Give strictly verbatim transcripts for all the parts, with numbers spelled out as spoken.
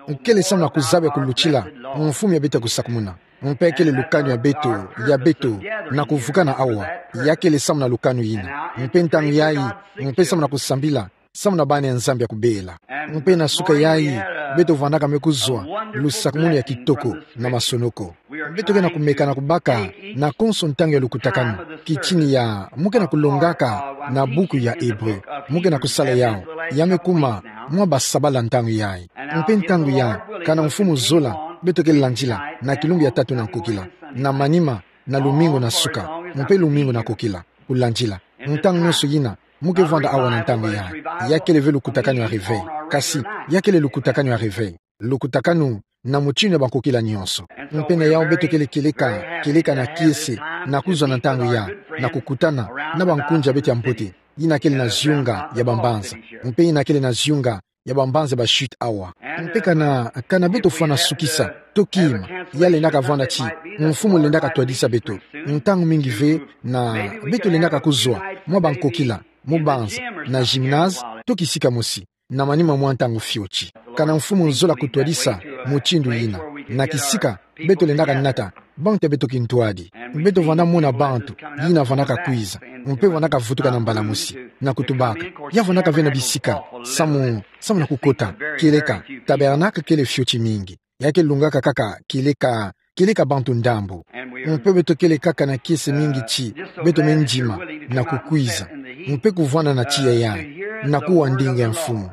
Nkele samu na kuzaba ya kulutila mfumu ya beto kusakumuna. Mpe kele lukanu ya beto, ya beto, na kuvukana awa, ya kele samu na lukanu yina. Mpe ntangu yayi, mpe samu na kusambila, samu na bana ya Nzambi ya kubela. Mpe na suka yayi, beto vandaka me kuzwa lusakumunu ya kitoko na masonoko. Beto ke na kumeka na kubaka na konso ntangu ya lukutakanu, kitini ya mu ke na kulongaka na buku ya Ebre, mu ke na kusala yawu, ya me kuma mwa basabala ntangu yayi. Mpe ntangu yayi, kana mfumu zola, beto ke landila na kilumbu ya tatu na nkokila, na manima, na lumingu na suka, mpe lumingu na nkokila, kulandila. Ntangu nyonso yina, mu ke vanda awa na ntangu yayi. Ya kele ve lukutakanu ya réveil. Kasi, ya kele lukutakanu ya réveil. Lukutakanu na mutinu ya bankokila nyonso. Mpe na yawu beto kele kieleka, kieleka na kiese, na kuzwa na ntangu yayi, na kukutana na bankunzi ya beto ya mbote, yina kele na ziyunga ya bambanza. Mpe yina kele na ziyunga ya bambanza ba chute awa. Mpe kana, kana beto fwana sukisa, to kima, ya lendaka vanda ti mfumu lendaka twadisa beto. Ntangu mingi ve na beto lendaka kuzwa mwa bankokila, mu banza, na gymnase, to kisika mosi, na manima mwa ntangu fioti. Kana mfumu zola kutwadisa mutindu yina, na kisika beto lendaka nata bantu ya beto kintwadi. Beto vanda mona bantu yina vandaka kwiza, mpe vandaka vutuka na mbala mosi, na kutubaka. Ya vandaka ve na bisika samu, samu na kukota, kieleka tabernacle kele fioti mingi. Ya ke lungaka kaka kieleka, kieleka bantu ndambu. Mpe beto kele kaka na kiese mingi ti beto me ndima na kukwiza, mpe kuvwanda na tiya yayi, na kuwa ndinga ya mfumu.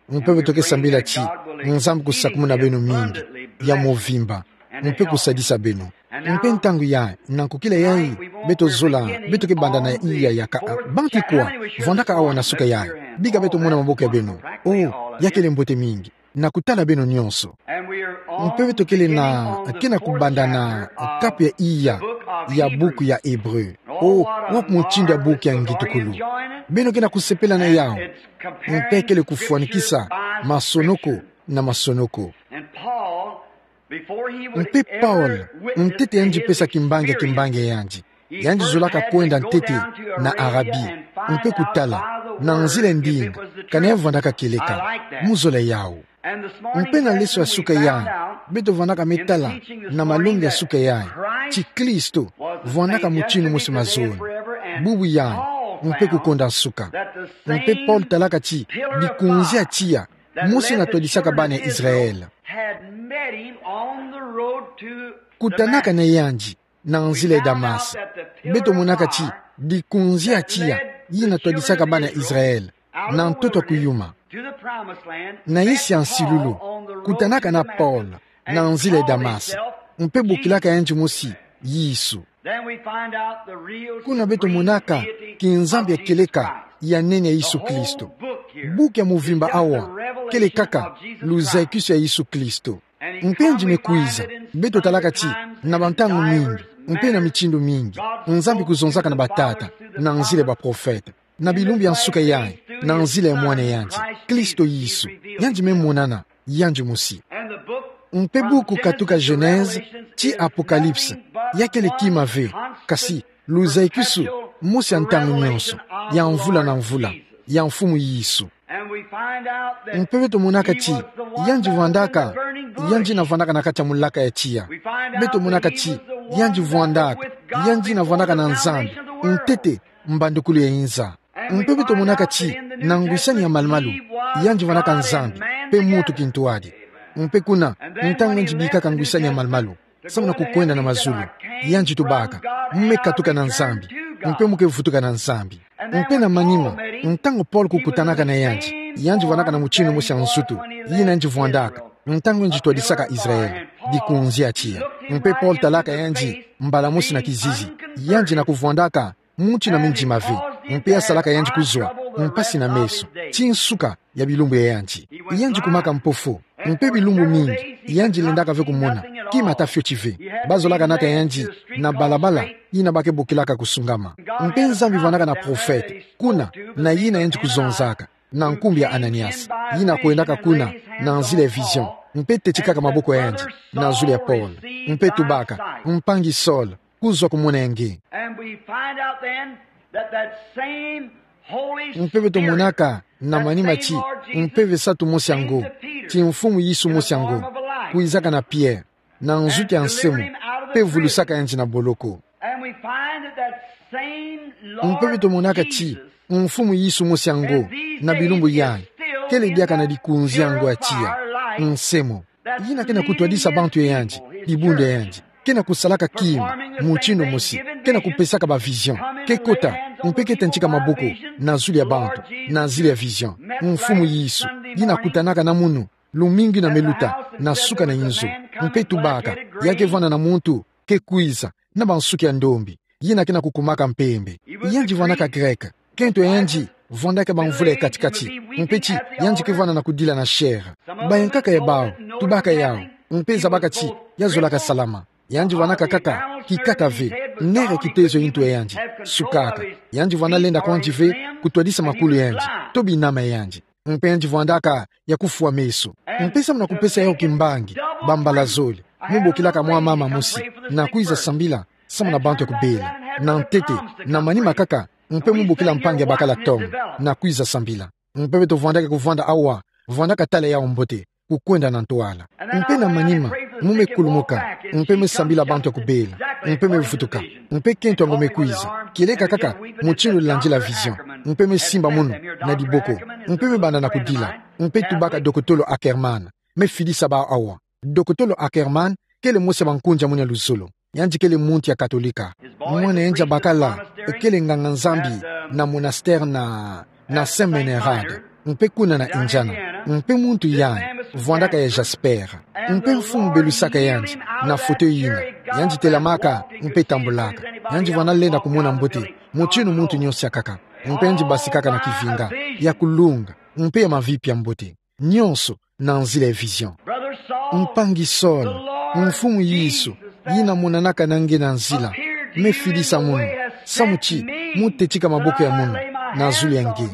Mpe beto ke sambila ti Nzambi kusakumuna beno mingi, ya mvimba, mpe kusadisa beno. Mpe ntangu yayi, na nkokila yayi, beto zola, beto ke banda na iya ya ka, bantu kwa vandaka awa na suka yayi. Bika beto mona maboko ya beno. Oh, ya kele mbote mingi. Na kutala beno nyonso. Mpe beto kele na, ke na kubanda na kapu ya iya ya buku ya Ebre. Oh, wapi mutindu ya buku ya ngitukulu. Beno ke na kusepela na yawu. Mpe kele kufwanikisa masonoko na masonoko. Mpe Paul, ntete yandi pesa kimbangi ya kimbangi ya yandi, yandi zolaka kwenda ntete na Arabie, mpe kutala, na nzila ya ndinga, kana ya vandaka kieleka. Mu zola yawu. Mpe na leso ya suka yayi, beto vandaka me tala, na malongi ya suka yayi, ti Kristo vandaka mutinu mosi mazono, bubu yayi, mpe kukonda nsuka. Mpe Paul talaka ti bikunzi ya tiya mosi natwadisaka bana ya Israël. Kutanaka na yandi na nzila ya Damas. Beto monaka ti bikunzi ya tiya yi natwadisaka bana ya Israël na ntoto ya kuyuma, na yisi ya nsilulu. Kutanaka na Paul na nzila ya Damas, mpe bokilaka yandi mosi Yesu. Kuna beto monaka kinzambi ya kieleka ya nene ya Yesu Kristo. Buku ya muvimba awa kele kaka luzakisu ya Yesu Kristo. Mpe yandi me kwiza, beto talaka ti na bantangu mingi, mpe na mitindu mingi, Nzambi kuzonzaka na batata na nzila ya baprofete, na bilumbu ya nsuka yayi na nzila ya Mwana yandi, Kristo Yesu. Yandi me monana yandi mosi. Mpe buku katuka Genèse tii Apocalypse, ya kele kima ve, kasi luzakisu mosi ya ntangu nyonso, ya mvula na mvula, ya Mfumu Yesu. Mpe beto monaka ti yandi vwandaka, yandi navwandaka na kati ya mulaka ya tiya. Beto monaka ti yandi vwandaka, yandi navwandaka na Nzambi ntete mbandukulu ya inza. Mpe beto monaka ti na ngwisani ya malumalu, yandi vwandaka Nzambi mpe muntu kintwadi. Mpe kuna, ntangu yandi bikaka ngwisani ya malumalu, samu na kukwenda na mazulu, yandi tubaka: Mu me katuka na Nzambi, mpe mu ke vutuka na Nzambi. Mpe na manima, ntangu Paul kukutanaka na yandi, yandi vwandaka na mutinu mosi ya nsutu yi nandi vwandaka ntangu yandi twadisaka Israël bikunzi ya tiya. Mpe Paul talaka yandi mbala mosi na kizizi, yandi na kuvwandaka muntu na mindima ve, mpe ya salaka yandi kuzwa mpasi na meso ti nsuka ya bilumbu ya yandi. Yandi kumaka mpofu, mpe bilumbu mingi yandi lendaka ve kumona kima ata fioti ve. Bazolaka nata yandi na balabala yina ba ke bokilaka kusungama. Mpe Nzambi vwandaka na profete kuna, na yina yandi kuzonzaka, na nkumbu ya Ananias, yina kwendaka kuna na nzila ya vision, mpe tetikaka maboko ya yandi na zulu ya Paul, mpe tubaka: Mpangi Saul, kuzwa kumona ya nge. And we find out then that that same Mpe beto monaka na manima ti Mpeve Santu mosi ya ngo, ti Mfumu Yesu mosi ya ngo, kwizaka na Pierre, na nzuki ya nsemo, mpe vulusaka yandi na boloko. Mpe beto monaka ti Mfumu Yesu mosi ya ngo, na bilumbu yayi, kele diaka na likunzi ya ngo ya tiya, nsemo. Yina ke na kutwadisa bantu ya yandi, dibundu ya yandi. Ke na kusalaka kima, mutindu mosi, ke na kupesaka ba vision, ke kota, mpe ke tentika maboko na zulu ya bantu, na zulu ya vision. Mfumu Yesu, yina kutanaka na munu, lumingu yina me luta, na suka na inzo, mpe tubaka, ya ke vwanda na muntu ke kwiza, na bansuki ya ndombi, yina ke na kukumaka mpembe. Yandi vwandaka Grec, kento ya yandi vwandaka bamvula ya kati-kati, mpe ti yandi ke vwanda na kudila na chair. Bayankaka ya bawu, tubaka yawu, mpe zabaka ti ya zolaka salama. Yandi vwandaka kaka kikata ve, nere kitezo ya ntu ya yandi, sukaka. Yandi vwanda lenda kwandi ve, kutwadisa makulu ya yandi, to binama ya yandi. Mpe yandi vwandaka ya kufwa meso. Mpe samu na kupesa yawu kimbangi, bambala zole, mu bokilaka mwa mama mosi, na kwiza sambila, samu na bantu ya kubela, na ntete, na manima kaka, mpe mu bokila mpangi ya bakala Tom, na kwiza sambila. Mpe beto vwandaka kuvwanda awa, vwandaka tala yawu mbote, kukwenda na ntwala. Mpe na manima, mu me kulumuka, mpe me sambila bantu ya kubela, mpe me vutuka, mpe kento ya ngo me kwiza, kieleka kaka, mutindu landila vision, mpe me simba munu, na diboko, mpe me banda na kudila, mpe tubaka dokotolo Ackerman, me fidisa bawu awa. Dokotolo Ackerman, kele mosi ya bankunzi ya munu ya luzolo. Yandi kele muntu ya Katolika. Mwana yandi ya bakala, kele nganga-Nzambi, na monastère na, na Saint Meinrad. Mpe kuna na Indiana. Mpe muntu yayi, vwandaka ya Jasper. Mpe mfumu belusaka yandi, na foto yina. Yandi telamaka, mpe tambulaka. Yandi vwanda lenda kumona mbote, mutindu muntu nyonso ya kaka. Mpe yandi basikaka na kivinga, ya kulunga, mpe ya mavipi ya mbote. Nyonso, na nzila ya vision. Mpangi Saul, Mfumu Yesu, yina monanaka na nge na nzila, me fidisa munu, samu ti, mu tetika maboko ya munu, na zulu ya nge.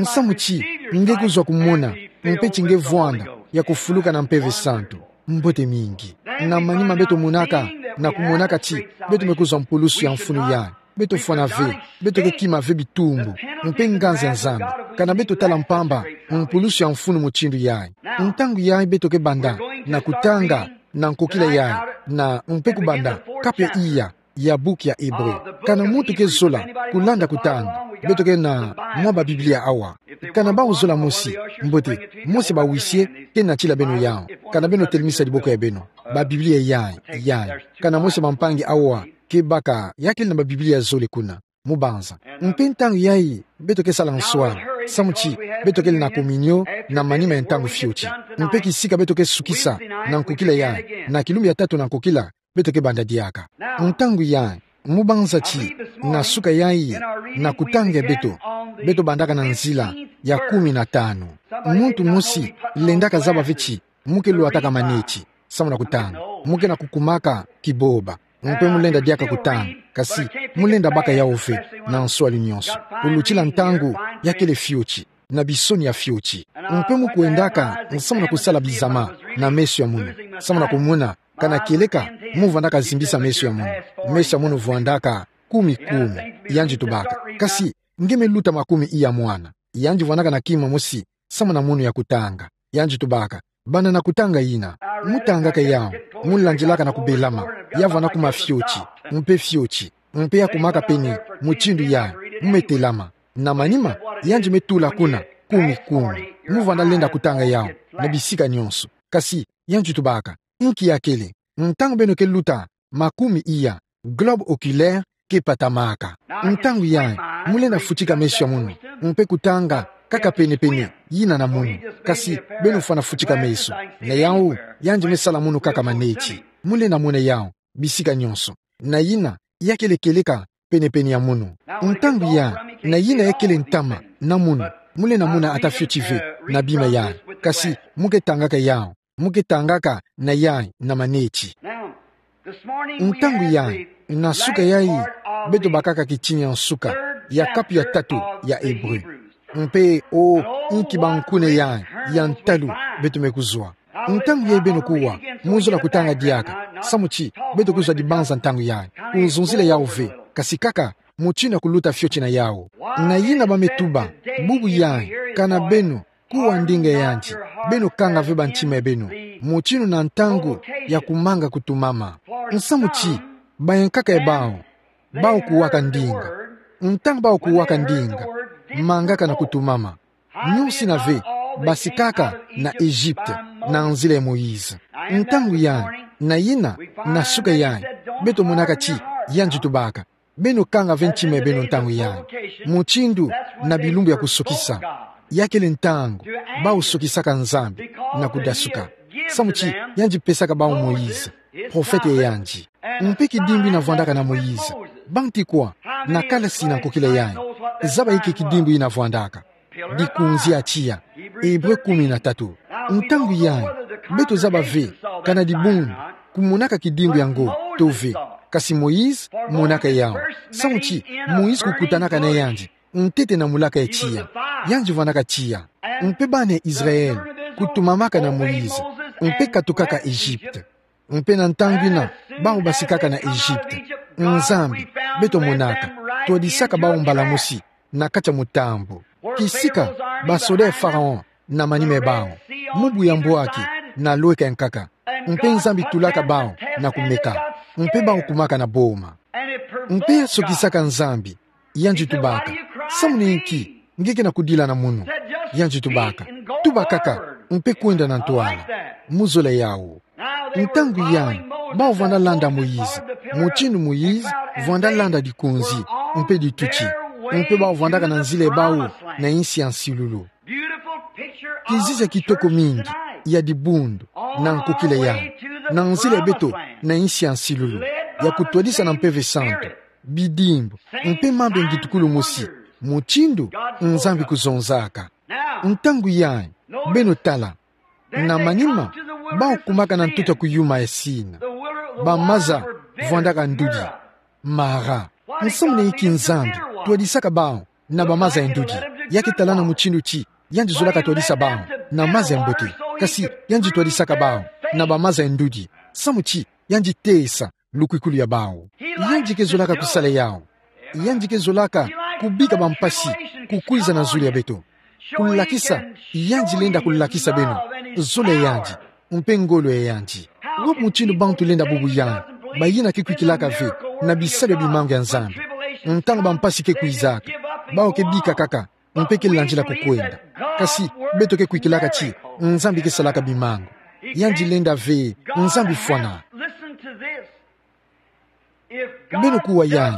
Samu ti, nge kuzwa kumona, mpe ti nge vwanda, ya kufuluka na Mpeve Santu. Mbote mingi. Na manima beto monaka, na kumonaka ti, beto me kuzwa mpulusu ya mfunu yayi. Beto fwana ve, beto ke kima ve bitumbu, mpe nganzi ya Nzambi, kana beto tala mpamba, mpulusu ya mfunu mutindu yayi. Ntangu yayi beto ke banda, na kutanga, na nkokila yayi, na mpe kubanda, kapu ya iya, ya buku ya Hébreu. Kana muntu ke zola, kulanda kutanga, beto ke na mwa ba Biblia awa. Kana bawu zola mosi, mbote, mosi bawisi ye, ke natila beno yawu. Kana beno telemisa diboko ya beno. Ba Biblia yayi, yayi. Kana mosi bampangi awa, ke baka, ya kele na ba Biblia zole kuna. Mu banza. Mpe ntangu yayi, beto ke sala nswala. Samu ti, beto kele na kominio, na manima ya ntangu fioti. Mpe kisika beto ke sukisa, na nkokila yayi. Na kilumbu ya tatu na nkokila, beto ke banda diaka. Ntangu yayi, mu banza ti, na suka yayi, na kutanga ya beto. Beto bandaka na nzila, ya kumi na tanu. Muntu mosi, lendaka zaba ve ti, mu ke lwataka maneti, samu na kutanga. Mu ke na kukumaka kiboba. Mpe mu lenda diaka kutanga. Kasi, mu lenda baka yawu ve, na nswalu nyonso. Kulutila ntangu, ya kele fioti, na bisoni ya fioti. Mpe mu kwendaka, samu na kusala bizama, na meso ya munu. Samu na kumona, kana kieleka, mu vandaka zimbisa meso ya munu. Meso ya munu vandaka, kumi kumi, yandi tubaka. Kasi, nge me luta makumi iya mwana. Yandi vandaka na kima mosi, samu na munu ya kutanga. Yandi tubaka. Banda na kutanga yina. Mu tangaka yawu. Mu landilaka na kubelama. Ya vanda kuma fioti. Mpe fioti. Mpe ya kumaka pene. Mutindu yayi. Mu me telama. Na manima. Yandi me tula kuna. Kumi kumi. Mu vanda lenda kutanga yawu. Na bisika nyonso. Kasi. Yandi tubaka. Nki ya kele. Ntangu beno ke luta. Makumi iya, globe oculaire ke patamaka. Ntangu yayi, mu lenda futika meso ya munu, mpe kutanga, kaka pene-pene, yina na munu. Kasi, beno fwana futika meso. Na yawu, yandi me sala munu kaka maneti. Mu lenda mona yawu, bisika nyonso. Na yina, ya kele kieleka, pene-pene ya munu. Ntangu yayi, na yina ya kele ntama, na munu. Mu lenda mona ata fioti ve, na bima yayi. Kasi, mu ke tangaka yawu. Mu ke tangaka na yayi na maneti. Ntangu yayi, na suka yayi, beto bakaka kitingi ya nsuka, ya kapu ya tatu ya Hébreu. Mpe, o, inki bankuna yayi, ya ntalu, beto me kuzwa. Ntangu yayi beno kuwa, mu zola kutanga diaka, samu ti, beto kuzwa dibanza ntangu yayi, kuzonzila yawu ve, kasi kaka, mutindu ya kuluta fioti na yawu. Na yina ba me tuba, bubu yayi, kana beno, kuwa ndinga yandi, beno kanga ve ba ntima beno, mutindu na ntangu ya kumanga kutumama. Nsamu ti, bayankaka ya bawu, bawu kuwaka ndinga. Ntangu bawu kuwaka ndinga, mangaka na kutumama. Nyosi na ve, basikaka na Egypte, na nzila ya Moïse. Ntangu yayi, na yina, na suka yayi, beto monaka ti, yandi tubaka. Beno kanga ve ntima beno ntangu yayi. Mutindu, na bilumbu ya kusokisa. Ya kele ntangu, bawu sokisaka Nzambi, na kudasuka. Samu ti, yandi pesaka bawu Moïse, profete ya yandi. Mpe kidimbu yina vwandaka na Moïse. Bantu kwa, na kalasi na nkokila yayi. Zaba inki kidimbu yina vwandaka. Dikunzi ya tiya. Hébreu kumi na tatu. Ntangu yayi, beto zaba ve, kana dibundu, kumonaka kidimbu yango, to ve. Kasi Moïse, monaka yawu. Samu ti, Moïse kukutanaka na yandi, ntete na mulaka ya tiya. Yandi vwandaka tiya. Mpe bana Israël, kutumamaka na Moïse, mpe katukaka Egypte. Mpe na ntangu yina, bawu basikaka na Egypte. Nzambi, beto monaka, twadisaka bawu mbala mosi, na kati ya mutambu. Kisika, basoda ya Pharaon, na manima ya bawu. Mubu ya mbwaki, na lweka ya nkaka. Mpe Nzambi tulaka bawu, na kumeka. Mpe bawu kumaka na boma. Mpe ya sokisaka Nzambi, yandi tubaka. Samu na inki, nge ke na kudila na munu. Yandi tubaka. Tuba kaka, mpe kwenda na ntwala. Muzola yawu. Ntangu yayi, bawu vwanda landa Moïse. Mutindu Moïse, vwanda landa dikunzi, mpe dituti. Mpe bawu vwandaka na nzila ya bawu, na insi ya nsilulu. Kizizi ya kitoko mingi, ya dibundu, na nkokila yayi. Na nzila ya beto, na insi ya nsilulu. Ya kutwadisa na Mpeve Santu. Bidimbu, mpe mambu ya ngitukulu mosi. Mutindu, Nzambi kuzonzaka. Ntangu yayi, beno tala. Na manima, bawu kumaka na ntoto ya kuyuma ya Sina. Bamaza, vwandaka ndudi. Mara. Nsamu na inki Nzambi, twadisaka bawu, na bamaza ya ndudi. Ya ke tala na mutindu ti, yandi zolaka twadisa bawu, na maza ya mbote. Kasi, yandi twadisaka bawu, na bamaza ya ndudi. Samu ti, yandi tesa, lukwikulu ya bawu. Yandi ke zolaka kusala yawu. Yandi ke zolaka kubika bampasi kukwiza na zulu ya beto. Kulakisa, yandi lenda kulakisa beno zulu ya yandi, mpe ngolo ya yandi. Wapi mutindu bantu lenda bubu yayi, bayina ke kwikilaka ve na bisalu ya bimangu ya Nzambi? Ntangu bampasi ke kwizaka, bawu ke bika kaka, mpe ke landila kukwenda. Kasi, beto ke kwikilaka ti, Nzambi ke salaka bimangu. Yandi lenda ve, Nzambi fwana. Beno kuwa yayi,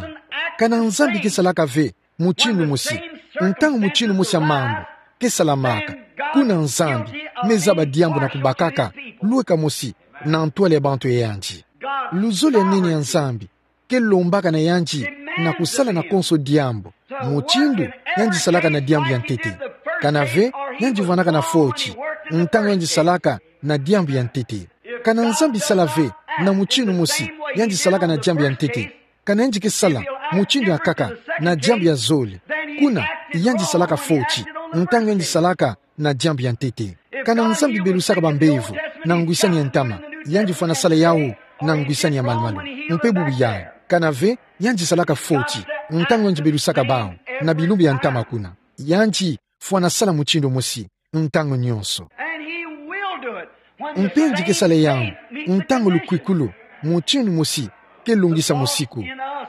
kana Nzambi ke salaka ve mutindu mosi, ntangu mutindu mosi ya mambu ke salamaka, kuna Nzambi me zaba diambu na kubakaka lweka mosi na ntwala ya bantu ya yandi. Luzolo ya nene ya Nzambi ke lombaka na yandi na kusala na konso diambu, mutindu yandi salaka na diambu ya ntete. Kana ve, yandi vwanaka na foti, ntangu yandi salaka na diambu ya ntete. Kana Nzambi sala ve na mutindu mosi, yandi salaka na diambu ya ntete. Kana yandi ke sala mutindu ya nkaka na diambu ya zole, kuna yandi salaka foti, ntangu yandi salaka na diambu ya ntete. Kana Nzambi belusaka bambevo na ngwisani ya ntama, yandi fwana sala yawu na ngwisani ya malumalu. Mpe bubu yayi, kana ve, yandi salaka foti, ntangu yandi belusaka bawu na bilumbu ya ntama kuna. Yandi fwana sala mutindu mosi ntangu nyonso. Mpe yandi ke sala yawu ntangu lukwikulu mutindu mosi ke lungisa musiku.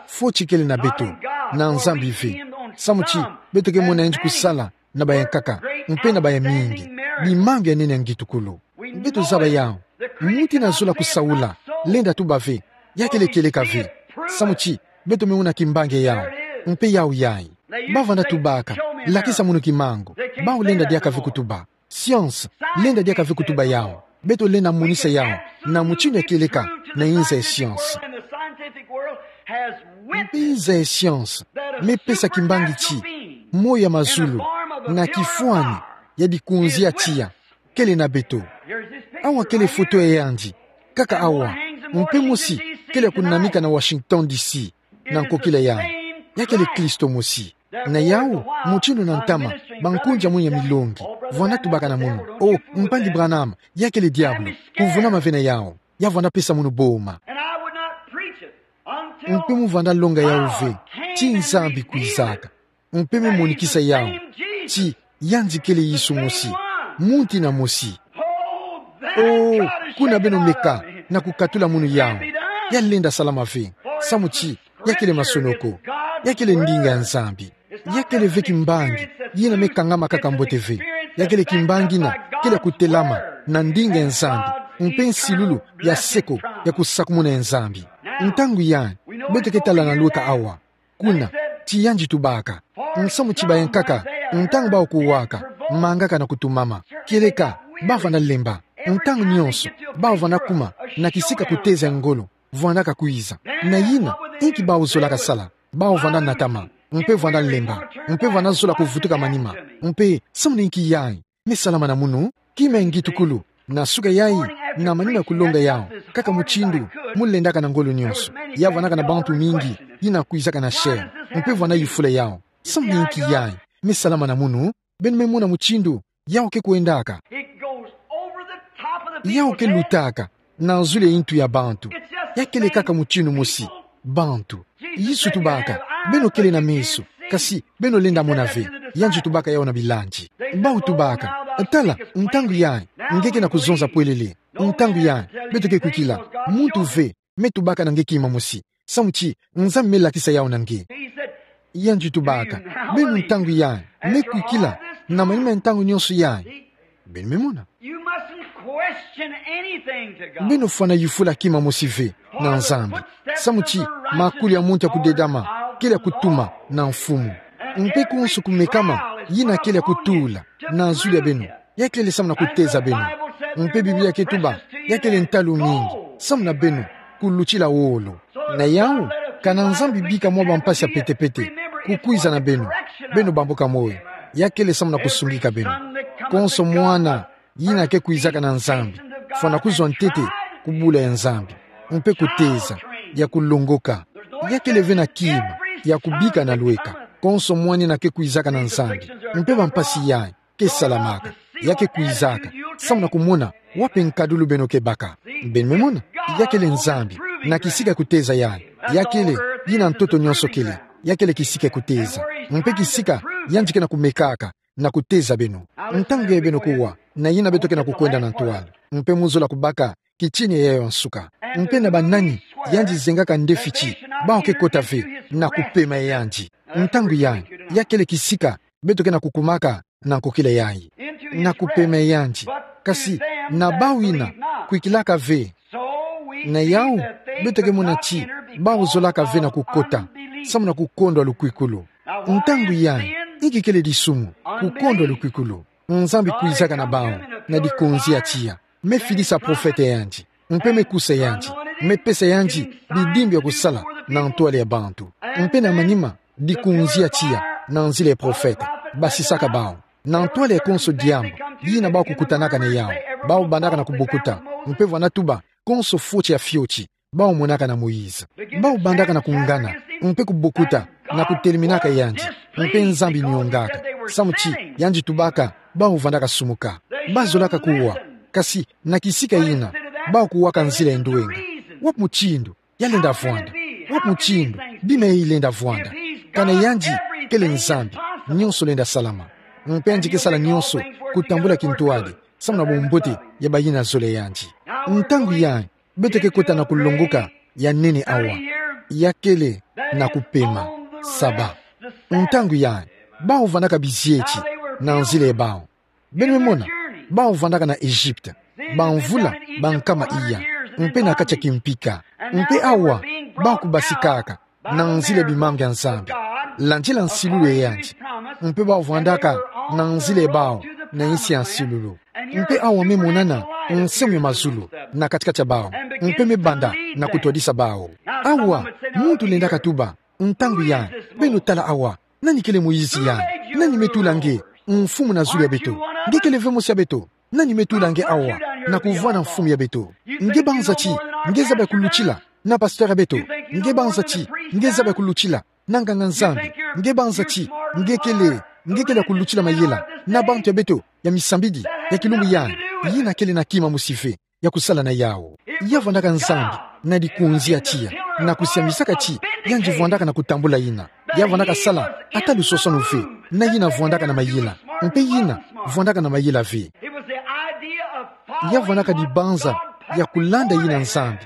Foti kele na beto, na Nzambi ve. Samu ti, beto ke mona yandi kusala na bayankaka, mpe na bayamingi, bimangu ya nene ya ngitukulu. Beto zaba yawu, muti na zola kusaula, lenda tuba ve, ya kele kieleka ve. Samu ti, beto me mona kimbangi ya yawu, mpe yawu yayi. Bavanda tubaka, lakisa munu kimangu, bawu lenda diaka ve kutuba. Science, lenda diaka ve kutuba yawu. Beto lenda monisa yawu na mutindu ya kieleka na inza ya science. Mpe inza ya science me pesa kimbangi ti moyo ya mazulu na kifwani ya dikunzi ya tiya kele na beto. Awa kele foto ya yandi, kaka awa, mpe mosi kele ya kunamika na Washington D C, na nkokila yayi. Ya kele Kristo mosi. Na yawu, mutindu na ntama, bankunzi ya mwini ya milongi, vwanda tubaka na munu: O, mpangi Branham, ya kele diabulu, kuvunama ve na yawu. Ya vwanda pesa munu boma. Mpe mu vanda longa yawu ve ti Nzambi kwizaka. Mpe me monikisa yawu ti yandi kele Yesu mosi, muntu ina mosi. O, kuna beno meka na kukatula munu yawu. Ya lenda salama ve, samu ti ya kele masonoko. Ya kele ndinga ya Nzambi. Ya kele ve kimbangi yina me kangama kaka mbote ve. Ya kele kimbangi ina kele kutelama na ndinga ya Nzambi, mpe nsilulu ya seko ya kusakumuna ya Nzambi. Ntangu yayi, beto ke tala na lweka awa. Kuna, ti yandi tubaka. Nsamu ti bayankaka, ntangu bawu kuwaka, mangaka na kutumama. Kieleka, ba vanda lemba. Ntangu nyonso, bawu vanda kuma na kisika kuteza ngolo, vandaka kwiza. Na yina, inki bawu zolaka sala? Bawu vanda natama, mpe vanda lemba, mpe vanda zola kuvutuka manima. Mpe, samu na inki yayi? Me salama na munu, kima ya ngitukulu, na suka yayi, na manima ya kulonga yawu, kaka mutindu mu lendaka na ngolo nyonso. Ya vandaka na bantu mingi yina kwizaka na chaire, mpe vanda yufula yawu: Samu na inki yayi? Me salama na munu, beno me mona mutindu yawu ke kwendaka. Yawu ke lutaka na zulu ya intu ya bantu. Ya kele kaka mutindu mosi: bantu. Yesu tubaka: Beno kele na meso, kasi beno lenda mona ve. Yandi tubaka yawu na bilandi. Bawu tubaka: Tala, ntangu yayi nge ke na kuzonza pwelele. Ntangu yayi beto ke kwikila. Muntu ve me tubaka na nge kima mosi, samu ti Nzambi me lakisa yawu na nge. Yandi tubaka: Beno ntangu yayi me kwikila na manima ya ntangu nyonso yayi? Beno me mona. You mustn't question anything to God. Beno fwana yufula kima mosi ve na Nzambi, samu ti makulu ya muntu ya kudedama kele ya kutuma na Mfumu. Mpe konso kumekama yina kele ya kutula na zulu ya beno, ya kele samu na kuteza beno. Mpe Biblia ke tuba ya kele ntalu mingi samu na beno kulutila wolo. Na yawu, kana Nzambi bika mwa bampasi ya petepete kukwiza na beno, beno bambuka moyo. Ya kele samu na kusungika beno. Konso mwana yina ke kwizaka na Nzambi, fwana kuzwa ntete ku bula ya Nzambi, mpe kuteza, ya kulongoka. Ya kele ve na kima ya kubika na lweka. Konso mwana yina ke kwizaka na Nzambi, mpe bampasi yayi ke salamaka, ya ke kwizaka samu na kumona wapi nkadulu beno ke baka. Beno me mona, ya kele Nzambi na kisika kuteza yayi. Ya kele yina ntoto nyonso kele. Ya kele kisika kuteza, mpe kisika yandi ke na kumekaka na kuteza beno. Ntangu yayi beno kuwa na yina beto ke na kukwenda na ntwala, mpe mu zola kubaka kitina yayo ya nsuka. Mpe na banani yandi zengaka nde fiti, bawu ke kota ve na kupema ya yandi. Ntangu yayi, ya kele kisika beto ke na kukumaka na nkokila yayi, na kupema ya yandi. Kasi na bawu yina kwikilaka ve, na yawu beto ke mona ti bawu zolaka ve na kukota samu na kukondwa lukwikulu. Ntangu yayi, inki kele disumu? Kukondwa lukwikulu. Nzambi kwizaka na bawu na dikonzi ya tiya. Me fidisa profete ya yandi, mpe me kusa yandi, me pesa yandi bidimbu ya kusala na ntwala ya bantu. Mpe na manima, dikonzi ya tiya na nzila ya profete, basisaka bawu na ntwala ya konso diambu yina bawu kukutanaka na yawu. Bawu bandaka na kubokuta, mpe vwana tuba konso fioti ya fioti bawu monaka na Moïse. Bawu bandaka na kungana, mpe kubokuta, na kuteleminaka yandi, mpe Nzambi niongaka, samu ti yandi tubaka bawu vandaka sumuka. Ba zolaka kuwa, kasi na kisika yina, bawu kuwaka nzila ya ndwenga. Wapi mutindu ya lenda vwanda? Wapi mutindu bima yayi lenda vwanda? Kana yandi kele Nzambi, nyonso lenda salama. Mpe yandi ke sala nyonso kutambula kintwadi samu na bumbote ya bayina zola yandi. Ntangu yayi, beto ke kota na kulongoka ya nene awa. Ya kele na kupema, Saba. Ntangu yayi, bawu vandaka bizieti na nzila ya bawu. Beno me mona, bawu vandaka na Egypte bamvula bankama iya, mpe na kati ya kimpika. Mpe awa, bawu kubasikaka na nzila ya bimangu ya Nzambi, landila nsilulu ya yandi. Mpe bawu vandaka na nzila ya bawu na insi ya nsilulu. Mpe awa me monana nsamu ya mazulu na kati-kati ya bawu, mpe me banda na kutwadisa bawu. Awa, muntu lendaka tuba, ntangu yayi, beno tala awa, nani kele Moïse yayi? Nani me tula nge mfumu na zulu ya beto? Nge kele ve mosi ya beto. Nani me tula nge awa na kuvwanda mfumu ya beto? Nge banza ti nge zaba ya kulutila na pasteur ya beto? Nge banza ti nge zaba ya kulutila na nganga-Nzambi? Nge banza ti nge kele, nge kele ya kulutila mayela na bantu ya beto ya misambidi ya kilumbu yayi? Yina kele na kima mosi ve. ya kusala na yawu. Ya vwandaka Nzambi na likonzi ya tiya, na kusiamisaka ti yandi vwandaka na kutambula yina. Ya vwandaka sala ata lusoswanu ve, na yina vwandaka na mayela, mpe yina vwandaka na mayela ve. Ya vwandaka dibanza ya kulanda yina Nzambi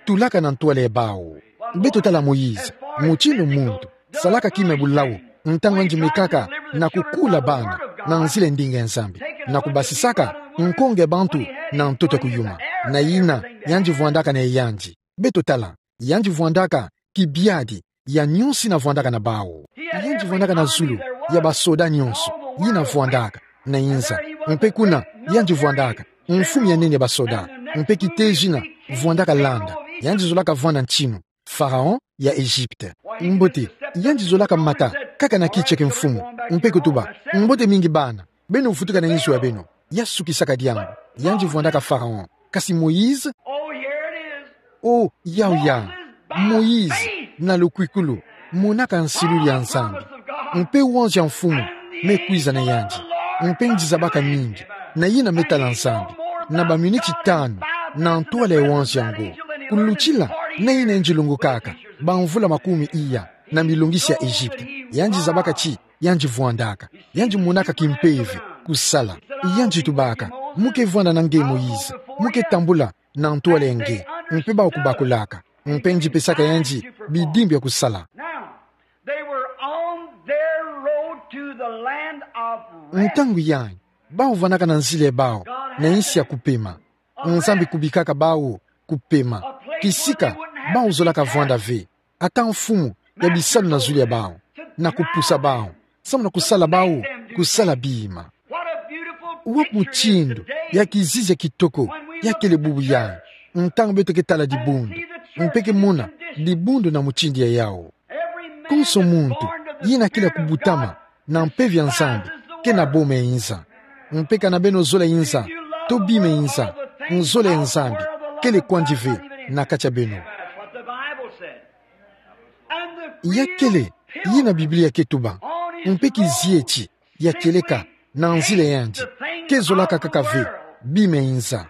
tulaka na ntwala ya bawu. Beto tala Moïse, mutindu muntu, salaka kima ya bulawu, ntangu yandi mekaka na kukula bana na nzila ya ndinga ya Nzambi, na kubasisaka nkonge ya bantu na ntoto ya kuyuma. Na yina yandi vwandaka na yandi. Beto tala, yandi vwandaka kibiadi ya nyonso yina vwandaka na bawu. Yandi vwandaka na zulu ya basoda nyonso yina vwandaka na inza. Mpe kuna yandi vwandaka mfumu ya nene ya basoda, mpe kiteji yina vwandaka landa. Yandi zolaka vwanda ntinu Pharaon ya Egypte. Mbote, yandi zolaka mata kaka na kiti ya kimfumu, mpe kutuba: Mbote mingi bana, beno vutuka na inzo ya beno. Ya sukisaka diambu, yandi vwandaka Pharaon. Kasi Moïse, oh, yawu ya Moïse, na lukwikulu, monaka nsilulu ya Nzambi. Mpe wanzia mfumu mekwiza na yandi. Mpe yandi zabaka mingi na yina metala Nzambi na baminiti tanu na ntwala ya wanzia ngo. Kulutila na yina yandi longokaka bamvula makumi iya na milongisi ya Egypte, yandi zabaka ti yandi vwandaka, yandi monaka kimpeve kusala. Yandi tubaka: Mu ke vwanda na nge, Moïse? Mu ke tambula na ntwala ya nge? Mpe bawu kubakulaka, mpe yandi pesaka yandi bidimbu ya kusala. Now, they were on their road to the land of rest. Ntangu yayi, bawu vwandaka na nzila ya bawu na insi ya kupema. Nzambi kubikaka bawu kupema, kisika bawu zolaka vwanda ve ata mfumu ya bisalu na zulu ya bawu, na kupusa bawu, samu na kusala bawu kusala bima. Wa mutindu ya kizizi ya kitoko ya kele bubu yayi, ntangu beto ke tala dibundu, mpe ke mona dibundu na mutindu ya yawu. Konso muntu yina kele ya kubutama na mpeve ya Nzambi, ke na boma ya inza. Mpe kana beno zola inza, to bima ya inza, nzola ya Nzambi kele kwandi ve na kati ya beno. That's what the Bible said. And the Ya kele yina Biblia ke tuba. Mpe kizieti ya kieleka na nzila ya yandi ke zolaka kaka ve bima ya inza.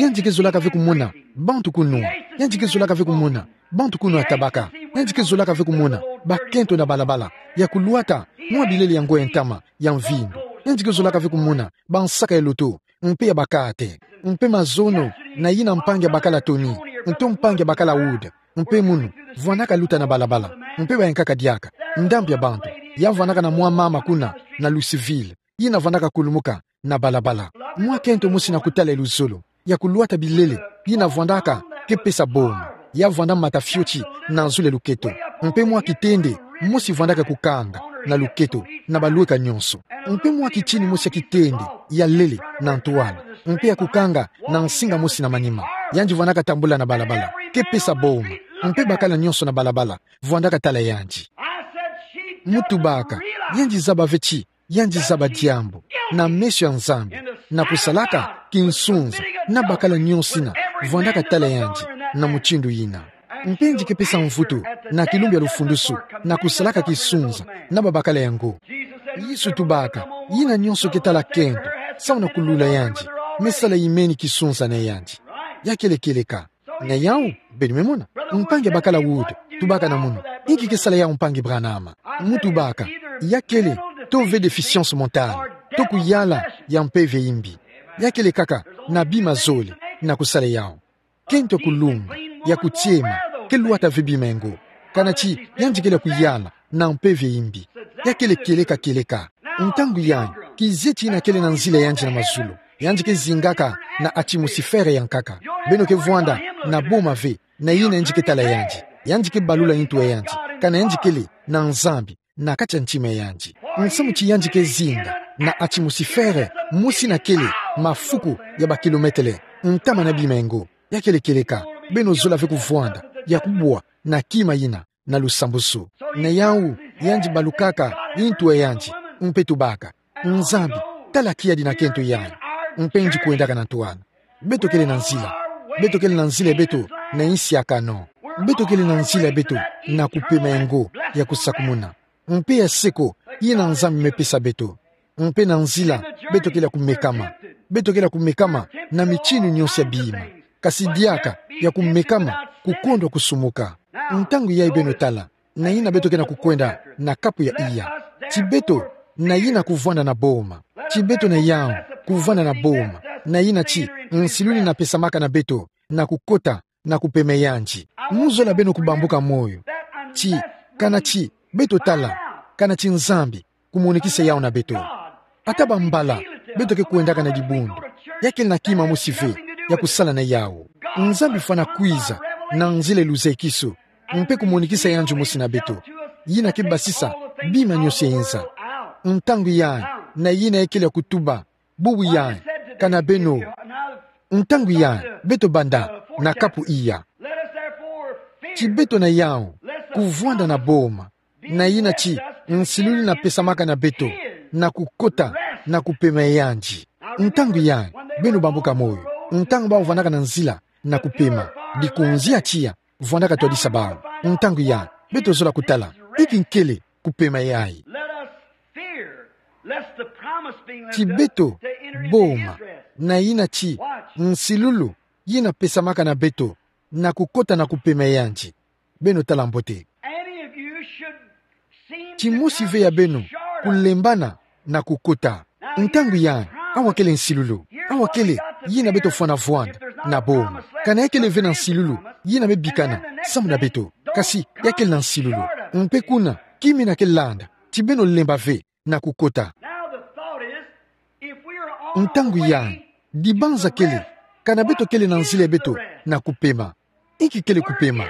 Yandi ke zolaka ve kumona bantu kunwa. Yandi ke zolaka ve kumona bantu kunwa tabaka. Yandi ke zolaka ve kumona bakento na balabala, ya kulwata mwa bilele yango ya ntama ya mvindu. Yandi ke zolaka ve kumona bansaka ya loto, mpe ya bakate, mpe mazono, na yina mpangi ya bakala Tony, nto mpangi ya bakala Wood, mpe munu, vwandaka luta na balabala, mpe bayankaka diaka ndambu ya bantu. Ya vwandaka na mwa mama kuna na Louisville, yina vwandaka kulumuka na balabala. Mwa kento mosi na kutala ya luzolo, ya kulwata bilele, yina vwandaka ke pesa boma. Ya vwanda mata fioti na zulu ya luketo, mpe mwa kitende mosi vwandaka kukanga na luketo, na balweka nyonso. Mpe mwa kitini mosi ya kitende ya lele na ntwala, mpe ya kukanga na nsinga mosi na manima. Yandi vwandaka tambula na balabala, ke pesa boma. Mpe bakala nyonso na balabala vwandaka tala yandi. Mu tubaka, yandi zaba ve ti yandi zaba diambu na meso ya Nzambi, na kusalaka kinsunza na bakala nyonso yina vwandaka tala yandi na mutindu yina. Mpe yandi ke pesa mvutu na kilumbu ya lufundusu na kusalaka kinsunza na babakala yango. Yesu tubaka, yina nyonso ke tala kento samu na kulula yandi, me sala imeni kinsunza na yandi. Ya kele kieleka. Na yawu, beno me mona, mpangi ya bakala Wood tubaka na munu: Inki ke sala yawu, mpangi Branham? Mu tubaka, ya kele to ve déficience mentale, to kuyala ya mpeve ya imbi. Ya kele kaka na bima zole na kusala yawu. Kento ya kulunga, ya kutiema, ke lwata ve bima yango. Kana ti yandi kele ya kuyala na mpeve ya imbi. Ya kele kieleka kieleka. Ntangu yayi, kizieti yina kele na nzila ya yandi na mazulu, yandi ke zingaka na atmosifere ya nkaka. Beno ke vwanda na boma ve na yina yandi ke tala yandi. Yandi ke balula ntu ya yandi, kana yandi kele na Nzambi na kati ya ntima ya yandi. Nsamu ti yandi ke zinga na atmosifere mosi yina kele mafuku ya bakilometele ntama na bima yango. Ya kele kieleka. Beno zola ve kuvwanda ya kubwa na kima yina na lusambusu. Na yawu, yandi balukaka ntu ya yandi, mpe tubaka: Nzambi, tala kiadi na kento yayi. Mpe yandi kwendaka na ntwala. Beto kele na nzila. Beto kele na nzila ya beto na insi ya kano. Beto kele na nzila ya beto na kupema yango ya kusakumuna, mpe ya seko yina Nzambi me pesa beto. Mpe na nzila, beto kele ya kumekama. Beto kele ya kumekama na mitinu nyonso ya bima. kasi diaka ya kumekama, kukondwa kusumuka. Ntangu yayi beno tala, na yina beto ke na kukwenda na kapu ya iya. Ti beto, na yina kuvwanda na boma. Ti beto na yawu, kuvwanda na boma. Na yina ti, nsilulu yina pesamaka na beto, na kukota, na kupema yandi. Muzola beno kubambuka moyo. Ti, kana ti, beto tala, kana ti Nzambi, kumonekisa yawu na beto. Ata bambala, beto ke kwendaka na dibundu. Ya kele na kima mosi ve, ya kusala na yawu. Nzambi fwana kwiza, na nzila luzekiso. Mpe kumonekisa yandi mosi na beto. Yina ke basisa, bima nionso ya inza. Ntangu yayi, na yina ya kele ya kutuba. Bubu yayi, kana beno. Ntangu yayi, beto banda, na kapu iya. Ti beto na yawu, kuvwanda na boma. Na yina ti, nsilulu yina pesamaka na beto, na kukota, na kupema yandi. Ntangu yayi, beno bambuka moyo. Ntangu bawu vwandaka na nzila, na kupema. Dikunzi ya tiya, vwandaka twadisa bawu. Ntangu yayi, beto zola kutala. Inki kele, kupema yayi. Let us fear, lest the promise being left Ti us beto, to enter into boma, his rest. Na yina ti, Watch. Nsilulu, yina pesamaka na beto, na kukota na kupema yandi. Beno tala mbote. Any of you should seem Ti to mosi come ve ya beno, short of kulembana, na kukota. Ntangu yayi, awa kele nsilulu, awa kele, yina beto fwana vwanda, na boma. Kana ya kele ve na nsilulu, yina me bikana, samu na beto. Kasi, ya kele na nsilulu. Mpe kuna, ki yina ke landa, ti beno lemba ve, na kukota. Now the thought is, if we are on our Ntangu yayi, way dibanza to kele, rest, kana beto kele na nzila ya beto, na kupema. Inki kele kupema.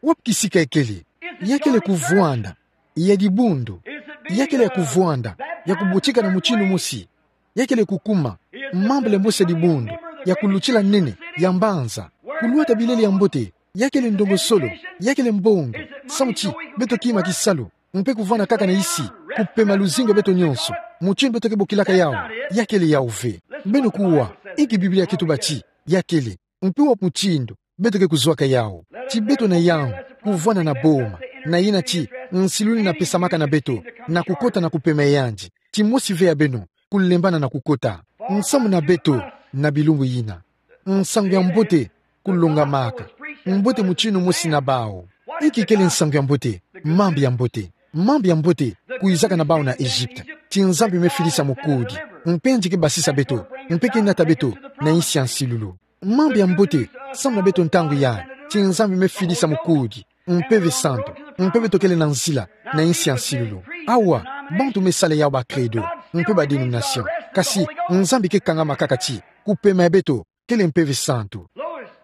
Wapi kisika ya kele. Ya kele kuvwanda, ya dibundu. Ya kele ya kuvwanda, ya kubotika na mutindu mosi. Ya kele kukuma, mambala mosi ya dibundu, ya kulutila nene, ya mbanza. Kulwata bilele ya mbote, ya kele ndongosolo, ya kele mbongo. Samu ti, beto kima kisalu. Mpe kuvwanda kaka na isi, kupema luzingu ya beto nionso. Mutindu beto ke bokilaka yawu, ya kele yawu ve. Beno kuwa, inki Biblia ke tuba ti, ya kele. Mpe wapi mutindu, beto ke kuzwaka yawu. Ti beto na yawu, kuvwanda na boma. Na yina ti, nsilulu yina pesamaka na beto, na kukota na kupema yandi. Ti mosi ve ya beno, kulembana na kukota. Nsamu na beto, na bilumbu yina. Nsangu ya mbote, kulongamaka. Mbote mutindu mosi na bawu. Inki kele nsangu ya mbote, mambu ya mbote. Mambu ya mbote, kwizaka na bawu na Egypte. Ti Nzambi me fidisa mukudi. Mpe yandi ke basisa beto. Mpe ke nata beto, na insi ya nsilulu. Mambu ya mbote, samu na beto ntangu yayi. Ti Nzambi me fidisa mukudi. Mpeve santu. Mpe beto kele na nzila, na insi ya nsilulu. Awa, bantu me sala yawu ba credo. Mpe ba dénomination. Kasi, Nzambi ke kangama kaka ti. Kupema ya beto, kele mpeve santu.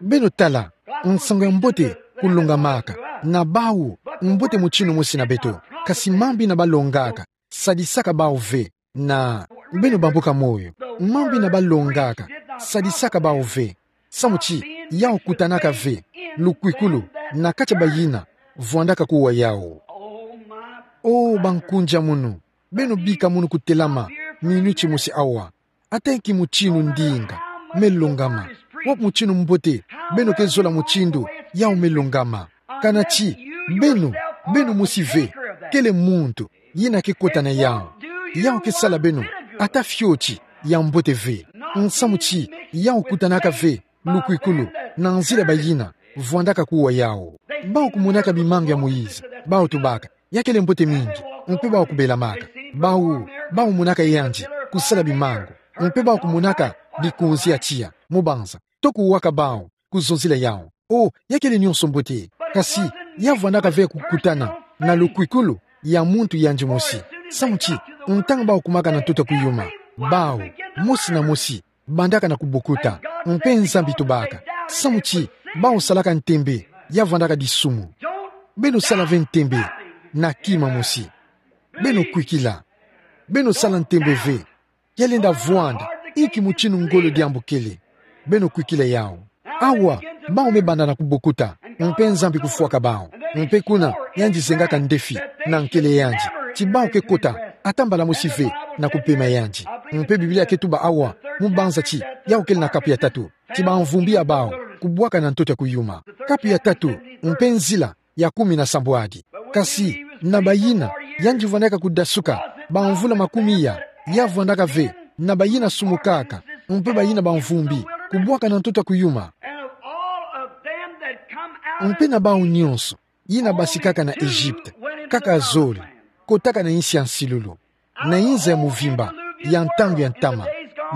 Beno tala, nsangu ya mbote, kulongamaka. Na bawu, mbote mutindu mosi na beto. Kasi mambu yina balongaka. Sadisaka bawu ve. Na, beno bambuka moyo. Mambu yina balongaka. Sadisaka bawu ve. Samu ti, yawu kutanaka ve. Lukwikulu, na kati ya bayina. Vwandaka kuwa yawu. O, bankunja munu. Beno bika munu kutelama. Minuti mosi awa. Ata inki mutindu ndinga, me longama. Wapi mutindu mbote, beno ke zola mutindu, yawu me longama. Kana ti, beno, beno mosi ve, kele muntu, yina ke kota na yawu. Yawu ke sala beno, ata fioti, ya mbote ve. Nsamu ti, yawu kutanaka ve, lukwikulu, na nzila bayina, vwandaka kuwa yawu. Bawu kumonaka bimangu ya Moïse, bawu tubaka, ya kele mbote mingi, mpe bawu kubelamaka. Bawu, bawu monaka yandi, kusala bimangu. Mpe bawu kumonaka, bikunzi ya tiya, mu banza. Toko waka bawu, kuzonzila yawu. O, ya kele nionso mbote. Kasi, ya vwandaka ve kukutana, na lukwikulu, ya muntu yandi mosi. Samu ti, ntangu bawu kumaka na ntoto kuyuma. Bawu, mosi na mosi, bandaka na kubokuta, mpe Nzambi tubaka. Samu ti, bawu salaka ntembe, ya vwandaka disumu. Beno sala ve ntembe, na kima mosi. Beno kwikila. Beno sala ntembe ve. Ya lenda vwanda, inki mutindu ngolo diambu kele. Beno kwikila yawu. Awa, bawu me banda na kubokuta, mpe Nzambi kufwaka bawu. Mpe kuna, yandi zengaka ndefi, na nkele yandi. Ti bawu ke kota, ata mbala mosi ve, na kupema yandi. Mpe Biblia ke tuba awa, mu banza ti, yawu kele na kapu ya tatu. Ti bamvumbi ya bawu, kubwaka na ntoto ya kuyuma. Kapu ya tatu, mpe nzila, ya kumi na sambwadi. Kasi, na bayina, yandi vwandaka kudasuka, bamvula makumi ya, ya vwandaka ve, na bayina sumukaka, mpe bayina bamvumbi, kubwaka na ntoto ya kuyuma. Mpe na bawu nyonso yina basikaka na Egypte, kaka zole, kotaka na insi ya nsilulu, na inza ya muvimba, ya ntangu ya ntama,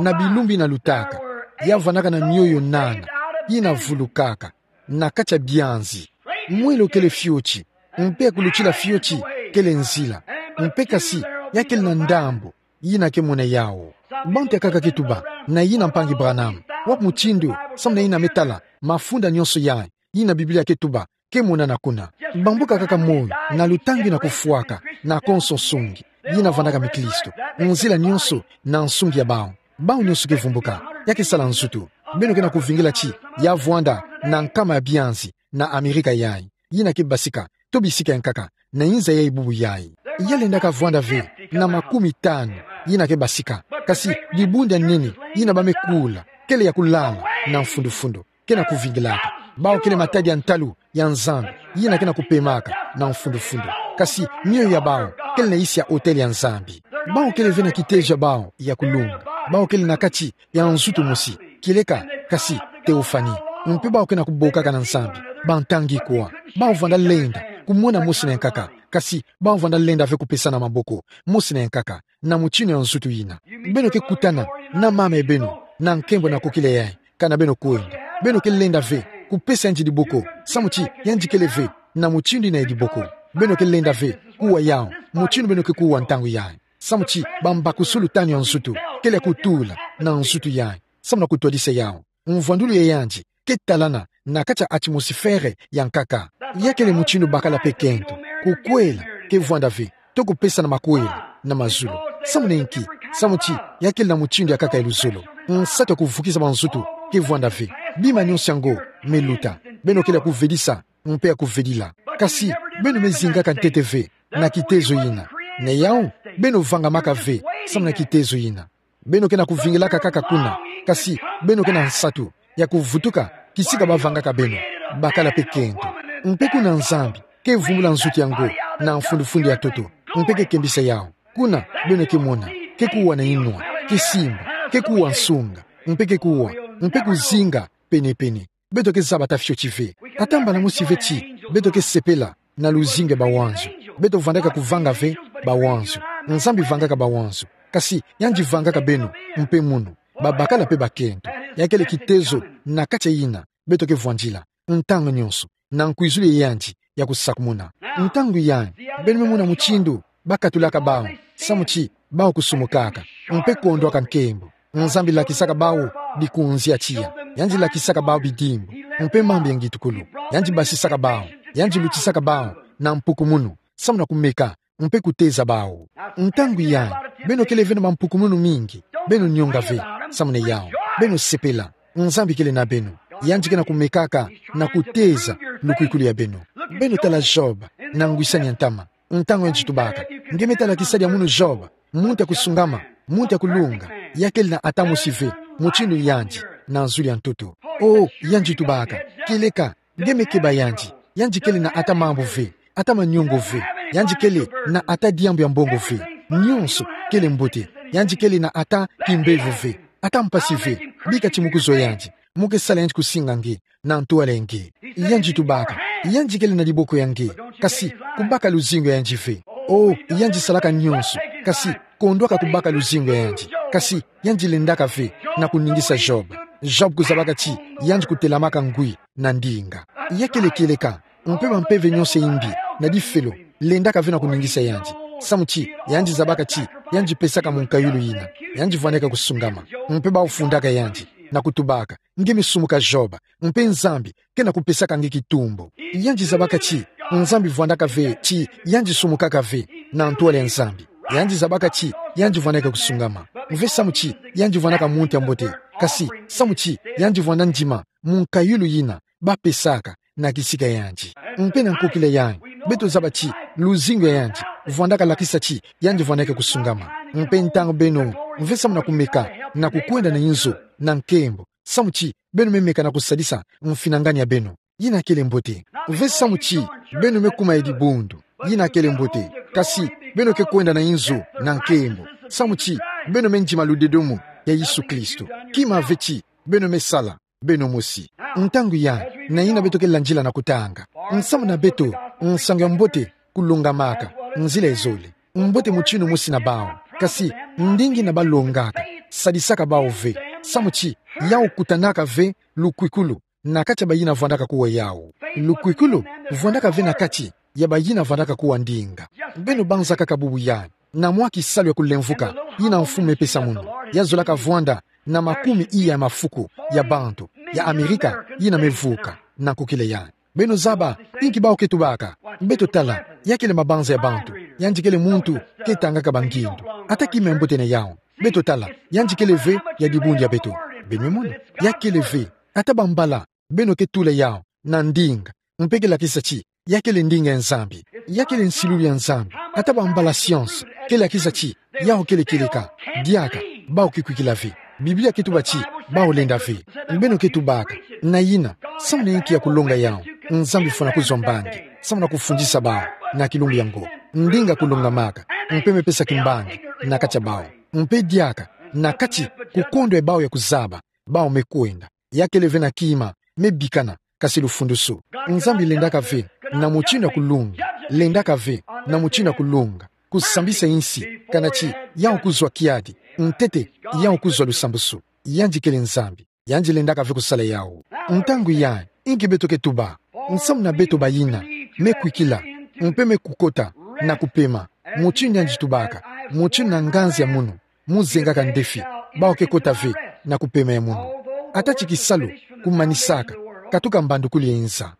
na bilumbu yina lutaka, ya vandaka na mioyo nana yina vulukaka na kati ya bianzi. Mwelo kele fioti, mpe ya kulutila fioti kele nzila, mpe kasi ya kele na ndambu yina ke mona yawu. Bantu ya kaka ke tuba: Na yina mpangi Branham, wapi mutindu, samu na yina me tala mafunda nyonso yayi yina Biblia ke tuba ke monana kuna? Bambuka kaka moyo na lutangi na kufwaka na konso nsungi yina vandaka miklisto, nzila nyonso na nsungi ya bawu. Bawu nyonso ke vumbuka, ya ke sala nzutu. Beno ke na kuvingila ti ya vwanda na nkama ya bianzi na Amerika yayi yina ke basika, to bisika ya nkaka, na inza yayi bubu yayi. Ya lendaka vwanda ve na makumi tanu yina ke basika, kasi dibundu ya nene yina ba me kula, kele ya kulala na mfundufundu, ke na kuvingilaka. Bawu kele matadi ya ntalu ya Nzambi yina ke na kupemaka na mfundufundu, kasi mioyo ya bawu kele na insi ya hôtel ya Nzambi. Bawu kele ve na kitezo ya bawu ya kulunga. Bawu kele na kati ya nzutu mosi, kieleka, kasi théophanie. Mpe bawu ke na kubokaka na Nzambi bantangi kwa. Bawu vwanda lenda kumona mosi na ya nkaka, kasi bawu vwanda lenda ve kupesana maboko mosi na ya nkaka na mutindu ya nzutu yina. Beno ke kutana na mama ya beno na nkembo na kokila yayi, kana beno kwenda. Beno ke lenda ve kupesa yandi diboko, samu ti yandi kele ve na mutindu yina ya diboko. Beno ke lenda ve kuwa yawu mutindu beno ke kuwa ntangu yayi, samu ti bambakusulu tanu ya nzutu kele ya kutula na nzutu yayi, samu na kutwadisa yawu. Mvwandulu ya yandi ke talana na kati ya atmosphère ya nkaka. Ya kele mutindu bakala pe kento, kukwela ke vwanda ve, to kupesana makwela na mazulu. Samu na inki? Samu ti ya kele na mutindu ya nkaka ya luzolo. Nsatu ya kuvukisa banzutu ke vwanda ve. Bima nyonso yango me luta. Beno kele ya kuvedisa mpe ya kuvedila. Kasi beno me zingaka ntete ve na kitezo yina. Na yawu, beno vangamaka ve samu na kitezo yina. Beno ke na kuvingilaka kaka kuna, kasi beno ke na nsatu ya kuvutuka kisika ba vangaka beno, bakala pe kento. Mpe kuna Nzambi ke vumbula nzutu yango na mfundufundu ya ntoto, mpe ke kembisa yawu. Kuna beno ke mona, ke kuwa na inwa, ke simba, ke kuwa nsunga, mpe ke kuwa, mpe kuzinga penepene. Beto ke zaba ata fioti ve. Ata mbala mosi ve ti beto ke sepela na luzingu ya bawanzu. Beto vandaka kuvanga ve bawanzu. Nzambi vangaka bawanzu. Kasi yandi vangaka beno mpe munu. Babakala pe bakento. Ya kele kitezo na kati ya yina beto ke vwandila ntangu nyonso, na nkwizulu ya yandi ya kusakumuna. Ntangu yayi, beno me mona mutindu bakatulaka bawu, samu ti bawu kusumukaka mpe kondwaka nkembo. Nzambi lakisaka bawu bikunzi ya tiya. Yandi lakisaka bawu bidimbu mpe mambu ya ngitukulu. Yandi basisaka bawu. Yandi lutisaka bawu na mpukumunu, samu na kumeka mpe kuteza bawu. Ntangu yayi, beno kele ve na bampukumunu mingi. Beno nyonga ve samu na yawu. Beno sepela. Nzambi kele na beno. Yandi ke na kumekaka na kuteza lukwikulu ya beno. Beno tala Job na ngwisani ya ntama. Ntangu yandi tubaka: Nge me tala kisadi ya munu Job, muntu ya kusungama, muntu ya kulunga, ya kele na ata mosi ve mutindu yandi na zulu ya ntoto. Oh, yandi tubaka: Kieleka, nge me keba yandi. Yandi kele na ata mambu ve, ata manyongo ve. Yandi kele na ata diambu ya mbongo ve. Nyonso kele mbote. Yandi kele na ata kimbevo ve, ata mpasi ve. Bika ti mu kuzwa yandi, mu ke sala yandi kusinga nge na ntwala ya nge. Yandi tubaka: Yandi kele na diboko ya nge, kasi kubaka luzingu ya yandi ve. Oh, yandi salaka nyonso, kasi kondwaka kubaka luzingu ya yandi. Kasi yandi lendaka ve na kuningisa Job. Job kuzabaka ti yandi kutelamaka ngwi na ndinga. Ya kele kieleka, mpe bampeve nyonso ya imbi na difelo lendaka ve na kuningisa yandi, samu ti yandi zabaka ti yandi pesaka munkayulu yina. Yandi vwandaka kusungama, mpe bawu fundaka yandi na kutubaka: Nge me sumuka Job, mpe Nzambi ke na kupesaka nge kitumbu. Yandi zabaka ti Nzambi vwandaka ve ti yandi sumukaka ve na ntwala ya Nzambi. Yandi zabaka ti yandi vwandaka kusungama, ve samu ti yandi vwandaka muntu ya mbote, kasi samu ti yandi vwanda ndima munkayulu yina bapesaka na kisika ya yandi. Mpe na nkokila yayi, beto zaba ti luzingu ya yandi vwandaka lakisa ti yandi vwandaka kusungama. Mpe ntangu beno ve samu na kumeka na kukwenda na inzo na nkembo, samu ti beno me meka na kusadisa mfinangani ya beno yina kele mbote. Ve samu ti beno me kuma ya dibundu yina kele mbote, kasi beno ke kwenda na inzo na nkembo, samu ti beno me ndima ludedomo ya Yesu Kristo. Kima ve ti beno me sala beno mosi. Ntangu ya, na yina beto ke landila na kutanga. Nsamu na beto, nsangu ya mbote, kulongamaka, nzila ezole. Mbote motinu mosi na bawu. Kasi, ndinga yina balongaka, sadisaka bawu ve. Samu ti, yawu kutanaka ve, lukwikulu, na kati ya bayina vwandaka kuwa yawu. Lukwikulu, vwandaka ve na kati, ya bayina vwandaka kuwa ndinga. Beno banzaka kaka bubu ya, na mwa kisalu ya kulemvuka, yina mfumu mepesa munu. Ya zolaka vwanda, na makumi iya ya mafuku, ya bantu, ya Amerika, yina mevuka, na kukila ya. Beno zaba, inki bawu ke tubaka. Beto tala, ya kele mabanza ya bantu, yandi kele muntu, ke tangaka bangindu. Ata kima ya mbote na yawu. Beto tala, yandi kele ve, ya dibundu ya beto. Beno mona, ya kele ve, ata bambala, beno ke tula yawu, na ndinga, mpe ke lakisa ti, ya kele ndinga ya Nzambi, ya kele nsilulu ya Nzambi, ata bambala science, ke lakisa ti, yawu kele kieleka, diaka, bawu ke kwikila ve. Biblia ke tuba ti, bawu lenda ve. Beno ke tubaka, na yina, samu na inki ya kulonga yawu, Nzambi fwana kuzwa mbangi, samu na kufundisa bawu, na kilumbu yango. Ndinga kulongamaka, mpe mepesa kimbangi, na kati ya bawu. Mpe diaka, na kati, kukondwa ya bawu ya kuzaba, bawu mekwenda. Ya kele ve na kima, mebikana, kasi lufundusu. Nzambi lendaka ve, na motinu ya kulonga. Lendaka ve, na motinu ya kulonga. Kusambisa insi, kana ti, yawu kuzwa kiadi. Ntete, yawu kuzwa lusambusu. Yandi kele Nzambi. Yandi lendaka ve kusala yawu. Ntangu ya, inki beto ke tuba. Nsamu na beto bayina, mekwikila, mpe mekukota, na kupema. Motinu yandi tubaka, motinu na nganzi ya munu, muzengaka ndefi, bawu ke kota ve, na kupema ya munu. Ata ti kisalu, kumanisaka, katuka mbandukulu ya inza.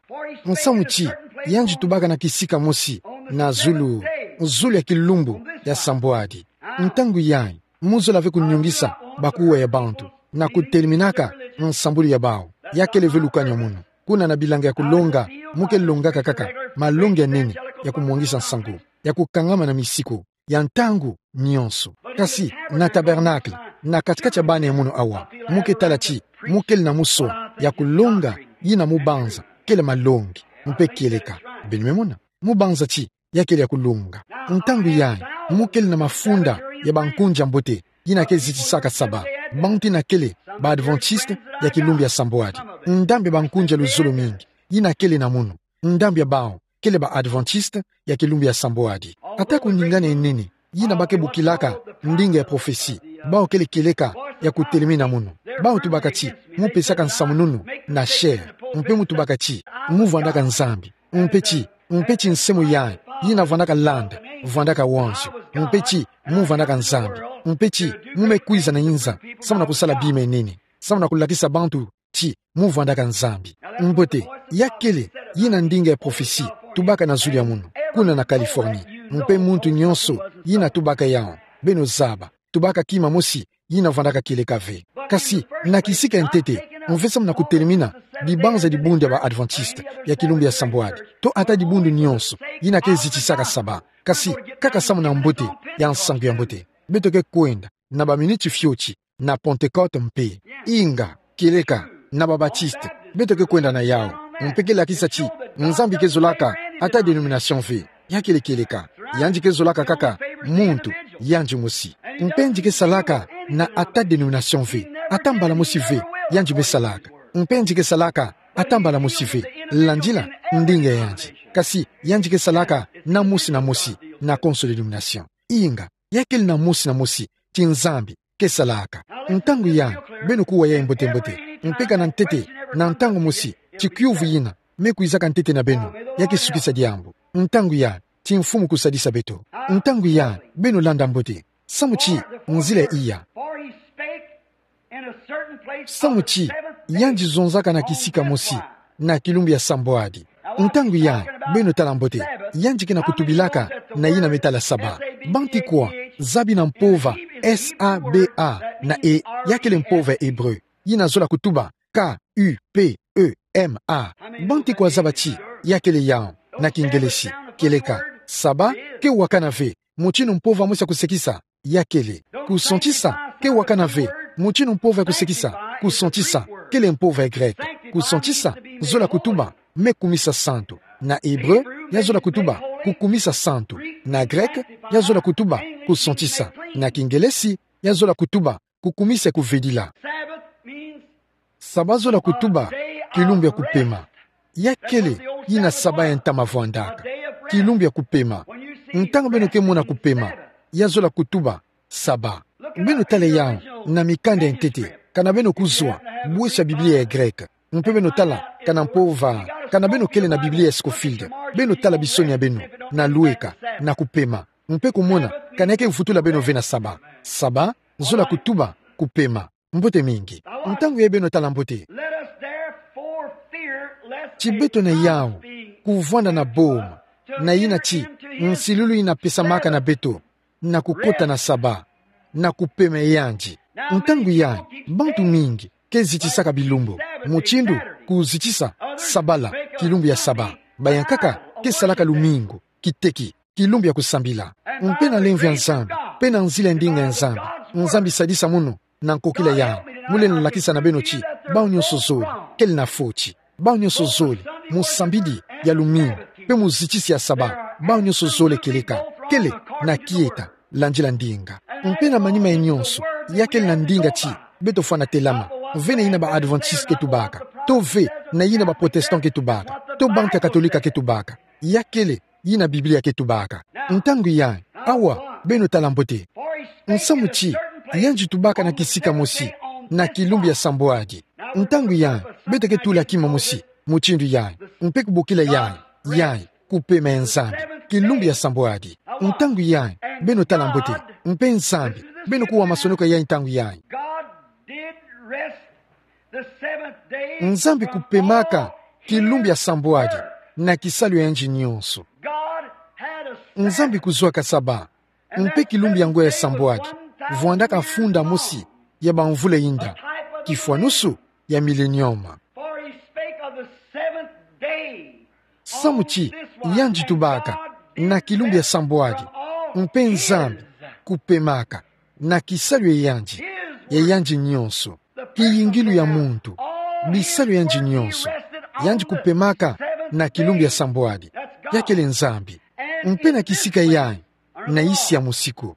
Nsamu ti, yandi tubaka na kisika mosi, na zulu, zulu ya kilumbu, ya sambwadi. Ntangu yayi, muzola ve kunyungisa, bakuwa ya bantu, na kuteleminaka, nsambulu ya bawu, ya kele ve lukani ya munu. Kuna na bilanga ya kulonga, mu ke longaka kaka, malongi ya nene, ya kumwangisa nsangu, ya kukangama na misiku, ya ntangu nyonso. Kasi, na tabernacle, na kati-kati ya bana ya munu awa, mu ke tala ti, mu kele na musoa, ya kulonga, yina mu banza, kele malongi, mpe kieleka. Beno me mona, mu banza ti, ya kele ya kulonga. Ntangu yayi, mu kele na mafunda, ya bankunzi ya mbote, yina ke zitisaka saba. Bantu yina kele, ba Adventiste, ya kilumbu ya sambwadi. Ndambu ya bankunzi ya luzolo mingi, yina kele na munu. Ndambu ya bawu, kele ba Adventiste, ya kilumbu ya sambwadi. Ata kuningana ya nene, yina ba ke bokilaka, ndinga ya prophetie, bawu kele kieleka, ya kutelemina munu. Bawu tubaka ti, mu pesaka nsamununu, na chair, mpe mu tubaka ti, mu vwandaka Nzambi, mpe ti, mpe ti nsemo yayi, yina vwandaka landa, vwandaka wanzu, mpe ti, mu vwandaka Nzambi, mpe ti, mu me kwiza na inza, samu na kusala bima ya nene, samu na kulakisa bantu, ti, mu vwandaka Nzambi. Mbote, ya kele, yina ndinga ya prophetie, tubaka na zulu ya munu, kuna na Californie. Mpe muntu nyonso, yina tubaka yawu, beno zaba, tubaka kima mosi, yina vwandaka kieleka ve. Kasi, na kisika ya ntete, mve samu na kutelemina, dibanza dibundu ya ba Adventiste, ya kilumbu ya sambwadi. To ata dibundu nyonso, yina ke zitisaka saba. Kasi, kaka samu na mbote, ya nsangu ya mbote. Beto ke kwenda, na ba miniti fioti, na Pentecôte mpe. Inga, kieleka, na ba Baptiste, beto ke kwenda na yawu. Mpe ke lakisa ti, Nzambi ke zolaka, ata dénomination ve. Ya kele kieleka, yandi ke zolaka kaka, muntu, yandi mosi. Mpe yandi ke salaka, na ata dénomination ve. Ata mbala mosi ve, yandi me salaka. Mpe yandi ke salaka, ata mbala mosi ve. Landila, ndinga ya yandi. Kasi, yandi ke salaka, na mosi na mosi, na konso dénomination. Inga, ya kele na mosi na mosi, ti Nzambi ke salaka. Ntangu yayi, beno kuwa yayi mbote-mbote. Mpe kana ntete, na ntangu mosi, ti kiuvu yina, me kwizaka ntete na beno, ya ke sukisa diambu. Ntangu yayi, ti Mfumu kusadisa beto. Ntangu yayi, beno landa mbote. Samu ti, nzila iya. Samu ti, yandi zonzaka na kisika mosi, na kilumbu ya sambwadi. Ntangu yayi, beno tala mbote, yandi ke na kutubilaka, na yina me tala saba. Bantikwa, zabi na mpova, S A B A, na E, ya kele mpova ya Hébreu. Yina zola kutuba, K U P E M A. Bantikwa zaba ti, ya kele yawu, na Kingelesi, kieleka, saba, ke wakana ve, motinu mpova mosi ya kusekisa, ya kele. Kusantisa, ke wakana ve, motinu mpova ya kusekisa, kusantisa, kele mpova ya grec. Kusantisa, zola kutuba, me kumisa santu. Na hébreu, ya zola kutuba, kukumisa santu. Na grec, ya zola kutuba, kusantisa. Na Kingelesi, ya zola kutuba, kukumisa kuvedila. Saba zola kutuba kilumbu ya kupema. Ya kele yina Saba ya ntama vwandaka. Kilumbu ya kupema. Ntangu beno ke mona kupema, ya zola kutuba Saba. Beno tala yawu na mikanda ya ntete, kana beno kuzwa bweso ya Biblia ya Greke. Mpe beno tala kana mpova, kana beno kele na Biblia ya Scofield, beno tala bisoni ya beno na lweka na kupema, mpe kumona kana ya ke vutula beno ve na Saba. Saba zola kutuba kupema. Mbote mingi. Ntangu yayi beno tala mbote. Let us therefore fear lest Ti a beto na yawu, house be kuvwanda na boma, na yina ti nsilulu yina pesamaka na beto, na kukota na Saba, na kupema yandi. Ntangu yayi, bantu mingi ke zitisaka bilumbu, mutindu kuzitisa Sabala, kilumbu ya Saba. Bayankaka ke salaka lumingu, kiteki, kilumbu ya kusambila. Mpe na lemvo ya Nzambi, mpe na nzila ya ndinga ya Nzambi, Nzambi sadisa mono na nkokila yayi, mu lenda lakisa na beno ti bawu nyonso zole kele na foti. Bawu nyonso zole, mu sambidi ya lumingu, mpe mu zitisi ya Saba, bawu nyonso zole kieleka kele na kieta, landila ndinga. Mpe na manima ya nyonso, ya kele na ndinga ti beto fwana telama ve na yina ba Adventiste ke tubaka, to ve na yina ba Protestant ke tubaka, to bantu ya Katolika ke tubaka. Ya kele yina Biblia ke tubaka. Ntangu yayi, awa, beno tala mbote. Nsamu ti yandi tubaka na kisika mosi, na kilumbu ya sambwadi. Ntangu yayi, beto ke tula kima mosi, mutindu yayi, mpe kubokila yayi, yayi kupema ya Nzambi, kilumbu ya sambwadi. Ntangu yayi, beno tala mbote, mpe Nzambi, beno kuwa masonoko yayi ntangu yayi. God did rest the seventh day Nzambi from kupemaka all kilumbu ya sambwadi, na kisalu ya yandi nyonso. God had a Nzambi kuzwaka Saba, mpe kilumbu yango ya sambwadi vwandaka funda mosi ya bamvula inda, kifwanusu ya milenium. For he spake of the seventh day. Samu ti yandi tubaka na kilumbu ya sambwadi, mpe Nzambi kupemaka na kisalu ya yandi, ya yandi nyonso, kiyingilu ya muntu, bisalu ya yandi nyonso, yandi kupemaka na kilumbu ya sambwadi, ya kele Nzambi. Mpe na kisika yayi, na nsi ya musiku,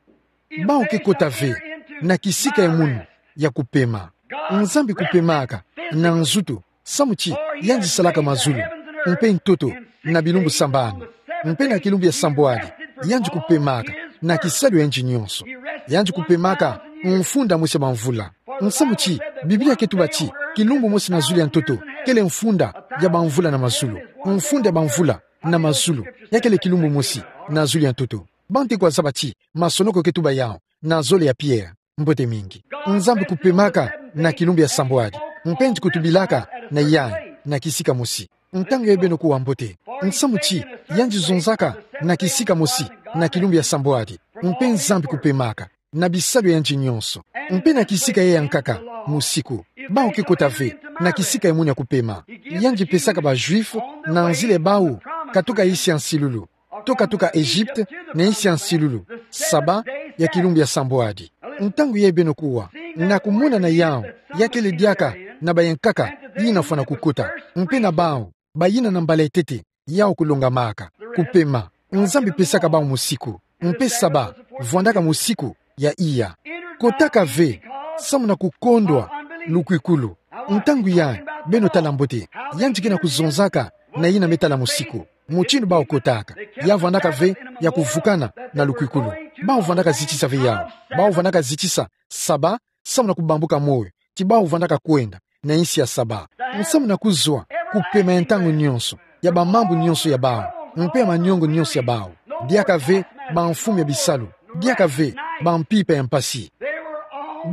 bawu ke kota ve na kisika ya munu ya kupema. Nzambi kupemaka na nzutu, samu ti yandi salaka mazulu, mpe ntoto, na bilumbu sambanu. Mpe na kilumbu ya sambwadi, yandi kupemaka na kisalu ya yandi nyonso. Yandi kupemaka mfunda mosi ya bamvula. Nsamu ti Biblia ke tuba ti kilumbu mosi na zulu ya ntoto kele mfunda ya bamvula na mazulu. Mfunda ya bamvula na mazulu, ya kele kilumbu mosi na zulu ya ntoto. Bantu kwa zaba ti masonoko ke tuba yawu na zole ya Pierre. Mbote mingi. Nzambi kupemaka na kilumbu ya sambwadi, mpe yandi kutubilaka na yayi na kisika mosi. Ntangu yayi beno kuwa mbote. Nsamu ti yandi zonzaka na kisika mosi na kilumbu ya sambwadi, mpe Nzambi kupemaka na bisalu ya yandi nyonso. Mpe na kisika yayi ya nkaka, musiku, bawu ke kota ve na kisika ya munu ya kupema. Yandi pesaka ba Juifs, na nzila ya bawu katuka nsi ya nsilulu, to katuka Egypte na nsi ya nsilulu, Saba ya kilumbu ya sambwadi. Ntangu yayi beno kuwa na kumona na yawu, ya kele diaka na bayankaka yina fwana kukota, mpe na bawu bayina na mbala ya ntete yawu kulongamaka, kupema. Nzambi pesaka bawu musiku, mpe Saba vwandaka musiku ya iya. Kotaka ve samu na kukondwa lukwikulu. Ntangu yayi, beno tala mbote, yandi ke na kuzonzaka na yina me tala musiku, mutindu bawu kotaka. Ya vwandaka ve ya kuvukana na lukwikulu. Bawu vwandaka zitisa ve yawu. Bawu vwandaka zitisa Saba samu na kubambuka moyo ti bawu vwandaka kwenda na nsi ya Saba. Nsamu na kuzwa kupema ya ntangu nyonso, ya bamambu nyonso ya bawu, mpe ya maniongo nyonso ya bawu. Diaka ve bamfumu ya bisalu, diaka ve bampimpa ya mpasi.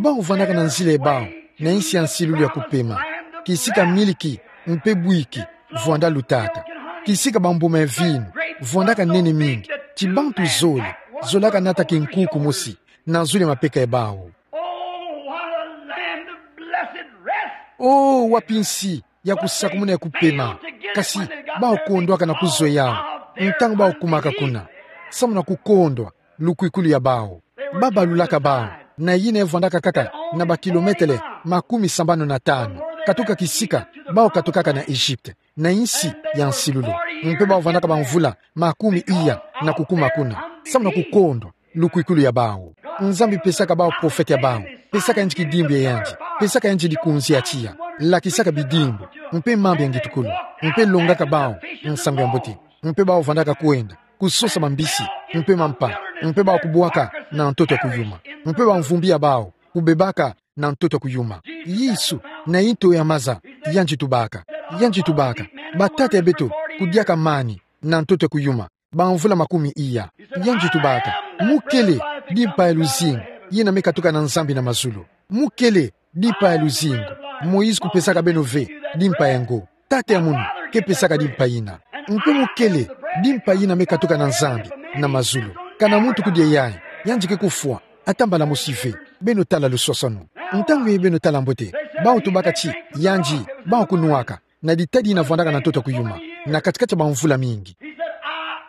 Bawu vwandaka na nzila ya bawu na nsi ya nsilulu ya kupema, kisika miliki mpe bwiki vwanda lutaka, kisika bambuma ya vinu vwandaka nene mingi, ti bantu zole zolaka nata kinkuku mosi na zulu ya mapeka ya bawu. Oh, what a land of blessed rest! Oh, wapi nsi ya kusakumuna ya kupema! Kasi bawu kondwaka na kuzwa yawu ntangu bawu kumaka kuna, samu na kukondwa lukwikulu ya bawu. Ba balulaka bawu na yina vwandaka kaka na bakilometele makumi sambanu na tanu katuka kisika bawu katukaka na Egypte, na nsi ya nsilulu. Mpe bawu vwandaka bamvula makumi iya na kukuma kuna, samu na kukondwa lukwikulu ya bawu. Nzambi pesaka bawu profete ya bawu, Pesaka yandi kidimbu ya yandi. Pesaka yandi likunzi ya tiya. Lakisaka bidimbu. Mpe mambu ya ngitukulu. Mpe longaka bawu nsangu ya mbote. Mpe bawu vandaka kwenda kusosa mambisi mpe mampa. Mpe bawu kubwaka na ntoto ya kuyuma. Mpe bamvumbi ya bawu kubebaka na ntoto ya kuyuma. Yesu, na nto ya maza, yandi tubaka. Yandi tubaka: Batata ya beto kudiaka mani na ntoto ya kuyuma bamvula makumi iya. Yandi tubaka: Mu kele dimpa ya luzingu yina me katuka na Nzambi na mazulu. Mu kele dimpa ya luzingu. Moïse kupesaka beno ve dimpa yango. Tata ya munu ke pesaka dimpa yina. Mpe mu kele dimpa yina me katuka na Nzambi na mazulu. Kana muntu kudia yayi, yandi ke kufwa ata mbala mosi ve. Beno tala luswaswanu. Ntangu yayi beno tala mbote. Bawu tubaka ti yandi, bawu kunwaka na ditadi yina vwandaka na ntoto ya kuyuma na kati-kati ya bamvula mingi. He said,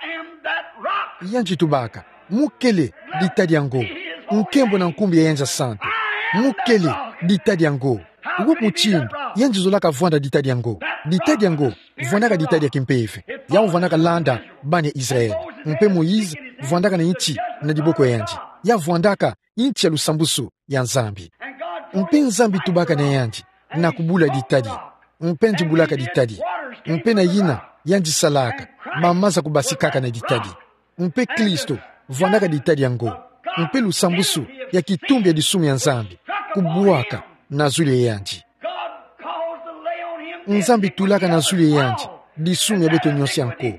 "I am that rock." Yandi tubaka: Mu kele ditadi yango. Nkembo na nkumbu ya yandi ya santu. Mu kele ditadi yango. Wapi mutindu yandi zolaka vwanda ditadi yango? Ditadi yango vwandaka ditadi ya kimpeve. Yawu vwandaka landa bana ya Israël. Mpe Moïse vwandaka na nti na diboko ya yandi. Ya vwandaka nti ya lusambusu ya Nzambi. Mpe Nzambi tubaka na yandi: Na kubula ditadi. Mpe yandi bulaka ditadi. Mpe na yina yandi salaka, bamaza kubasikaka na ditadi. Mpe Kristo vwandaka ditadi yango. Mpe lusambusu ya kitumbi ya disumu ya Nzambi kubwaka na zulu ya yandi. Nzambi tulaka na zulu ya yandi disumu ya beto nyonso ya nko.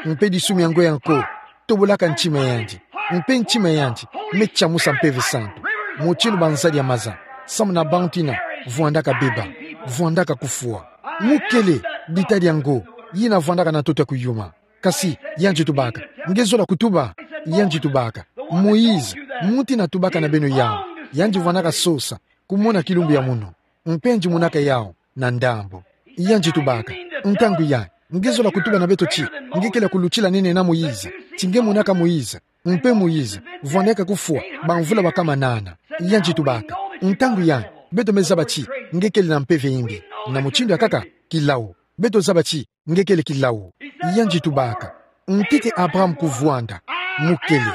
Mpe disumu yango ya nko tobolaka ntima ya yandi. Mpe ntima ya yandi me tiamusa Mpeve Santu. Mutindu banzadi ya maza, samu na bantu yina vwandaka beba, vwandaka kufwa. Mu kele ditadi yango yina vwandaka na ntoto ya kuyuma. Kasi yandi tubaka: Nge zola kutuba? Yandi tubaka: Moïse, muntu yina tubaka na beno yawu, yandi vwandaka sosa kumona kilumbu ya munu. Mpe yandi monaka yawu na ndambu. Yandi tubaka: Ntangu yayi nge zola kutuba na beto ti nge kele ya kulutila nene na Moïse? Ti nge monaka Moïse? Mpe Moïse vwandaka kufwa bamvula bakama nana. Yandi tubaka: Ntangu yayi beto me zaba ti nge kele na mpeve imbi. Na mutindu ya nkaka, kilawu, beto zaba ti nge kele kilawu. Yandi tubaka: Ntete Abraham kuvwanda, mu kele.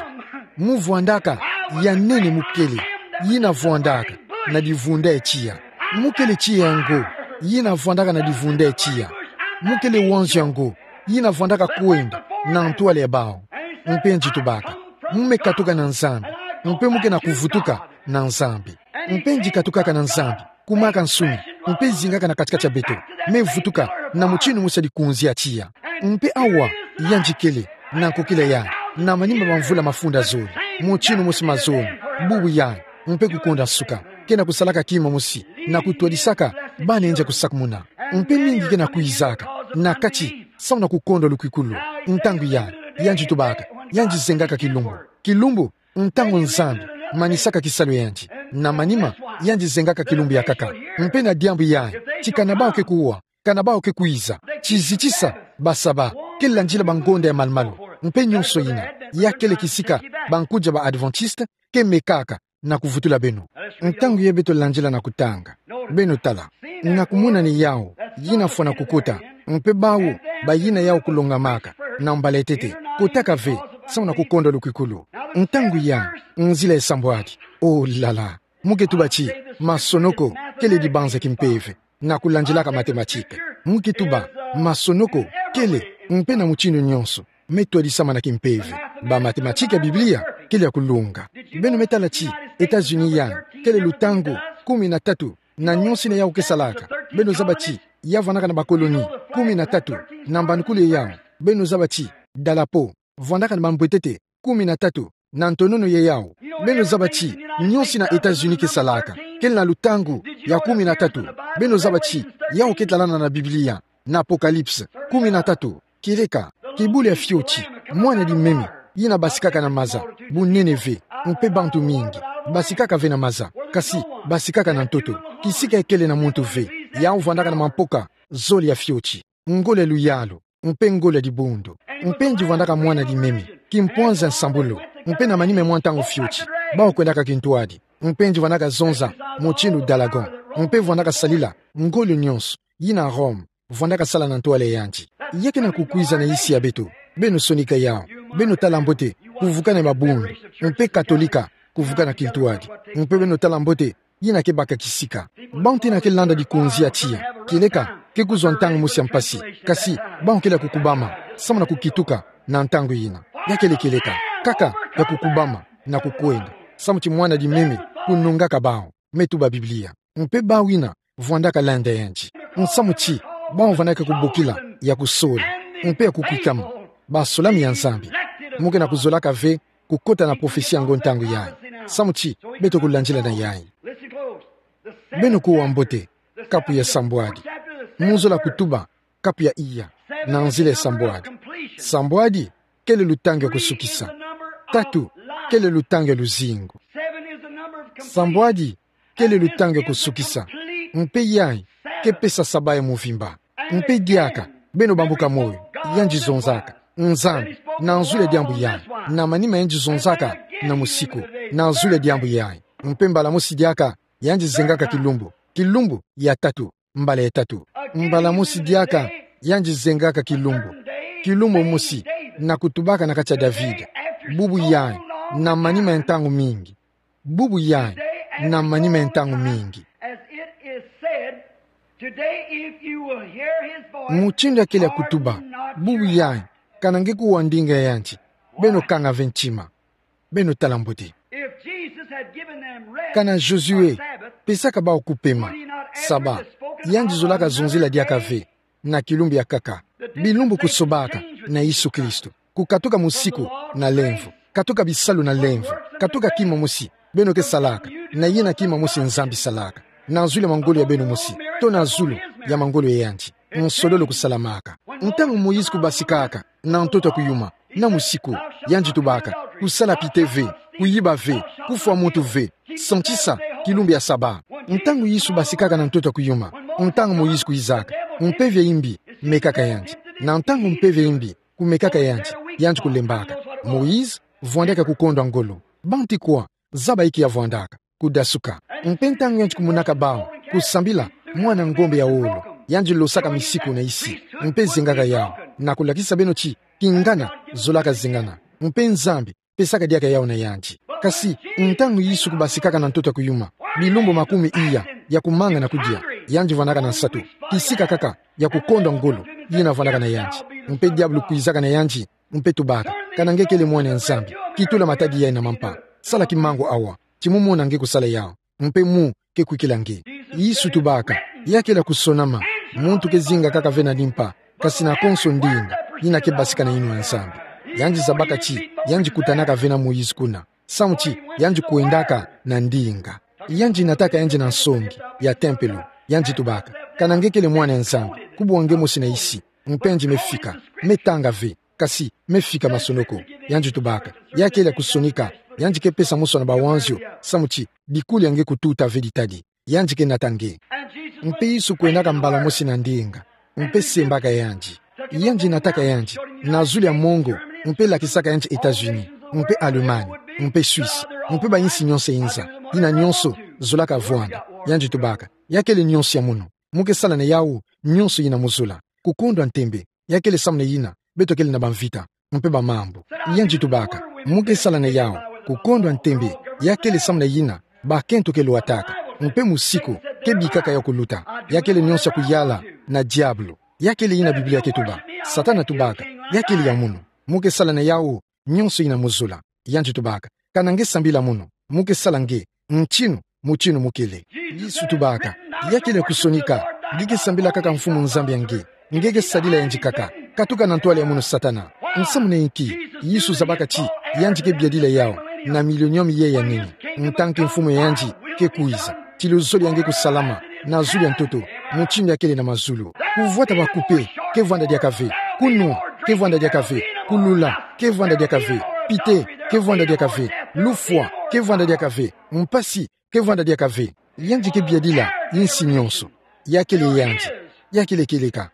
Mu vwandaka ya nene, mu kele, yina vwandaka na divunda ya tiya. Mu kele tiya yango, yina vwandaka na divunda ya tiya. Mu kele wanzu yango, yina vwandaka kwenda na ntwala ya bawu. Mpe yandi tubaka: Mu me katuka na Nzambi, mpe mu ke na kuvutuka na Nzambi. Mpe yandi katukaka na Nzambi, kumwaka nsuni, mpe zingaka na kati-kati ya beto, me vutuka na mutindu mosi ya likunzi ya tiya. Mpe awa yandi kele, na nkokila yayi, na manima bamvula mafunda zole, mutindu mosi mazono, bubu yayi, mpe kukonda nsuka, ke na kusalaka kima mosi na kutwadisaka bana yandi ya kusakumuna. Mpe mingi ke na kwizaka na kati, samu na kukondwa lukwikulu. Ntangu yayi, yandi tubaka, yandi zengaka kilumbu. Kilumbu, ntangu Nzambi manisaka kisalu ya yandi. Na manima, yandi zengaka kilumbu ya nkaka. Mpe na diambu yayi, ti kana bawu ke kuwa, kana bawu ke kwiza, ti zitisa basaba, ke landila bangonda ya malu-malu, mpe nyonso yina, ya kele kisika bankudia ba Adventiste ke mekaka na kuvutula beno. Ntangu yayi beto landila na kutanga. Beno tala, na kumonani yawu yina fwana kukota, mpe bawu bayina yawu kulongamaka na mbala ya ntete, kotaka ve, samu na kukondwa lukwikulu. Ntangu yayi, nzila esambwadi. Oh là là. Mu ke tuba ti masonoko kele dibanza kimpeve na kulandilaka mathématique. Mu ke tuba masonoko kele, mpe na mutindu nyonso, me twadisamana kimpeve. Ba mathématique ya Biblia kele ya kulunga. Beno me tala ti États-Unis yayi kele lutangu kumi na tatu na nyonso yina yawu ke salaka. Beno zaba ti ya vwandaka na ba colonie kumi na tatu, na mbandukulu ya yawu, beno zaba ti dalapo vwandaka na bambwetete kumi na tatu, na ntonono ya yawu. Beno zaba ti nyonso yina États-Unis ke salaka kele na lutangu ya kumi na tatu. Beno zaba ti yawu ke talana na Biblia, na Apocalypse kumi na tatu. Kieleka, kibulu ya fioti, mwana limemi, yina basikaka na maza, bunene ve, mpe bantu mingi basikaka ve na maza, kasi basikaka na ntoto, kisika ikele na muntu ve. Yawu vwandaka na mampoka zole ya fioti, ngolo ya luyalu, mpe ngolo ya dibundu. Mpe yandi vwandaka mwana limemi, kimpwanza nsambulu, mpe na manima mwa ntangu fioti, bawu kwendaka kintwadi. Mpe yandi vwandaka zonza mutindu dalagon, mpe vwandaka salila ngolo nyonso yina Rome vwandaka sala na ntwala ya yandi. Ya ke na kukwiza na yisi ya beto. Beno sonika yawu. Beno tala mbote, kuvukana ya mabundu, mpe Katolika kuvukana kintwadi. Mpe beno tala mbote, yina kebaka kisika. Bau tena kelanda dikunzi ya tiya. Kieleka, ke kuzwa ntangu mosi ya mpasi. Kasi, bau kele ya kukubama, samu na kukituka, na ntangu yina. Ya kele kieleka, kaka, ya kukubama, na kukwenda. Samu ti mwana di mimi, kunungaka bau. Me tuba Biblia. Mpe bau yina, vwandaka landa yandi. Nsamu ti, bau vwandaka kubokila, ya kusola. Mpe ya kukwikama. Basolami ya Nzambi. Mu ke na kuzolaka ve, kukota na profesi yango ntangu yayi. Samu ti, beto kulandila na yayi. Beno kuwa mbote, kapu ya sambwadi. Mu zola kutuba, kapu ya iya, na nzila ya sambwadi. Sambwadi, kele lutangi ya kusukisa. Tatu, kele lutangi ya luzingu. Sambwadi, kele lutangi ya kusukisa. Mpe yayi, ke pesa saba ya muvimba. Mpe diaka, beno bambuka moyo, yandi zonzaka. Nzambi, na nzula diambu yayi. Na manima yandi zonzaka, na musiku. Na nzula diambu yayi. Mpe mbala mosi diaka, yandi zengaka kilumbu. Kilumbu, ya tatu. Mbala ya tatu. Mbala mosi diaka, yandi zengaka kilumbu. Kilumbu mosi, na kutubaka na kati ya David. Bubu yayi, na manima ya ntangu mingi. Bubu yayi, na manima ya ntangu mingi. As it is said, today, if you will hear his voice, Mutindu ya kele ya kutuba, harden not bubu your yayi, heart. Kana nge kuwa ndinga ya yandi, beno kanga ve ntima. Beno tala mbote. If Jesus had given them rest Kana Josué, on Sabbath, pesaka bau kupema, would he not afterwards Saba, have spoken yandi of zolaka another zonzila diaka day? Ve, na kilumbu ya kaka. Bilumbu kusobaka, na Yesu Kristo. Kukatuka musiku, na lemvo. Katuka bisalu na lemvo. Katuka kima mosi, beno ke salaka. Na yina kima mosi Nzambi salaka. Na zulu ya mangolo ya beno mosi. To na zulu, ya mangolo ya yandi. Nsololo kusalamaka. Ntangu Moïse kubasikaka, na ntoto ya kuyuma, na musiku, yandi tubaka, kusala pite ve, kuyiba ve, kufwa muntu ve, santisa, kilumbu ya Saba. Ntangu Yesu basikaka na ntoto ya kuyuma, ntangu Moïse kuizaka, mpeve ya imbi, mekaka yandi. Na ntangu mpeve ya imbi, kumekaka yandi, yandi kulembaka. Moïse, vwandaka kukondwa ngolo. Bantu kwa, zaba inki ya vwandaka. Kudasuka. Mpe ntangu yandi kumonaka bau, kusambila, mwana ngombe ya wolo. Yandi losaka misiku na isi. Mpe zengaka yau. Na kulakisa beno ti, kingana, zolaka zengana. Mpe Nzambi, pesaka diaka yau na yandi. Kasi, ntangu Yesu kubasikaka na ntoto ya kuyuma. Bilumbu makumi iya, ya kumanga na kudia. Yandi vwandaka na nsatu. Kisika kaka, ya kukondwa ngolo, yina vwandaka na yandi. Mpe diabulu kuizaka na yandi, mpe tubaka. Kana nge kele mwana ya Nzambi. Kitula matadi yayi na mampa. Sala kimangu awa. Ti mu mona nge kusala yau. Mpe mu, ke kwikila nge. Yesu tubaka. Ya kele ya kusonama. Muntu ke zinga kaka ve na limpa. Kasi na konso ndinga. Yina ke basika na yinwa ya Nzambi. Yandi zabaka ti. Yandi kutanaka ve na Moïse kuna. Samu ti. Yandi kwendaka na ndinga. Yandi nataka yandi na nsongi. Ya tempelo. Yandi tubaka. Kana nge kele mwana ya Nzambi. Kubwa nge mosi na isi. Mpe yandi mefika. Metanga ve. Kasi, mefika masonoko. Yandi tubaka. Ya kele ya kusonika. Yandi ke pesa mosi na bawanzio. Samu ti, bikuli ya nge kututa ve ditadi. Yandi ke nata nge. Mpe Yesu kwendaka mbala mosi na ndinga. Mpe sembaka yandi. Yandi nataka yandi. Na zulu ya mongo. Mpe lakisaka yandi États-Unis. Mpe Allemagne. Mpe Suisse. Mpe bayinsi nyonso ya inza. Yina nyonso, zolaka vwanda. Yandi tubaka. Ya kele nyonso ya munu. Mu ke sala na yau, nyonso yina mu zola. Kukondwa ntembe. Ya kele samu na yina, beto kele na bamvita, mpe bamambu. Yandi tubaka, mu ke sala na yau, kukondwa ntembe, ya kele samu na yina, bakento ke lwataka, mpe musiku, ke bikaka yau kuluta, ya kele nyonso ya kuyala, na diabulu, ya kele yina Biblia ke tuba, Satana tubaka, ya kele ya munu, mu ke sala na yau, nyonso yina mu zola, yandi tubaka, kana nge sambila munu, mu ke sala nge, ntinu, mutinu mu kele. Yesu tubaka, ya kele ya kusonika, nge ke sambila kaka Mfumu Nzambi ya nge, nge ke sadila yandi kaka, katuka na ntwala ya munu Satana. Nsamu na inki, Yesu zabaka ti, yandi ke biadila yau, na milenium ye ya nini, ntangu Mfumu ya yandi, ke kwiza, ti luzolo ya nge kusalama, na zulu ya ntoto, mutinu ya kele na mazulu. Kuvwata bakupe, ke vwanda diaka ve, kunwa, ke vwanda diaka ve, kulula, ke vwanda diaka ve, pite, ke vwanda diaka ve, lufwa, ke vwanda diaka ve, mpasi, ke vwanda diaka ve, yandi ke biadila, insi nyonso. Ya kele yandi, ya kele kieleka,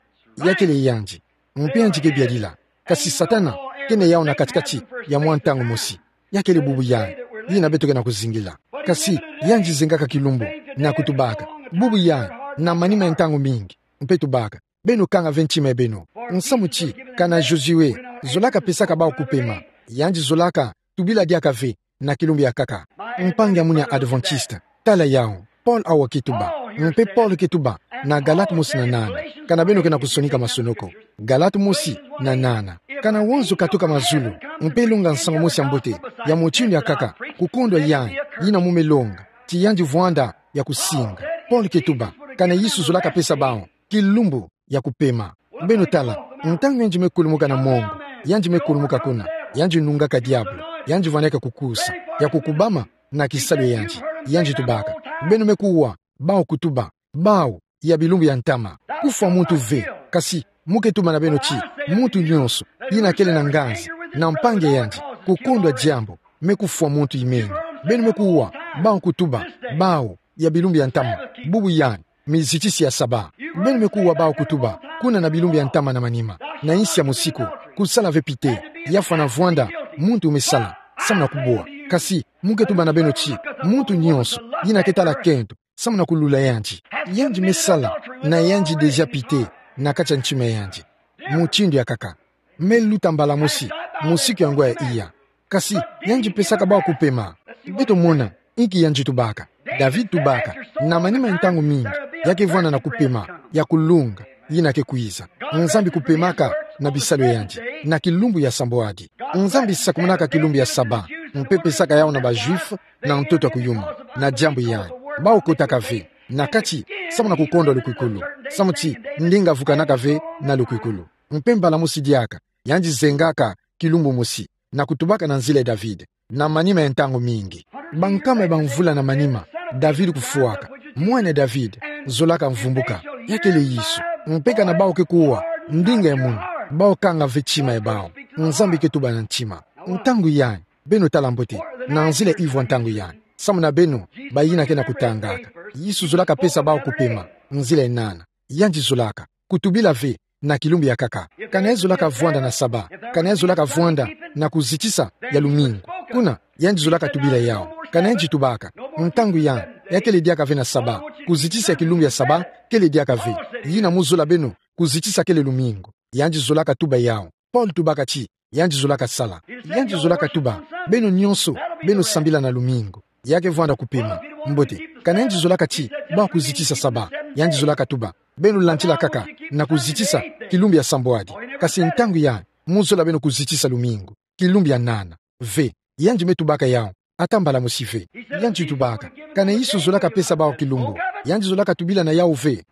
ya kele yandi, mpe yandi ke biadila. Kasi Satana, ke na yau na kati-kati, ya mwa ntangu mosi. Ya kele bubu yayi, yina beto ke na kuzingila. Kasi, yandi zengaka kilumbu, na kutubaka. Bubu yayi, na manima ya ntangu mingi, mpe tubaka. Beno kanga ve ntima ya beno. Nsamu ti, kana Josué, zolaka pesaka bau kupema. Yandi zolaka, tubila diaka ve, na kilumbu ya kaka. Mpangi ya munu ya Adventiste, tala yau. Paul awa ke tuba. Mpe Paul ke tuba na Galate mosi na nana. Kana beno ke na kusonika masonoko. Galate mosi na nana. Kana wazo katuka mazulu, mpe longa nsangu mosi ya mbote ya mutindu ya kaka, kukondwa yayi, yina mo me longa, ti yandi vwanda ya kusinga. Paul ke tuba, kana Yesu zolaka pesa bawu kilumbu ya kupema. Beno tala, ntangu yandi me kulumuka na mongo, yandi me kulumuka kuna, yandi nungaka diabolo, yandi vwanaka kukusa, ya kukubama na kisalu ya yandi, yandi tubaka. Beno me kuwa bawu kutuba, bawu ya bilumbu ya ntama. Kufwa muntu ve, kasi mo ke tuba na beno ti, muntu nyonso yina kele na nganzi na mpangi ya yandi, kukondwa diambu, me kufwa muntu imeni. Beno me kuwa bawu kutuba, bawu ya bilumbu ya ntama, bubu yayi, mizitisi ya saba. Beno me kuwa bawu kutuba, kuna na bilumbu ya ntama na manima, na insi ya musiku, kusala ve pite, ya fwana vwanda muntu me sala, samu na kubwa. Kasi mo ke tuba na beno ti, muntu nyonso yina ke tala kento samu na kulula yandi, yandi me sala na yandi déjà pite na kati ya ntima ya yandi. Mutindu ya kaka, me luta mbala mosi musiku yango ya iya. Kasi yandi pesaka bawu kupema. Beto mona inki yandi tubaka. David tubaka, na manima ya ntangu mingi, ya ke vwanda na kupema ya kulunga yina ke kwiza. Nzambi kupemaka na bisalu ya yandi na kilumbu ya sambwadi. Nzambi sakumunaka kilumbu ya saba, mpe pesaka yawu na ba Juifs na ntoto ya kuyuma. Na diambu yayi, bawu kotaka ve na kati samu na kukondwa lukwikulu, samu ti ndinga vukanaka ve na lukwikulu. Mpe mbala mosi diaka, yandi zengaka kilumbu mosi na kutubaka na nzila ya David, na manima ya ntangu mingi. Bankama ya bamvula na manima, David kufwaka, mwana ya David zolaka mvumbuka, ya kele Yesu. Mpe kana bawu ke kuwa ndinga ya munu, bawu kanga ve tima ya bawu. Nzambi ke tuba na ntima. Ntangu yayi, beno tala mbote, na nzila ivwa ntangu yayi, samu na beno bayina ke na kutangaka, Yesu zolaka pesa bawu kupema. Nzila ya nana, yandi zolaka kutubila ve na kilumbu ya kaka. Kana yandi zolaka vwanda na saba, kana yandi zolaka vwanda na kuzitisa ya lumingu, kuna yandi zolaka tubila yawu. Kana yandi tubaka, ntangu yayi, ya kele diaka ve na saba, kuzitisa ya kilumbu ya saba kele diaka ve. Yina mo zola beno, kuzitisa kele lumingu. Yandi zolaka tuba yawu. Paul tubaka ti, yandi zolaka sala. Yandi zolaka tuba, beno nyonso, beno sambila na lumingu. Ya ke vwanda kupema. Mbote, kana yandi zolaka ti bawu kuzitisa saba, yandi zolaka tuba, beno landila kaka na kuzitisa kilumbu ya sambwadi. Kasi ntangu yayi, mo zola beno kuzitisa lumingu, kilumbu ya nana. Ve, yandi me tubaka yawu ata mbala mosi ve. Yandi tubaka, kana Yesu zolaka pesa bawu kilumbu, yandi zolaka tubila na yawu ve.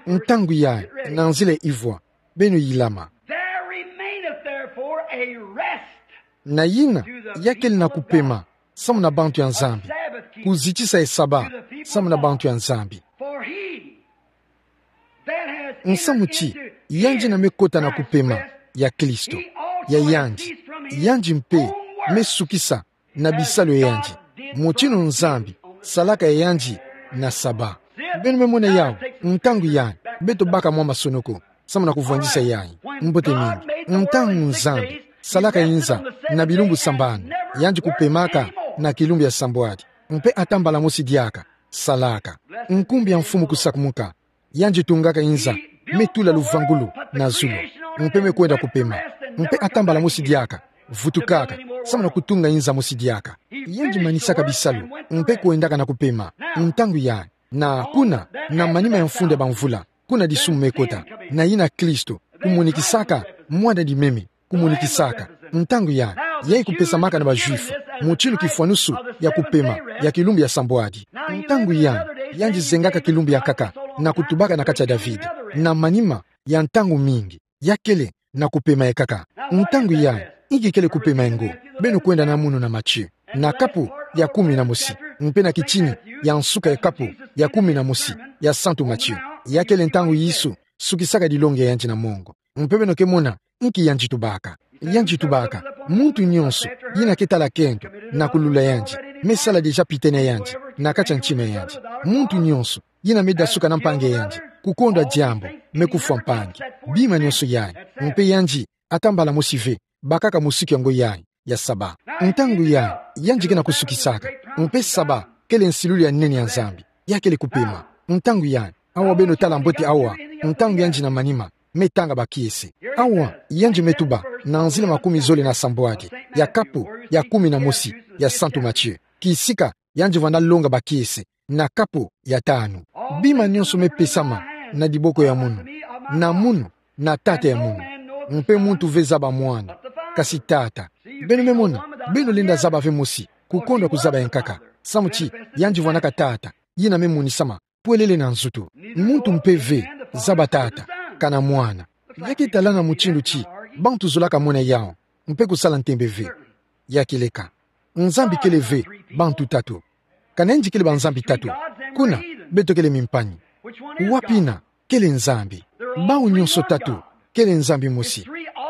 Ntangu yayi, na nzila ivwa, beno yilama. There remaineth therefore a rest. Na yina, ya kele na kupema samu na bantu ya Nzambi, kuzitisa ya saba samu na bantu ya Nzambi. For he that has Nsamu ti, entered into yandi na me kota na kupema ya Kristo, ya yandi, yandi mpe me sukisa na bisalu ya yandi, mutindu Nzambi salaka ya yandi na saba. Beno me mona yawu, ntangu yayi, beto baka mwa masonoko samu na kuvwandisa yayi. Mbote mingi, ntangu Nzambi salaka inza na bilumbu sambanu, yandi kupemaka na kilumbu ya sambwadi. Mpe ata mbala mosi diaka salaka. Nkumbu ya Mfumu kusakumuka. Yandi tungaka inza, me tula luvangulu na zulu, mpe me kwenda kupema. Mpe ata mbala mosi diaka vutukaka samu na kutunga inza mosi diaka. Yandi manisaka bisalu, mpe kwendaka na kupema. Ntangu yayi, na kuna, na manima ya mfunda ya bamvula, kuna disumu me kota, na yina Kristo kumunikisaka mwana dimeme, kumunikisaka. Ntangu yayi, yayi kupesamaka na ba Juifs mutindu kifwanusu ya kupema ya kilumbu ya sambwadi. Ntangu yayi, yandi zengaka kilumbu ya nkaka na kutubaka na kati ya David, na manima ya ntangu mingi, ya kele na kupema ya nkaka. Ntangu yayi, inki kele kupema yango? Beno kwenda na munu na Matthieu, na kapu ya kumi na mosi, mpe na kitini ya nsuka ya kapu ya kumi na mosi ya Santu Matthieu. Ya kele ntangu Yesu sukisaka dilongi ya yandi na mongo. Mpe beno ke mona inki yandi tubaka. Yandi tubaka, muntu nyonso yina ke tala kento na kulula yandi, me sala déjà pite na yandi na kati ya ntima ya yandi. Muntu nyonso yina me dasuka na mpangi ya yandi, kukondwa diambu, me kufwa mpangi. Bima nyonso yayi, mpe yandi ata mbala mosi ve bakaka musiku yango yayi ya saba. Ntangu yayi, yandi ke na kusukisaka. Mpe saba kele nsilulu ya nene ya Nzambi, ya kele kupema. Ntangu yayi, awa beno tala mbote awa, ntangu yandi na manima, me tanga bakiese. Awa, yandi me tuba, na nzila makumi zole na sambwadi ya kapu ya kumi na mosi ya Santu Matthieu, kisika yandi vwanda longa bakiese na kapo ya tanu. Bima nyonso mepesama na diboko ya munu, na munu, na Tata ya munu. Mpe muntu ve zaba Mwana, kasi Tata. Beno memona, beno lenda zaba ve mosi, kukondwa kuzaba yankaka. Samu ti, yandi vwandaka Tata, yina memonisama, pwelele na nzutu. Muntu mpe ve zaba Tata, kana Mwana. Ya ke tala na mutindu ti, bantu zolaka mona yawu, mpe kusala ntembe ve. Ya keleka. Nzambi kele ve, bantu tatu. Kana yandi kele banzambi tatu. Kuna, beto kele mimpani. Wapi yina, kele Nzambi. Bawu nyonso tatu, kele Nzambi mosi.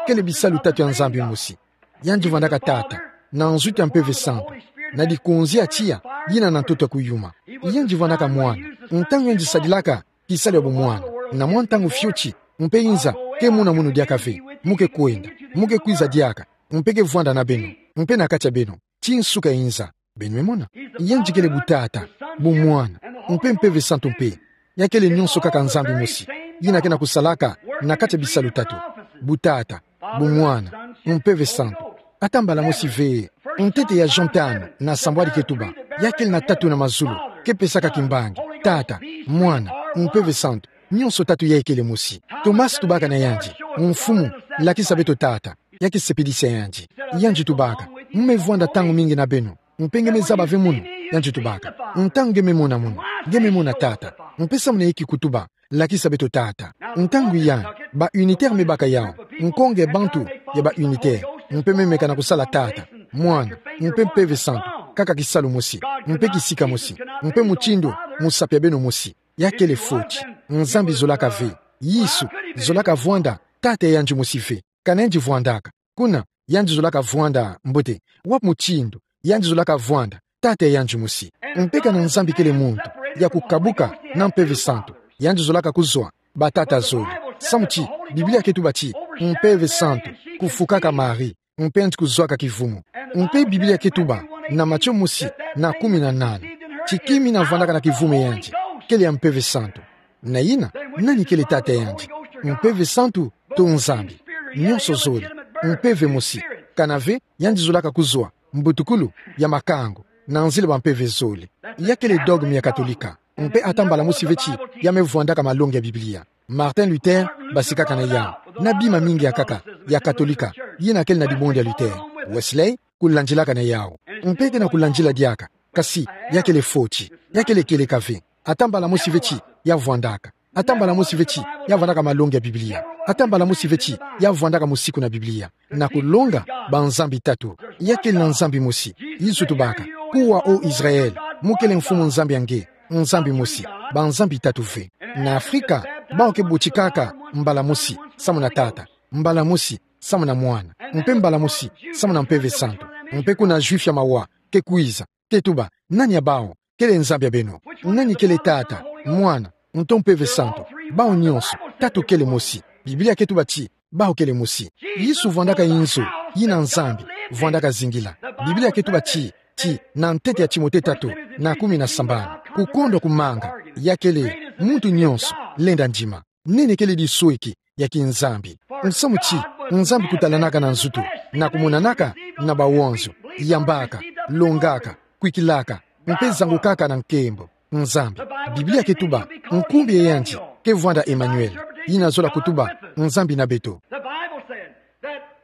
Kele bisalu tatu ya Nzambi mosi. Yandi vwandaka Tata, na nzutu ya Mpeve Santu, na dikonzi ya tiya, yina na ntoto ya kuyuma. Yandi vwandaka Mwana, ntangu yandi sadilaka, kisalu ya bumwana, na mwa ntangu fioti, mpe inza, ke muna munu diaka ve, mu ke kwenda, mu ke kwiza diaka, mpe ke vwanda na beno, mpe na kati ya beno, ti nsuka inza, beno memona. Yandi kele butata, bumwana, mpe Mpeve Santu mpe. Ya kele nyonso kaka Nzambi mosi, yina ke na kusalaka, na kati ya bisalu tatu. Butata, bumwana, Mpeve Santu. Ata mbala mosi ve, ntete ya Jean tanu, na sambwadi ke tuba, ya kele na tatu na mazulu, ke pesaka kimbangi, Tata, Mwana, Mpeve Santu, nyonso tatu ya kele mosi. Thomas tubaka na yandi, Mfumu, lakisa beto Tata, ya ke sepelisa yandi. Yandi tubaka, mu me vwanda ntangu mingi na beno, mpe nge me zaba ve munu, yandi tubaka. Ntangu nge me mona munu, nge me mona Tata, mpe samu na yeki kutuba, lakisa beto Tata. Ntangu yandi, ba unitaire me baka yawu, nkonge bantu, ya ba unitaire, mpe me meka na kusala Tata, Mwana, mpe Mpeve Santu, kaka kisalu mosi, mpe kisika mosi, mpe mutindu, musapi ya beno mosi. Ya kele foti, Nzambi zolaka ve, Yesu, zolaka vwanda, Tata ya yandi mosi ve, kana yandi vwandaka. Kuna, yandi zolaka vwanda, mbote, wapi mutindu, yandi zolaka vwanda, Tata ya yandi mosi. Mpe kana Nzambi kele muntu, ya kukabuka, na Mpeve Santu, yandi zolaka kuzwa, batata zole. Samu ti, Biblia ke tuba ti, Mpeve Santu, kufukaka Marie, mpe yandi kuzwaka kivumu. Mpe Biblia ke tuba, na Matio mosi, na kumi na nana. Ti kima yina vwandaka na kivumu ya yandi, kele ya Mpeve Santu. Na yina, nani kele Tata ya yandi? Mpeve Santu, to Nzambi. Nyonso zole. Mpeve mosi. Kana ve, yandi zolaka kuzwa, mbutukulu, ya makangu, na nzila ba mpeve zole. Ya kele dogme ya Katolika. Mpe ata mbala mosi ve ti, ya me vwandaka malongi ya Biblia. Martin Luther, basikaka na yawu. Na bima mingi ya nkaka, ya Katolika, yina kele na dibundu ya Luther. Wesley, kulandilaka na yawu. Mpe ke na kulandila diaka. Kasi, ya kele foti. Ya kele kieleka ve. Ata mbala mosi ve ti, ya vwandaka. Ata mbala mosi ve ti, ya vwandaka malongi ya Biblia. Ata mbala mosi ve ti, ya vwandaka musiku na Biblia. Na kulonga, banzambi tatu. Ya kele na Nzambi mosi. Yesu tubaka. Kuwa, O Israël, mu kele Mfumu Nzambi ya nge. Nzambi mosi. Banzambi tatu ve. Na Afrika, bawu ke botikaka, mbala mosi, samu na Tata. Mbala mosi, samu na Mwana. Mpe mbala mosi, samu na Mpeve Santu. Mpe kuna Juif ya mawa, ke kwiza, ke tuba, nani ya bawu, kele Nzambi ya beno? Nani kele Tata, Mwana, nto Mpeve Santu? Bawu nyonso, tatu kele mosi. Biblia ke tuba ti, bawu kele mosi. Yesu vwandaka inzo, yina Nzambi, vwandaka zingila. Biblia ke tuba ti, ti, na ntete ya Timote tatu, na kumi na sambanu. Kukondwa kumanga, ya kele, muntu nyonso, lenda ndima. Nene kele disweki, ya kiNzambi. Nsamu ti, Nzambi kutalanaka na nzutu, na kumonanaka, na bawonzo, yambaka, longaka, kwikilaka, mpe zangukaka na nkembo. Nzambi. Biblia ke tuba, nkumbu ya yandi, ke vwanda Emmanuel. Yina zola kutuba, Nzambi na beto.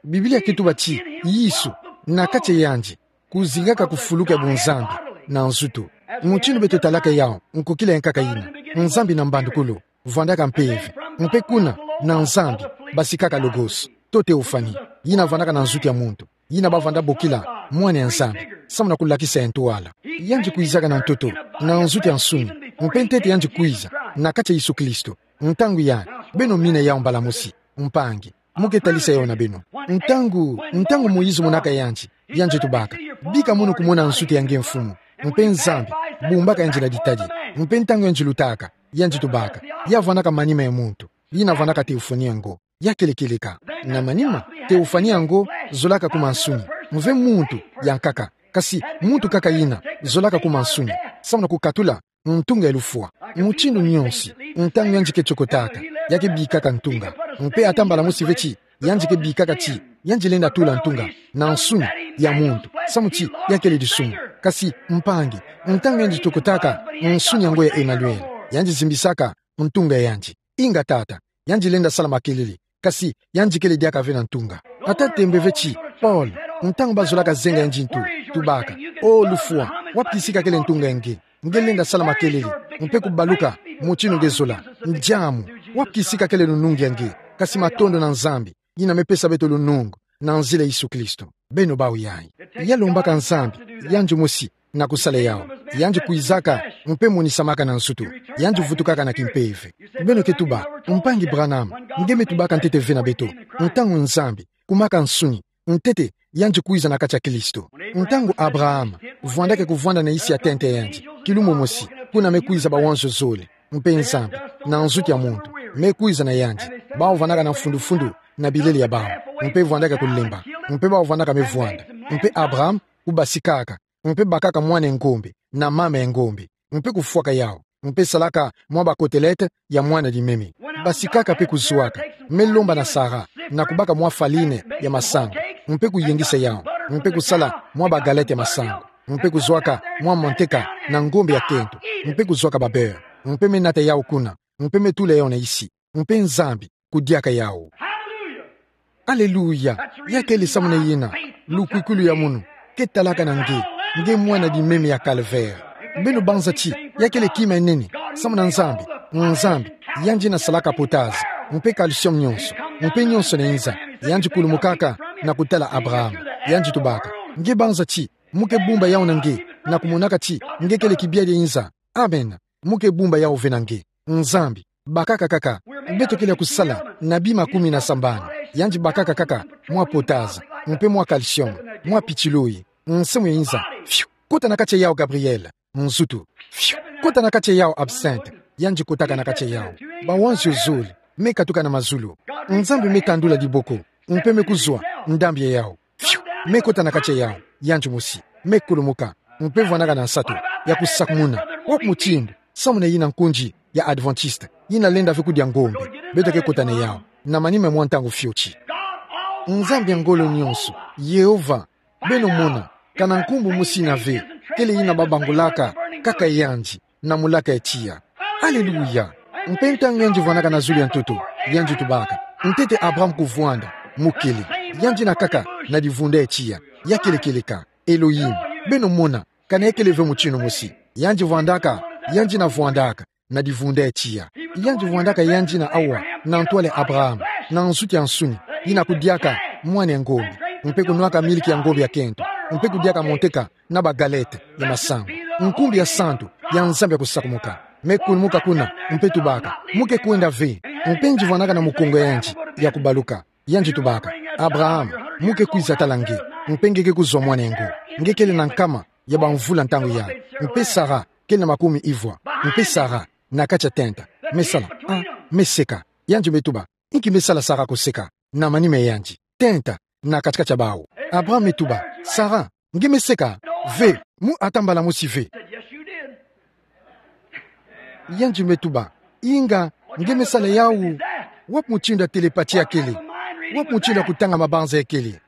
Biblia ke tuba ti, Yesu, na kati ya yandi, kuzingaka kufuluka ya buNzambi, na nzutu. Mutindu beto talaka yawu, nkokila ya nkaka yina. Nzambi na mbandukulu, vwandaka mpeve. Mpe kuna, na Nzambi, basikaka Logos, to Théophanie. Yina vwandaka na nzutu ya muntu. Yina bavwanda bokila, Mwana ya Nzambi. Samu na kulakisa ya ntwala. Yandi kwizaka na ntoto, na nzutu ya nsuni. Mpe ntete yandi kwiza, na kati ya Yesu Kristo. Ntangu yandi, beno mina yawu mbala mosi, mpangi. Mu ke talisa yawu na beno. Ntangu, ntangu Moïse monaka yandi, yandi tubaka. Bika mono kumona nzutu ya nge Mfumu. Mpe Nzambi, bumbaka yandi na ditadi. Mpe ntangu yandi lutaka, yandi tubaka. Ya vwandaka manima ya muntu. Yina vwandaka Théophanie yango. Ya kele kieleka. Na manima, Théophanie yango, zolaka kuma nsuni. Mve muntu, ya nkaka. Kasi, muntu kaka yina, zolaka kuma nsuni. Samu na kukatula, ntunga ya lufwa. Mutindu nionsi, ntangu yandi ke tiokotaka, ya ke bikaka ntunga. Mpe ata mbala mosi ve ti, yandi ke bikaka ti, yandi lenda tula ntunga, na nsuni, ya muntu. Samu ti, ya kele disumu. Kasi, mpangi, ntangu yandi tokotaka nsuni yango ya Emmanuel, yandi zimbisaka ntunga yandi. Inga tata, yandi lenda sala makelele, kasi yandi kele diaka ve na ntunga. Ata tembe ve ti, Paul, ntangu bazolaka zenga yandi ntu, tubaka: O lufwa, wapi kisika kele ntunga nge? Nge lenda sala makelele, mpe kubaluka, motinu nge zola. Ndiamu, wapi kisika kele lunungu ya nge? Kasi matondo na Nzambi, yina me pesa beto lunungu, na nzila Yesu Kristo. Beno bau yayi. Ya lombaka Nzambi, yandi mosi, na kusala yawu. Yandi kwizaka, mpe monisamaka na nsutu. Yandi vutukaka na kimpeve. Beno ke tuba: Mpangi Branham, nge me tubaka ntete ve na beto. Ntangu Nzambi, kumaka nsuni, ntete, yandi kwiza na kati ya Kristo. Ntangu Abraham vwandaka kuvwanda na isi ya tente ya yandi, kilumo mosi, kuna me kwiza bawanzio zole, mpe Nzambi, na nsutu ya muntu, me kwiza na yandi, bau vwandaka na mfundufundu na bilele ya bau, mpe vwandaka kulemba, mpe bau vwandaka me vwanda, mpe Abraham kubasikaka, mpe bakaka mwana ya ngombe, na mama ya ngombe, mpe kufwaka yawu, mpe salaka mwa bakotelete ya mwana limeme. Basikaka mpe kuzwaka, me lomba na Sara, na kubaka mwa faline ya masangu, mpe kuyengisa yawu, mpe kusala mwa bagalete ya masangu, mpe kuzwaka mwa manteka na ngombe ya kento, mpe kuzwaka babeurre, mpe me nata yawu kuna, mpe me tula yawu na isi, mpe Nzambi kudiaka yawu. Aleluya! Ya kele samuna yina, lukwikwilu ya munu ke talaka na nge, nge mwana limeme ya calvaire. Beno banza ti ya kele kima ya nene, samuna Nzambi, Nzambi, yandi yina salaka potasse, mpe calcium nyonso, mpe nyonso yina inza, yandi kulumukaka na kutala Abraham, yandi tubaka: Nge banza ti mu ke bumba yawu na nge, na kumonaka ti nge kele kibiali ya inza? Amen. Mu ke bumba yawu ve na nge. Nzambi, bakaka kaka. Beto kele ya kusala na bima kumi na sambanu. Yandi bakaka kaka mwa potasse, mpe mwa calcium, mwa pétrole, nsamu ya inza. Fiu, kota na kati ya yawu, Gabriel. Nsutu. Fiu, kota na kati ya yawu, absinthe. Yandi kotaka na kati ya yawu. Bawanzio zole me katuka na mazulu. Nzambi me tandula diboko, mpe me kuzwa ndambi ya yawu. Fiu, me kota na kati ya yawu, yandi mosi, me kulumuka, mpe vwandaka na nsatu ya kusakumuna. Wapi mutindu, samuna yina nkundi ya Adventiste, yina lenda ve kudia ngombe, beto ke kota na yawu, na manima mwa ntangu fioti. Nzambi ya ngolo nyonso, Yehova, beno mona, kana nkumbu mosi yina ve, kele yina babangulaka kaka yandi na mulaka ya tiya. Aleluya! Mpe ntangu yandi vwandaka na zulu ya ntoto, yandi tubaka: Ntete Abraham kuvwanda, mu kele. Yandi yina kaka na divunda ya tiya, ya kele kieleka, Elohim. Beno mona, kana ya kele ve mutinu mosi. Yandi vwandaka, yandi yina vwandaka na divunda ya tiya. Yandi vwandaka yandi yina awa, na ntwala ya Abraham, na nsutu ya nsuni, yina kudiaka mwana ya ngombe, mpe kunwaka miliki ya ngombe ya kento, mpe kudiaka manteka na bagalete ya masangu. Nkumbu ya santu ya Nzambi ya kusakumuka me kulumuka kuna, mpe tubaka: Mu ke kwenda ve? Mpe yandi vwandaka na mukongo ya yandi ya kubaluka, yandi tubaka: Abraham, mu ke kwiza tala nge, mpe nge ke kuzwa mwana yango. Nge kele na nkama ya bamvula ntangu yayi, mpe Sara kele na makumi ivwa, mpe Sara na kati ya tenta. Me sala, ah, me seka. Yandi me tuba: Inki me sala Sara kuseka na manima ya yandi? Tenta na kati-kati ya bawu. Abraham me tuba: Sara, nge me seka? Ve, mu ata mbala mosi ve. Yandi me tuba: Inga, nge me sala yawu? Wapi mutindu ya télépathie ya kele? Wapi mutindu ya kutanga mabanza ya kele?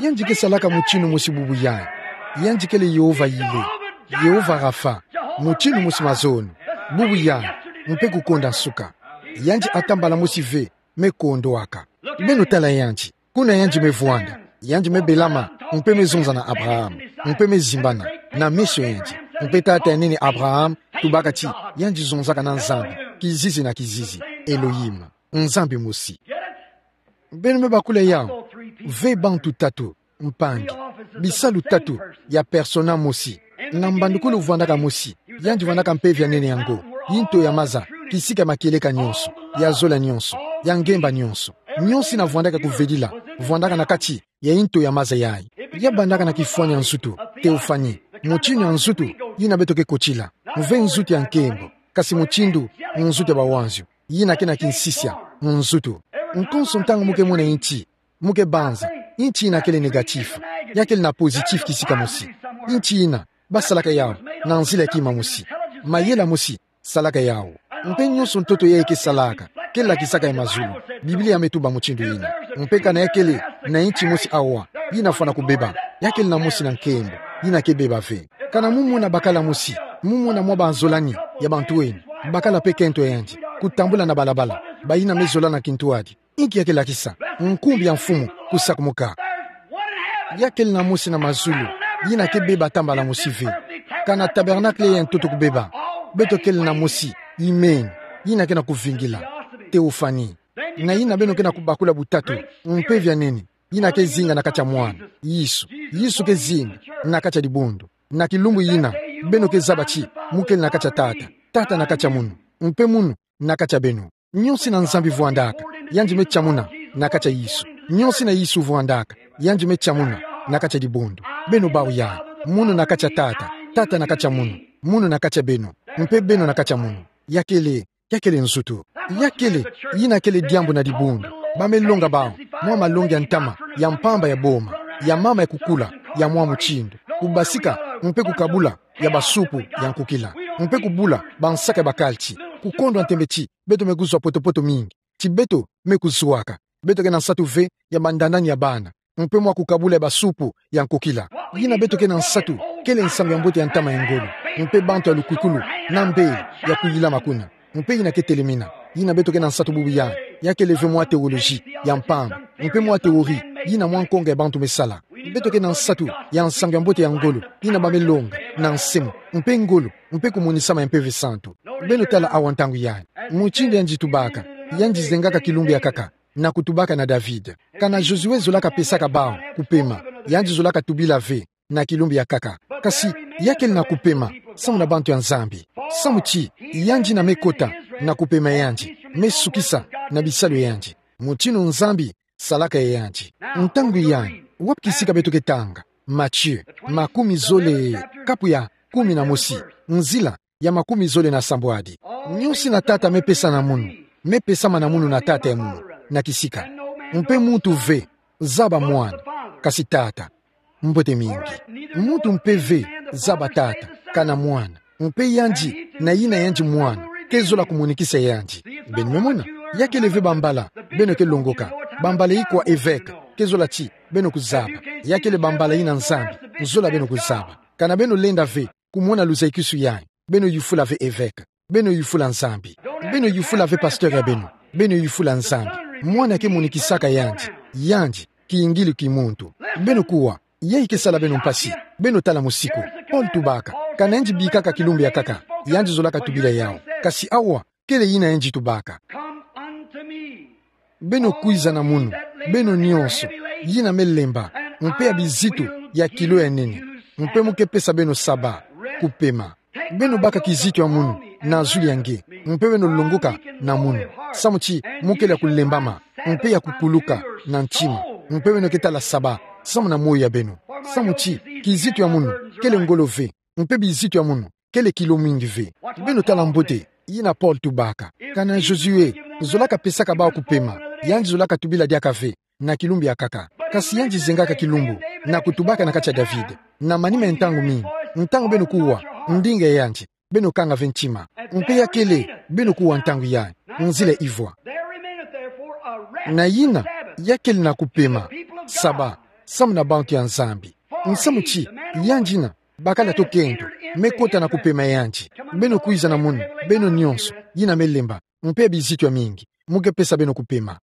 Yandi ke salaka mutinu mosi bubu yayi. Yandi kele Yehova Yire, Yehova Rapha, mutinu mosi mazono, bubu yayi, mpe kukonda nsuka. Yandi ata mbala mosi ve me kondwaka. Beno tala yandi, kuna yandi me vwanda, yandi me belama, mpe me zonza na Abraham, mpe me zimbana na meso ya yandi, mpe tata ya nene Abraham tubaka ti yandi zonzaka na Nzambi kizizi na kizizi, Elohim, Nzambi mosi. Beno me bakula yawu. Ve bantu tatu, mpangi, bisalu tatu ya persona mosi. Na mbandukulu vwandaka mosi, yandi vwandaka Mpeve ya nene yango, yi nto ya maza, kisika ya makieleka nyonso, ya zola nyonso, ya ngemba nyonso. Nyonso yina vwandaka kuvedila, vwandaka na kati ya yi nto ya maza yayi. Ya bandaka na kifwani ya nsutu, théophanie, mutinu ya nsutu yina beto ke kotila, mve nsutu ya nkembo, kasi mutindu nsutu ya bawanzio, yina ke na kinsisia, nsutu. Nkonso ntangu mu ke mona inti, mu ke banza, inti yina kele négatif, ya kele na positif kisika mosi. Inti yina, basalaka yawu na nzila ya kima mosi. Mayela mosi salaka yawu. Mpe nyonso ntoto yayi ke salaka, ke lakisaka ya mazulu. Biblia me tuba mutindu yina. Mpe kana ya kele na inti mosi awa, yina fwana kubeba, ya kele na mosi na nkembo, yina ke beba ve. Kana mu mona bakala mosi, mu mona mwa bazolani ya bantu eni, bakala pe kento yandi, kutambula na balabala, bayina me zola na kintuadi. Inki ya kelakisa? Nkumbu ya Mfumu kusakumuka. Ya kele na mosi na mazulu, yina ke beba ata mbala mosi ve. Kana tabernacle ya ntoto kubeba. Beto kele na mosi, imeni, yina ke na kuvingila. Théophanie. Na yina beno ke na kubakula butatu, mpeve ya nene, yina ke zinga na kati ya mwana. Yesu. Yesu ke zinga na kati ya dibundu. Na kilumbu yina, beno ke zaba ti, mu kele na kati ya Tata. Tata na kati ya munu. Mpe munu, na kati ya beno. Nionso ina Nzambi vuandaka, yandi me tiamuna na kati ya Yesu. Nionso ina Yesu vuandaka, yandi me tiamuna na kati ya dibundu. Beno bawu ya, munu na kati ya Tata, Tata na kati ya munu, munu na kati ya beno, mpe beno na kati ya munu. Ya kele, ya kele nzutu. Ya kele, yina kele diambu na dibundu. Ba me longa bawu mwa malongi ya ntama, ya mpamba, ya boma, ya mama, ya kukula, ya mwa mutindu. Kubasika, mpe kukabula, ya basupu ya nkukila, mpe kubula bansaka ya bakalti. Kukondwa ntembe ti beto me kuzwa poto-poto mingi, ti beto me kuzuaka. Beto ke na nsatu ve ya bandandani ya bana, mpe mwa kukabula ya basupu ya nkukila. Yina beto ke na nsatu kele Nsangu ya Mbote ya ntama ya ngolo, mpe bantu ya lukwikulu na mbeli ya kuyilama kuna. Mpe yina ke telemena, yina beto ke na nsatu bubu ya, ya kele ve mwa théologie ya mpamba, mpe mwa théorie yina mwa nkonga ya bantu me sala. Beto ke na nsatu ya Nsangu ya Mbote ya ngolo, yina ba me longa na nse mu, mpe ngolo, mpe kumonisama ya Mpeve Santu. Beno tala awa ntangu yai. Mutindu yandi tubaka, yandi zengaka kilumbu ya nkaka, na kutubaka na David. Kana Josué zolaka pesaka bawu kupema, yandi zolaka tubila ve na kilumbu ya nkaka. Kasi, ya kele na kupema samu na bantu ya Nzambi. Samu ti, yandi yina me kota na kupema yandi, me sukisa na bisalu ya yandi. Mutindu Nzambi salaka ya yandi. Ntangu yai, wapi kisika beto ke tanga? Matthieu, makumi zole, kapu ya kumi na mosi, nzila ya makumi zole na sambwadi. Nionso ina Tata me pesa na munu, me pesama na munu na Tata ya munu, na kisika. Mpe muntu ve zaba Mwana, kasi Tata. Mbote mingi. Muntu mpe ve zaba Tata, kana Mwana. Mpe yandi, na yina yandi Mwana, ke zola kumunikisa yandi. Beno me mona, ya kele ve bambala beno ke longoka. Bambala ikwa évêque ke zola ti beno kuzaba. Ya kele bambala yina Nzambi zola beno kuzaba. Kana beno lenda ve kumona luzayikisu yai, beno yufula ve évêque. Beno yufula Nzambi. Beno yufula ve pasteur ya beno. Beno yufula Nzambi. Mwana ke munikisaka yandi. Yandi, kiyingilu ki muntu. Beno kuwa, yai ke sala beno mpasi. Beno tala musiku. Paul tubaka, kana yandi bikaka kilumbu ya nkaka, yandi zolaka tubila yawu. Kasi awa, kele yina yandi tubaka. Come unto me. Beno kwiza na munu, beno nionso yina me lemba, mpe ya bizitu ya kilo ya nene, mpe mu ke pesa beno saba, kupema. Beno baka kizitu ya munu na zulu ya nge, mpe beno longoka na munu. Samu ti mu kele ya kulembama, mpe ya kukuluka na ntima, mpe beno ke tala saba samu na moyo ya beno. Samu ti kizitu ya munu kele ngolo ve, mpe bizitu ya munu kele kilo mingi ve. Beno tala mbote yina Paul tubaka. Kana Josué zolaka pesaka bawu kupema, yandi zolaka tubila diaka ve na kilumbu ya nkaka. Kasi yandi zengaka kilumbu na kutubaka na kati ya David. Na manima ya ntangu mingi, ntangu beno kuwa ndinga ya yandi, beno kanga ve ntima. Mpe ya kele, beno kuwa ntangu yai, nzila ivwa. Na yina, ya kele na kupema saba samu na bantu ya Nzambi. Nsamu ti, yandi yina, bakala to kento, me kota na kupema ya yandi. Beno kwiza na munu, beno nionso yina me lemba, mpe ya bizitu ya mingi, mu ke pesa beno kupema.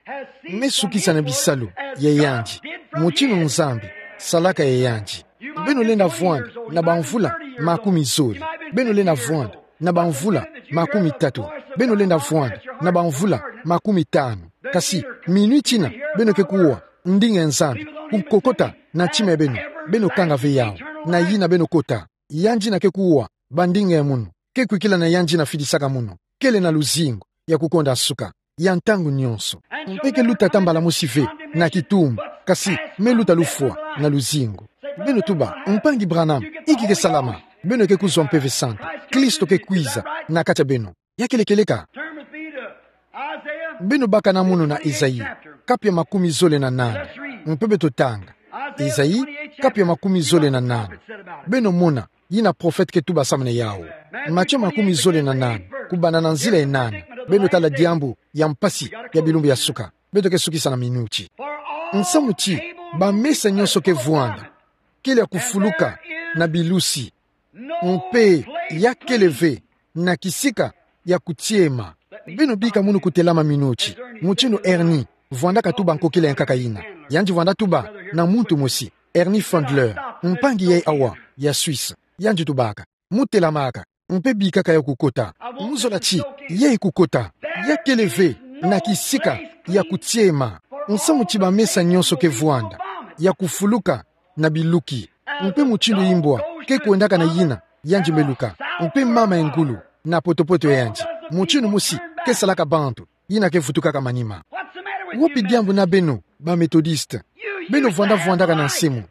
Me sukisa na bisalu ya yandi, mutindu Nzambi salaka ya yandi. Beno lenda vwanda na bamvula makumi zole. Beno lenda vwanda na bamvula makumi tatu. Beno lenda vwanda na bamvula makumi tanu. Kasi, minuti yina, beno ke kuwa ndinga ya Nzambi kukokota na ntima ya beno, beno kanga ve yawu. Na yina beno kota, yandi yina ke kuwa bandinga ya munu, ke kwikila na yandi yina fidisaka munu, kele na luzingu ya kukonda nsuka, ya ntangu nionso. Mpe ke luta ata mbala mosi ve na kitumba, kasi me luta lufwa na luzingu. Beno tuba, Mpangi Branham, inki ke salama? Beno ke kuzwa Mpeve Santu. Kristo ke kwiza na kati ya beno. Ya kele kieleka? Beno baka na munu na Esaïe, kapu ya makumi zole na nana. Mpe beto tanga Esaïe, kapu ya makumi zole na nana. Beno mona yina prophète ke tuba samu na yawu. Matthieu makumi zole na nana, kubanda na nzila ya nana. Beno tala diambu ya mpasi ya bilumbu ya nsuka. Beto ke sukisa na minuti. Nsamu ti, bamesa nionso ke vwanda, kele ya kufuluka na bilusi. Mpe ya kele ve na kisika ya kutia ema. Beno bika munu kutelama minuti. Mutindu Ernie, vwandaka tuba nkokila ya nkaka yina. Yandi vwanda tuba na muntu mosi, Ernie Fandler, mpangi yayi awa, ya Suisse. Yandi tubaka, mu telamaka, mpe bikaka yawu kukota. Mu zola ti, yayi kukota. Ya kele ve na kisika ya kutia ema. Nsamu ti bamesa nyonso ke vwanda, ya kufuluka na biluki. Mpe mutindu imbwa ke kwendaka na yina, yandi me luka. Mpe mama ya ngulu, na potopoto ya yandi, mutindu mosi ke salaka bantu, yina ke vutukaka manima. Wapi diambu na beno, ba Methodiste? Beno vwanda vwandaka na nsemo.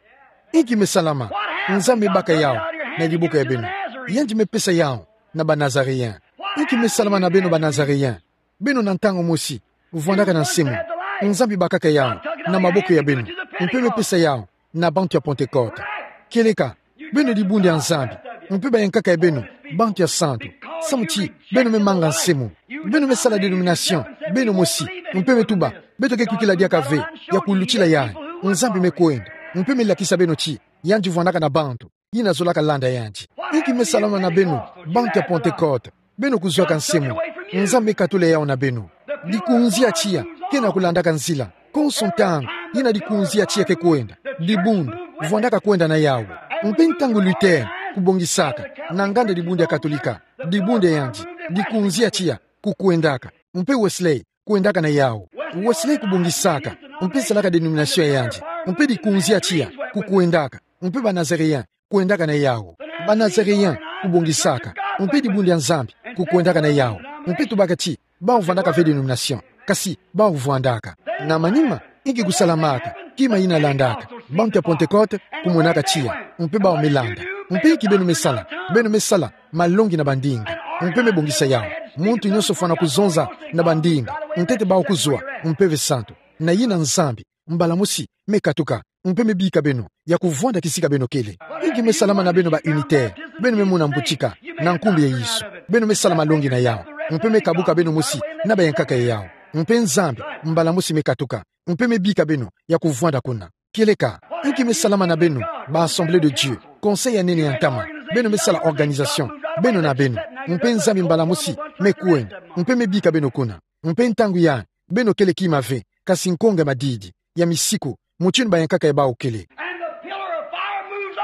Inki me salama? Nzambi me baka yawu na diboko ya beno. Yandi me pesa yawu na ba Nazaréen. Inki me salama na beno, ba Nazaréen? Beno na ntangu mosi vwandaka na nsemo. Nzambi bakaka yawu na maboko ya beno, mpe me pesa yawu na bantu ya Pentecôte. Kieleka, beno dibundu ya Nzambi, mpe bayankaka ya beno bantu ya santu. Samu ti beno me manga nsemo. Beno me sala dénomination, beno mosi, mpe me tuba, beto ke kwikila diaka ve ya kulutila yayi. Nzambi me kwenda, mpe me lakisa beno ti yandi vwandaka na bantu yina zolaka landa yandi. Inki me salama na beno, bantu ya Pentecôte? Beno kuzwaka nsemo. Nzambi me katula yawu na beno. Dikunzi ya tiya ke na kulandaka nzila. Konso ntangu yina dikunzi ya tiya ke kwenda, dibundu vwandaka kwenda na yawu. Mpe ntangu Luther kubongisaka na nganda dibundu ya Katolika, dibundu ya yandi, dikunzi ya tiya kukwendaka. Mpe Wesley kwendaka na yawu. Wesley kubongisaka, mpe salaka dénomination ya yandi, mpe dikunzi ya tiya kukwendaka. Mpe ba Nazaréen kwendaka na yawu. Ba Nazaréen kubongisaka, mpe dibundu ya Nzambi kukwendaka na yawu. Mpe tubaka ti bawu vwandaka ve dénomination, kasi bawu vwandaka. Na manima, inki kusalamaka? Kima yina landaka. Bantu ya Pentecôte kumonaka tiya, mpe bawu me landa. Mpe inki beno me sala? Beno me sala malongi na bandinga, mpe me bongisa yawu. Muntu nyonso fwana kuzonza na bandinga ntete bawu kuzwa mpeve santu. Na yina Nzambi mbala mosi me katuka, mpe me bika beno ya kuvwanda kisika beno kele. Inki me salama na beno, ba unitaire? Beno me mona mbutika na nkumbu ya Yesu. Beno me sala malongi na yawu, mpe me kabuka beno mosi na bayankaka ya yawu. Mpe Nzambi mbala mosi me katuka, mpe me bika beno ya kuvwanda kuna. Kieleka, inki me salama na beno, ba Assemblée de Dieu, conseil ya nene ya ntama? Beno me sala organisation, beno na beno. Mpe Nzambi mbala mosi me kwenda, mpe me bika beno kuna. Mpe ntangu yayi, beno kele kima ve, kasi nkonga ya madidi, ya misiku, mutindu bayankaka ya bawu kele. And the pillar of fire moves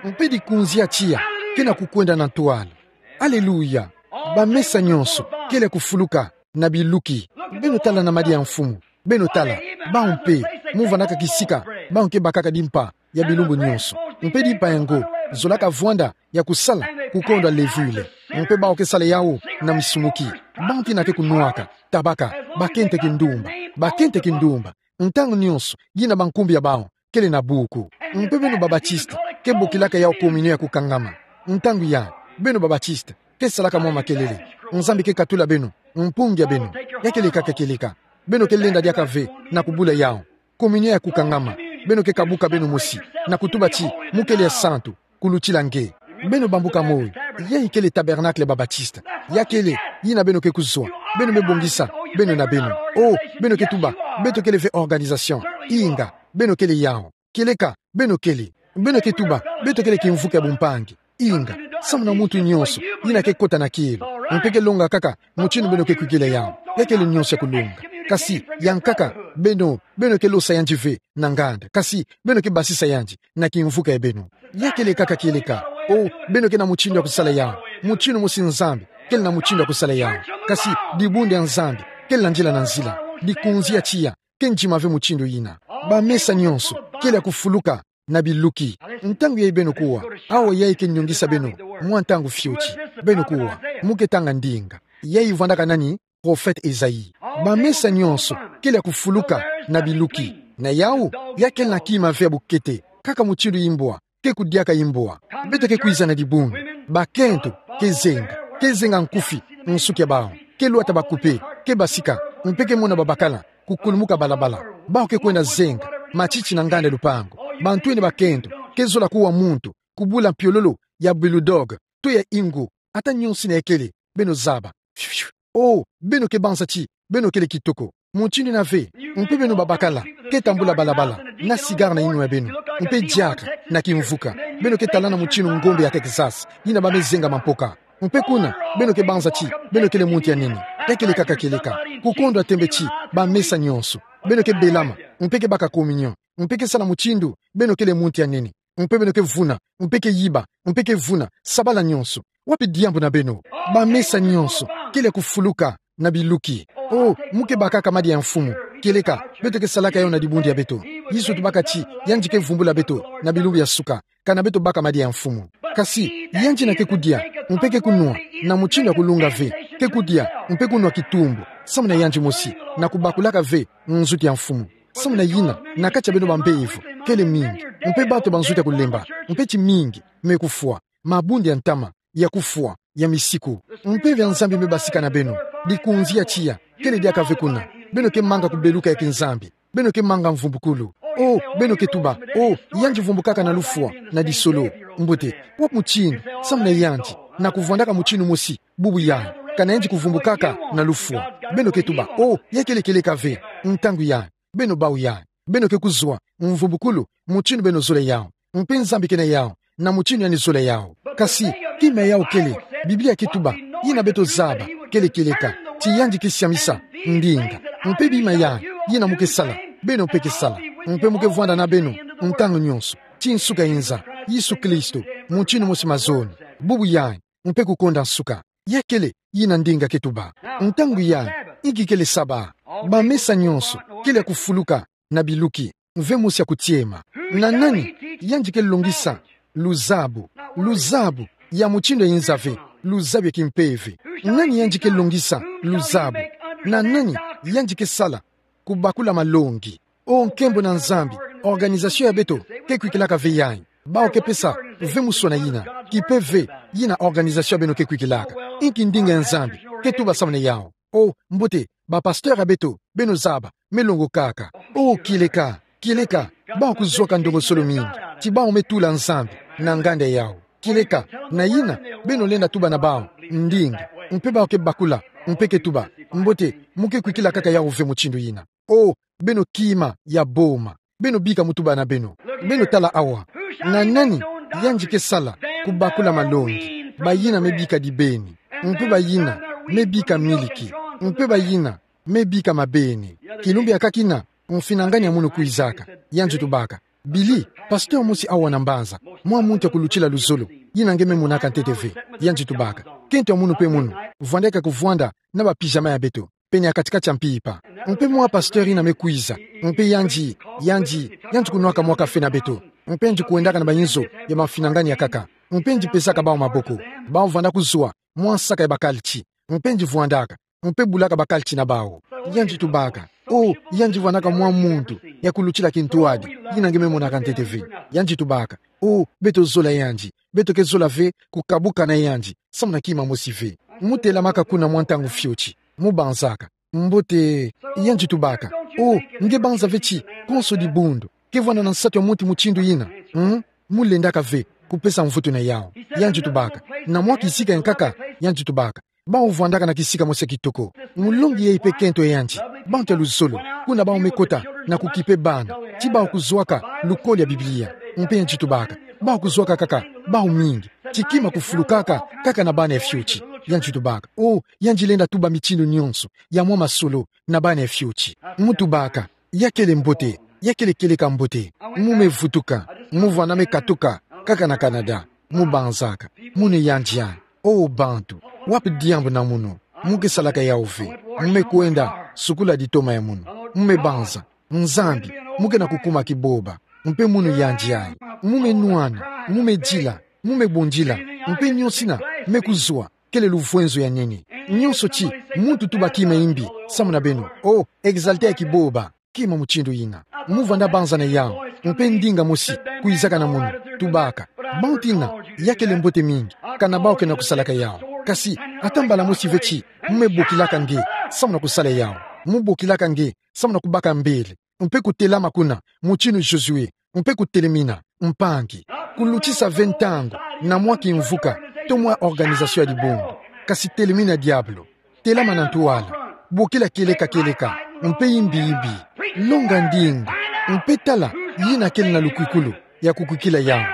on. Mpe dikunzi ya tiya ke na kukwenda na ntwala. Aleluya! Bamesa nyonso kele kufuluka na biluki. Beno tala na madi ya Mfumu. Beno tala, bawu mpe, mu vwandaka kisika bawu ke bakaka dimpa ya bilumbu nyonso. Mpe dimpa yango zolaka vwanda ya kusala kukondwa levure. Mpe bawu ke sala yawu na misumuki. Bantu yina ke kunwaka tabaka, bakento ya kindumba, bakento ya kindumba. Ntangu nyonso, yina bankumbu ya bawu kele na buku. Mpe beno ba Baptiste ke bokilaka yawu communion ya kukangama. Ntangu yayi, beno ba Baptiste ke salaka mwa makelele. Nzambi ke katula beno, mpungi ya beno. Ya kele kaka kieleka. Beno ke lenda diaka ve na kubula yawu. Communion ya kukangama. Beno ke kabuka beno mosi na kutuba ti mu kele ya santu kulutila nge. Beno bambuka moyo. Yayi kele tabernacle ba Baptiste. Ya kele yina beno ke kuzwa. Beno me bongisa beno na beno. Oh, beno ke tuba beto kele ve organisation. Inga, beno kele yawu. Kieleka, beno kele. Beno ke tuba beto kele kimvuka ya bumpangi. Inga, samu na muntu nyonso yina ke kota na kielo, mpe ke longa kaka mutindu beno ke kwikila yawu. Ya kele nyonso ya kulonga. Kasi yankaka, beno, beno ke losa yandi ve na nganda, kasi beno ke basisa yandi na kimvuka ya beno. Ya kele kaka kieleka. Oh, beno ke na mutindu ya kusala yawu, mutindu mosi Nzambi kele na mutindu ya kusala yawu. Kasi dibundu ya Nzambi ke landila na nzila. Dikunzi ya tiya ke ndima ve mutindu yina. Bamesa nyonso kele ya kufuluka na biluki. Ntangu yayi beno kuwa, awa yayi ke nyongisa beno mwa ntangu fioti. Beno kuwa, mu ke tanga ndinga. Yayi vwandaka nani? Prophète Esaïe. Bamesa nyonso kele ya kufuluka na biluki. Na yawu, ya kele na kima ve ya bukete, kaka mutindu imbwa ke kudiaka imbwa. Beto ke kwiza na dibundu. Bakento ke zenga, ke zenga nkufi nsuki ya bawu, ke lwata ba coupé, ke basika, mpe ke mona babakala kukulumuka balabala. Bawu ke kwenda zenga matiti na nganda ya lupangu. Bantwenia bakento ke zola kuwa muntu kubula mpiololo ya bulldog to ya ingu, ata nyonso yina ya kele, beno zaba. Fiu, fiu. Oh, beno ke banza ti beno kele kitoko. Mutindu ina ve, mpe beno babakala, ke tambula balabala, na cigare na yinwa ya beno, mpe diaka, na kimvuka, beno ke talana mutindu ngombe ya Texas, yina bamezengama mpoka. Mpe kuna, beno ke banza ti, beno kele muntu ya nene. Ya kele kaka kieleka. Kukondwa tembe ti, bamesa nyonso. Beno ke belama, mpe ke baka communion, mpe ke sala mutindu, beno kele muntu ya nene. Mpe beno ke vuna, mpe ke yiba, mpe ke vuna, sabala nyonso. Wapi diambu na beno? Bamesa nyonso, kele ya kufuluka, na biluki. Oh, mu ke bakaka madia ya mfumu. Kieleka, beto ke salaka yawu na dibundu ya beto. Yesu tubaka ti, yandi ke vumbula beto, na bilumbu ya suka. Kana beto baka madia ya mfumu. Kasi, yandi ina ke kudia, mpe ke kunwa, na mutindu ya kulunga ve, ke kudia, mpe kunwa kitumbu, samu na yandi mosi, na kubakulaka ve, nzutu ya mfumu. Samu na yina, na kati ya beno bampeve, kele mingi, mpe bato ba nzutu ya kulemba, mpe ti mingi, me kufwa, mabundu ya ntama, ya kufwa, ya misiku. Mpeve ya Nzambi me basika na beno, dikunzi ya tiya, kele diaka ve kuna, beno ke manga kubeluka ya kinzambi. Beno ke manga mvumbukulu. Oh, beno ke tuba, oh, yandi vumbukaka na lufwa, na disolo. Mbote, wapi mutindu, samu na yandi, na kuvwandaka mutindu mosi, bubu yayi, kana yandi kuvumbukaka na lufwa. Beno ke tuba, oh, ya kele kieleka ve, ntangu yayi, beno bawu yayi, beno ke kuzwa, mvumbukulu, mutindu beno zola yawu. Mpe Nzambi ke na yawu, na mutindu yandi zola yawu. Kasi, kima yawu kele, Biblia ke tuba, yina beto zaba, kele kieleka, ti yandi ke siamisa, ndinga, mpe bima yayi, yina mu ke sala, beno mpe ke sala, mpe mu ke vwanda na beno, ntangu nyonso, ti nsuka ya nza, Yesu Kristo, mutindu mosi mazono, bubu yayi, mpe kukonda nsuka. Ya kele, yina ndinga ke tuba. Ntangu yayi, inki kele Saba? Bamesa nyonso, kele ya kufuluka, na biluki, mve mosi ya kutiema. Na nani yandi ke longisa luzabu, luzabu ya mutindu ya nza ve, luzabu ya kimpeve? Nani yandi ke longisa luzabu? Na nani yandi ke sala kubakula malongi? Oh, nkembo na Nzambi, organisation ya beto ke kwikilaka ve yayi. Bawu ke pesa ve muswana yina, kipe ve, yina organisation ya beno ke kwikilaka. Inki ndinga ya Nzambi ke tuba samu na yawu? Oh, mbote, bapasteur ya beto, beno zaba, me longokaka. Oh, kieleka, kieleka, bawu kuzwaka ndongosolo mingi, ti bawu me tula Nzambi na nganda yawu. Kieleka, na yina, beno lenda tuba na bawu, ndinga, mpe bawu ke bakula, mpe ke tuba, mbote, mu ke kwikila kaka yawu ve mutindu yina. Oh, beno kima ya boma, beno bika mutuba na beno. Beno tala awa. Na nani yandi ke sala kubakula malongi? Bayina me bika dibeni, mpe bayina me bika miliki, mpe bayina me bika mabeni. Kilumbu ya kaka ina, mfinangani ya munu kwizaka, yandi tubaka: Billy, pasteur mosi awa na mbanza, mwa muntu ya kulutila luzolo, yina nge me monaka ntete ve. Yandi tubaka: Kento ya munu mpe munu, vwandaka kuvwanda na ba pyjama ya beto pene ya kati-kati ya mpimpa. Mpe mwa pasteur ina me kwiza, mpe yandi, yandi, yandi kunwaka mwa kafe na beto, mpe yandi kwendaka na bayinzo ya bamfinangani ya nkaka, mpe yandi pesaka bawu maboko. Bawu vwanda kuzwa mwa nsaka ya bakalti, mpe yandi vwandaka, mpe bulaka bakalti na bawu. Yandi tubaka: Oh, yandi vwandaka mwa muntu ya kulutila kintwadi, yina nge me monaka ntete ve. Yandi tubaka: Oh, beto zola yandi, beto ke zola ve kukabuka na yandi samu na kima mosi ve. Mu telamaka kuna mwa ntangu fioti, mu banzaka: Mbote. Yandi tubaka: Oh, nge banza ve ti konso dibundu ke vwanda na nsatu ya muntu mutindu yina? Hmm? Mu lendaka ve kupesa mvutu na yawu. Yandi tubaka: Na mwa kisika ya nkaka? Yandi tubaka: Bawu vwandaka na kisika mosi ya kitoko. Mulongi yai mpe kento ya yandi, bantu ya luzolo, kuna bawu me kota na kukipe bana, ti bawu kuzwaka lukolo ya Biblia. Mpe yandi tubaka: Bawu kuzwaka kaka bawu mingi, ti kima kufulukaka kaka na bana ya fioti. Yandi tubaka: Oh, yandi lenda tuba mitindu nyonso ya mwa masolo na bana ya fioti. Mu tubaka: Ya kele mbote, ya kele kieleka mbote. Mu me vutuka, mu vwanda me katuka kaka na Canada. Mu banzaka: Munu yandi ya. Oh bantu, wapi diambu na munu? Mu ke salaka yawu ve. Mu me kwenda sukula ditoma ya munu. Mu me banza: Nzambi, mu ke na kukuma kiboba. Mpe munu yandi ya. Mu me nwana, mu me dila, mu me bundila. Mpe nyonso ina me kuzwa kele luvwenzo ya nene. Nyonso ti muntu tuba kima ya mbi samu na beno, oh, exalter ya kiboba, kima mutindu yina. Mu vwanda banza na yawu, mpe ndinga mosi kwizaka na munu, tubaka: Bantu ina, ya kele mbote mingi, kana bawu ke na kusalaka yawu. Kasi, ata mbala mosi ve ti mu me bokilaka nge samu na kusala yawu. Mu bokilaka nge samu na kubaka mbele, mpe kutelama kuna, mutindu Josué, mpe kutelemina, mpangi. Kulutisa ve ntangu na mwa kimvuka to mwa organisation ya dibundu. Kasi telemina diabolo. Telama na ntwala. Bokila kieleka kieleka. mpe imbi imbi. Longa ndinga, mpe tala yina kele na lukwikulu ya kukwikila yawu.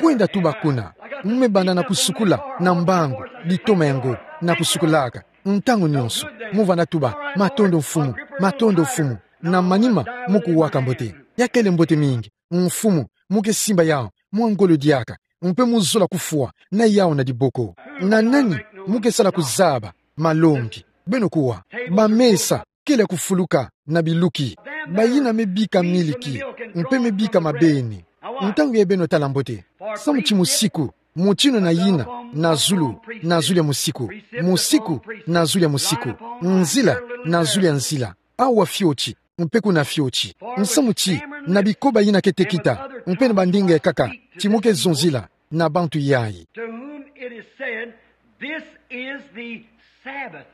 Kwenda tuba kuna, mumebanda na kusukula na mbangu, ditoma ya ngo, na kusukulaka. Ntangu nyonso, muvanda tuba, matondo Mfumu, matondo Mfumu, na manima mukuwaka mbote. Ya kele mbote mingi, Mfumu, mukesimba yawu mwa ngolo diaka, mpe muzola kufwa na yawu na diboko. Na nani mukesala kuzaba malongi? Beno kuwa, bamesa kele kufuluka na biluki, bayina mebika miliki, mpe mebika mabeni. Ntangu yayi beno tala mbote, samu ti musiku, motinu na yina, na zulu, na zulu ya musiku, musiku, na zulu ya musiku, nzila, na zulu ya nzila, awa fioti, mpe kuna fioti. Nsamu ti, na bikoba yina ke tekita, mpe na bandinga ekaka, ti mukezonzila na bantu yayi. To whom it is said, "This is the Sabbath."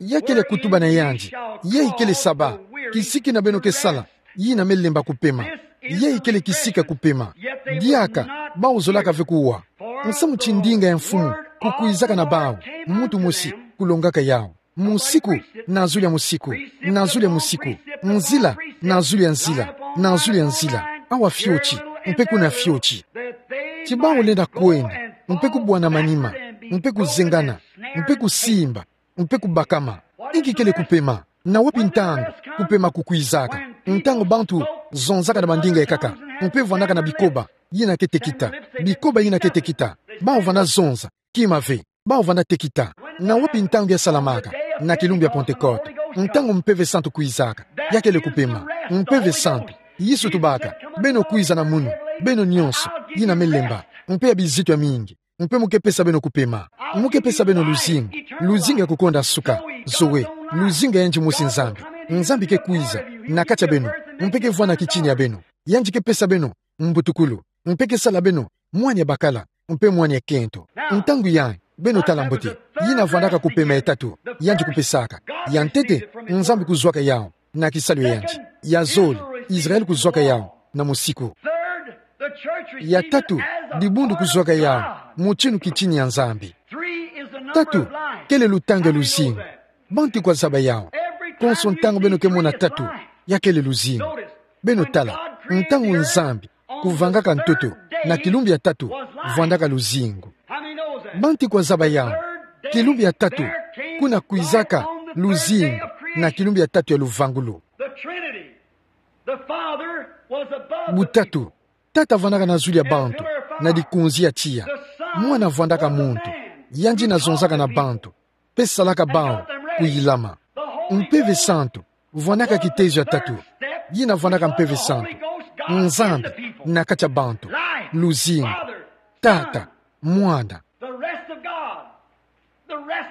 Ya kele kutuba na yandi, yayi kele Saba, kisiki na beno kesala, yina melemba kupema. Yayi kele kisika kupema. Diaka, bawu zolaka ve kuwa. Nsamu ti ndinga ya Mfumu kukwizaka na bawu, muntu mosi kulongaka yawu. Musiku, na zulu ya musiku, na zulu ya musiku, nzila, na zulu ya nzila, na zulu ya nzila, awa fioti, mpe kuna fioti. Ti bawu lenda kwenda, mpe kubwana manima, mpe kuzengana, mpe kusimba, mpe kubakama. Inki kele kupema? Na wapi ntangu kupema kukwizaka? Ntangu bantu zonzaka na bandinga ekaka, mpe vwandaka na bikoba yina ke tekita, bikoba yina ke tekita, bawu vwanda zonza kima ve, bawu vwanda tekita. Na wapi ntangu ya salamaka? Na kilumbu ya Pentekote, ntangu Mpeve Santu kwizaka. Ya kele kupema. Mpeve Santu, Yesu tubaka, beno kwiza na munu, beno nyonso, yina melemba, mpe ya bizito ya mingi, mpe mukepesa beno kupema. Mukepesa beno luzingu, luzingu ya kukonda suka, Zoe, luzingu ya yandi mosi Nzambi. Nzambi kekwiza na kati ya beno, mpe kevwanda kitini ya beno. Yandi kepesa beno mbutukulu, mpe kesala beno mwana ya bakala, mpe mwana ya kento. Ntangu yayi, beno tala mbote, yina vwandaka kupema ya tatu yandi kupesaka. Ya ntete, Nzambi kuzwaka yawu na kisalu ya yandi. Ya zole, Israel kuzwaka yawu na musiku. Ya tatu, dibundu kuzwaka yawu motinu kitini ya Nzambi. Tatu, kele lutangu ya luzingu. Bantu kwa zaba yawu. Konso ntangu beno kemona tatu, ya kele luzingu. Beno tala, ntangu Nzambi kuvangaka ntoto, na kilumbu ya tatu vwandaka luzingu. Bantu kwa zaba yawu, kilumbu ya tatu, kuna kwizaka luzingu, na kilumbu ya tatu ya luvangulu. Butatu, Tata vwandaka na zulu ya bantu, na dikunzi ya tiya. Mwana vwandaka muntu, yandi yina zonzaka na bantu, mpe salaka bawu kuyilama. Mpeve Santu vwandaka kitezo ya tatu, yina vwandaka Mpeve Santu. Nzambi na kati ya bantu, luzingu, Tata, Mwana.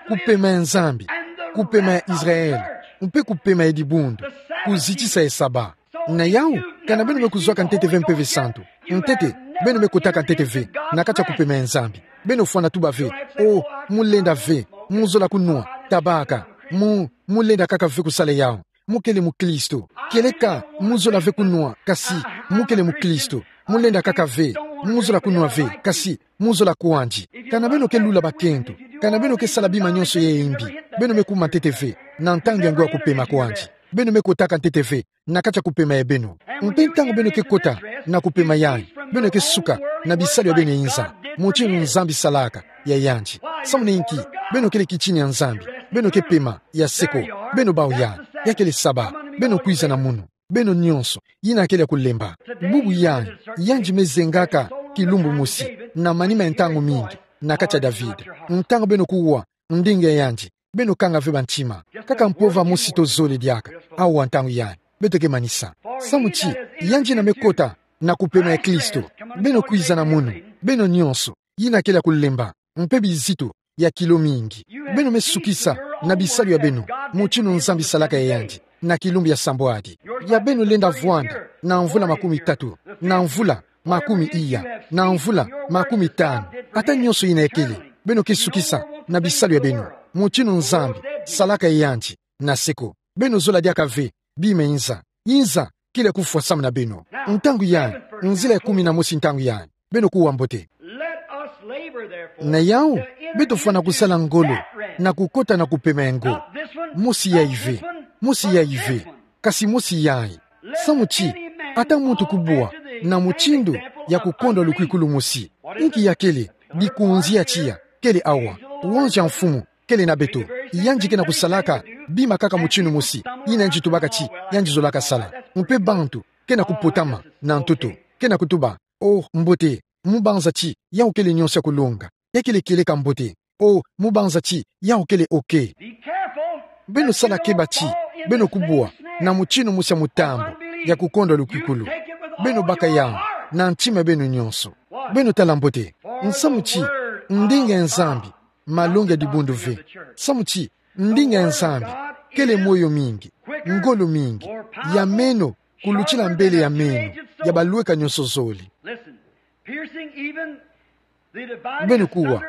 Kupema ya Nzambi, kupema ya Israel, mpe kupema ya dibundu, kuzitisa ya Saba. Na yawu, kana beno me kuzwaka ntete ve Mpeve Santu. Ntete, beno me kotaka ntete ve na kati ya kupema ya Nzambi. Beno fwana tuba ve, o, mulenda ve, muzola kunwa, tabaka, mu, mulenda kaka ve kusala yawu. Mukele mukristo. Kieleka muzola ve kunwa, kasi mukele mukristo. Mulenda kaka ve, muzola kunwa ve, kasi muzola kwandi. Kana beno ke lula bakento, kana beno ke sala bima nyonso ya imbi, beno me kuma ntete ve na ntangu ya ngo ya kupema kwandi. Beno me kotaka ntete ve na kati ya kupema ya beno. Mpe ntangu beno ke kota na kupema yayi, beno ke suka na bisalu ya beno ya inza, motinu Nzambi salaka ya yandi. Samu na inki? Beno kele kitini ya Nzambi, beno ke pema ya seko, beno bawu yayi. Ya kele Saba, beno kwiza na munu, beno nyonso, yina kele ya kulemba. Bubu yayi, yandi me zengaka kilumbu mosi na manima ya ntangu mingi na kati ya David. Ntangu beno kuwa ndinga ya yandi, beno kanga ve bantima. Kaka mpova mosi to zole diaka, awa ntangu yayi, beto ke manisa. Samu ti, yandi yina me kota na kupema ya Kristo, beno kwiza na munu, beno nyonso, yina kele ya kulemba, mpe bizito ya kilo mingi. Beno me sukisa na bisalu ya beno, motinu Nzambi salaka ya yandi, na kilumbu ya sambwadi. Ya beno lenda vwanda na mvula makumi tatu, na mvula makumi iya, na mvula makumi tanu, ata nyonso yina ya kele, beno ke sukisa na bisalu ya beno, motinu Nzambi salaka ya yandi, na seko. Beno zola diaka ve bima inza. Inza kele ya kufwa samu na beno. Ntangu yayi, nzila ya kumi na mosi ntangu yayi, beno kuwa mbote. Na yawu, beto fwana kusala ngolo na kukota na kupema ya ngo. Mosi yayi ve. mosi yayi ve. Kasi mosi yayi. Samu ti, ata muntu kubwa na mutindu ya kukondwa lukwikulu mosi. Inki yakele, bikunzi ya tiya kele awa. Wanzia mfumu kele na beto. Yandi kena kusalaka bima kaka mutindu mosi. Yina yandi tubaka ti yandi zolaka sala. Mpe bantu kena kupotama na ntoto, kena kutuba: "Oh, mbote, mu banza ti yawu kele nyonso ya kulonga. Yakele kieleka mbote. Oh, mu banza ti yawu kele okay." Beno sala keba ti beno kubwa na mutindu mosi ya mutambu ya kukondwa lukwikulu. Beno baka yawu na ntima ya beno nyonso. Beno tala mbote. Nsamu ti ndinga ya Nzambi, malongi ya dibundu ve. Samu ti ndinga ya Nzambi kele moyo mingi, ngolo mingi, ya meno, kulutila mbele ya meno ya balweka nyonso zole. Beno kuwa,